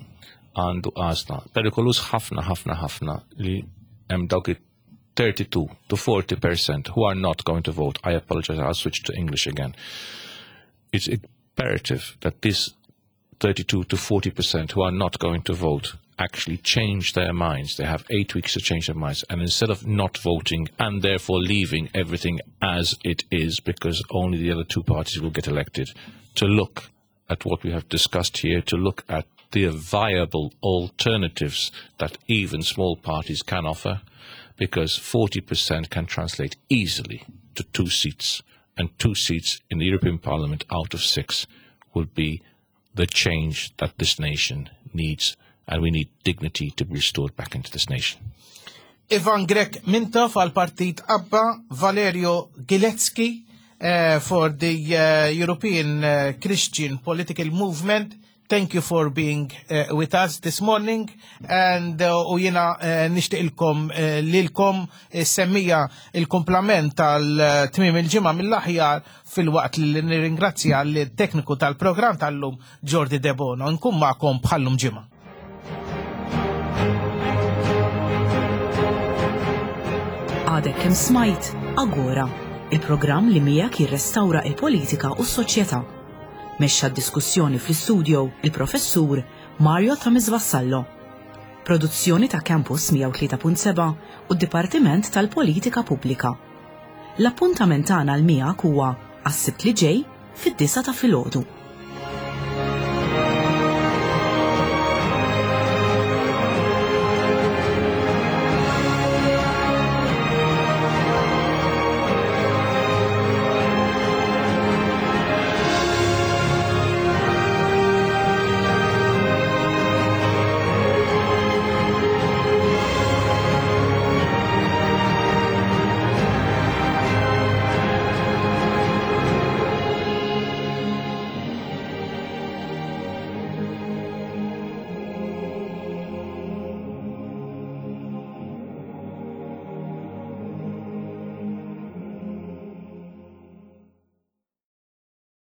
għandu għażla. Perikolus ħafna, ħafna, ħafna li hemm dawk 32 to 40% who are not going to vote, I apologize, I'll switch to English again. It's imperative that this 32 to 40% who are not going to vote actually change their minds. They have eight weeks to change their minds. And instead of not voting and therefore leaving everything as it is, because only the other two parties will get elected, to look at what we have discussed here, to look at the viable alternatives that even small parties can offer, because 40% can translate easily to two seats, and two seats in the European Parliament out of six would be the change that this nation needs, and we need dignity to be restored back into this nation. Ivan Grech Mintoff għal partit Abba, Valerio Gilecki uh, for the uh, European uh, Christian Political Movement. Thank you for being uh, with us this morning and uh, u jiena uh, nixtieqilkom uh, lilkom semmija il-komplament tal-tmiem il-ġimgħa mill-aħjar filwaqt li nirringrazzja l-tekniku tal-programm tal-lum Jordi Debono. Nkun magħkom bħallum ġimgħa. Għadek kemm smajt Agora, il-programm li miegħek jirrestawra il-politika u s-soċjetà. Mexxa d-diskussjoni fl-istudio il-professur Mario Tamis Vassallo. Produzzjoni ta' Campus 103.7 u d-Dipartiment tal-Politika Pubblika. L-appuntament tagħna l miegħek huwa għas-Sibt li ġej fid-disa ta' filgħodu.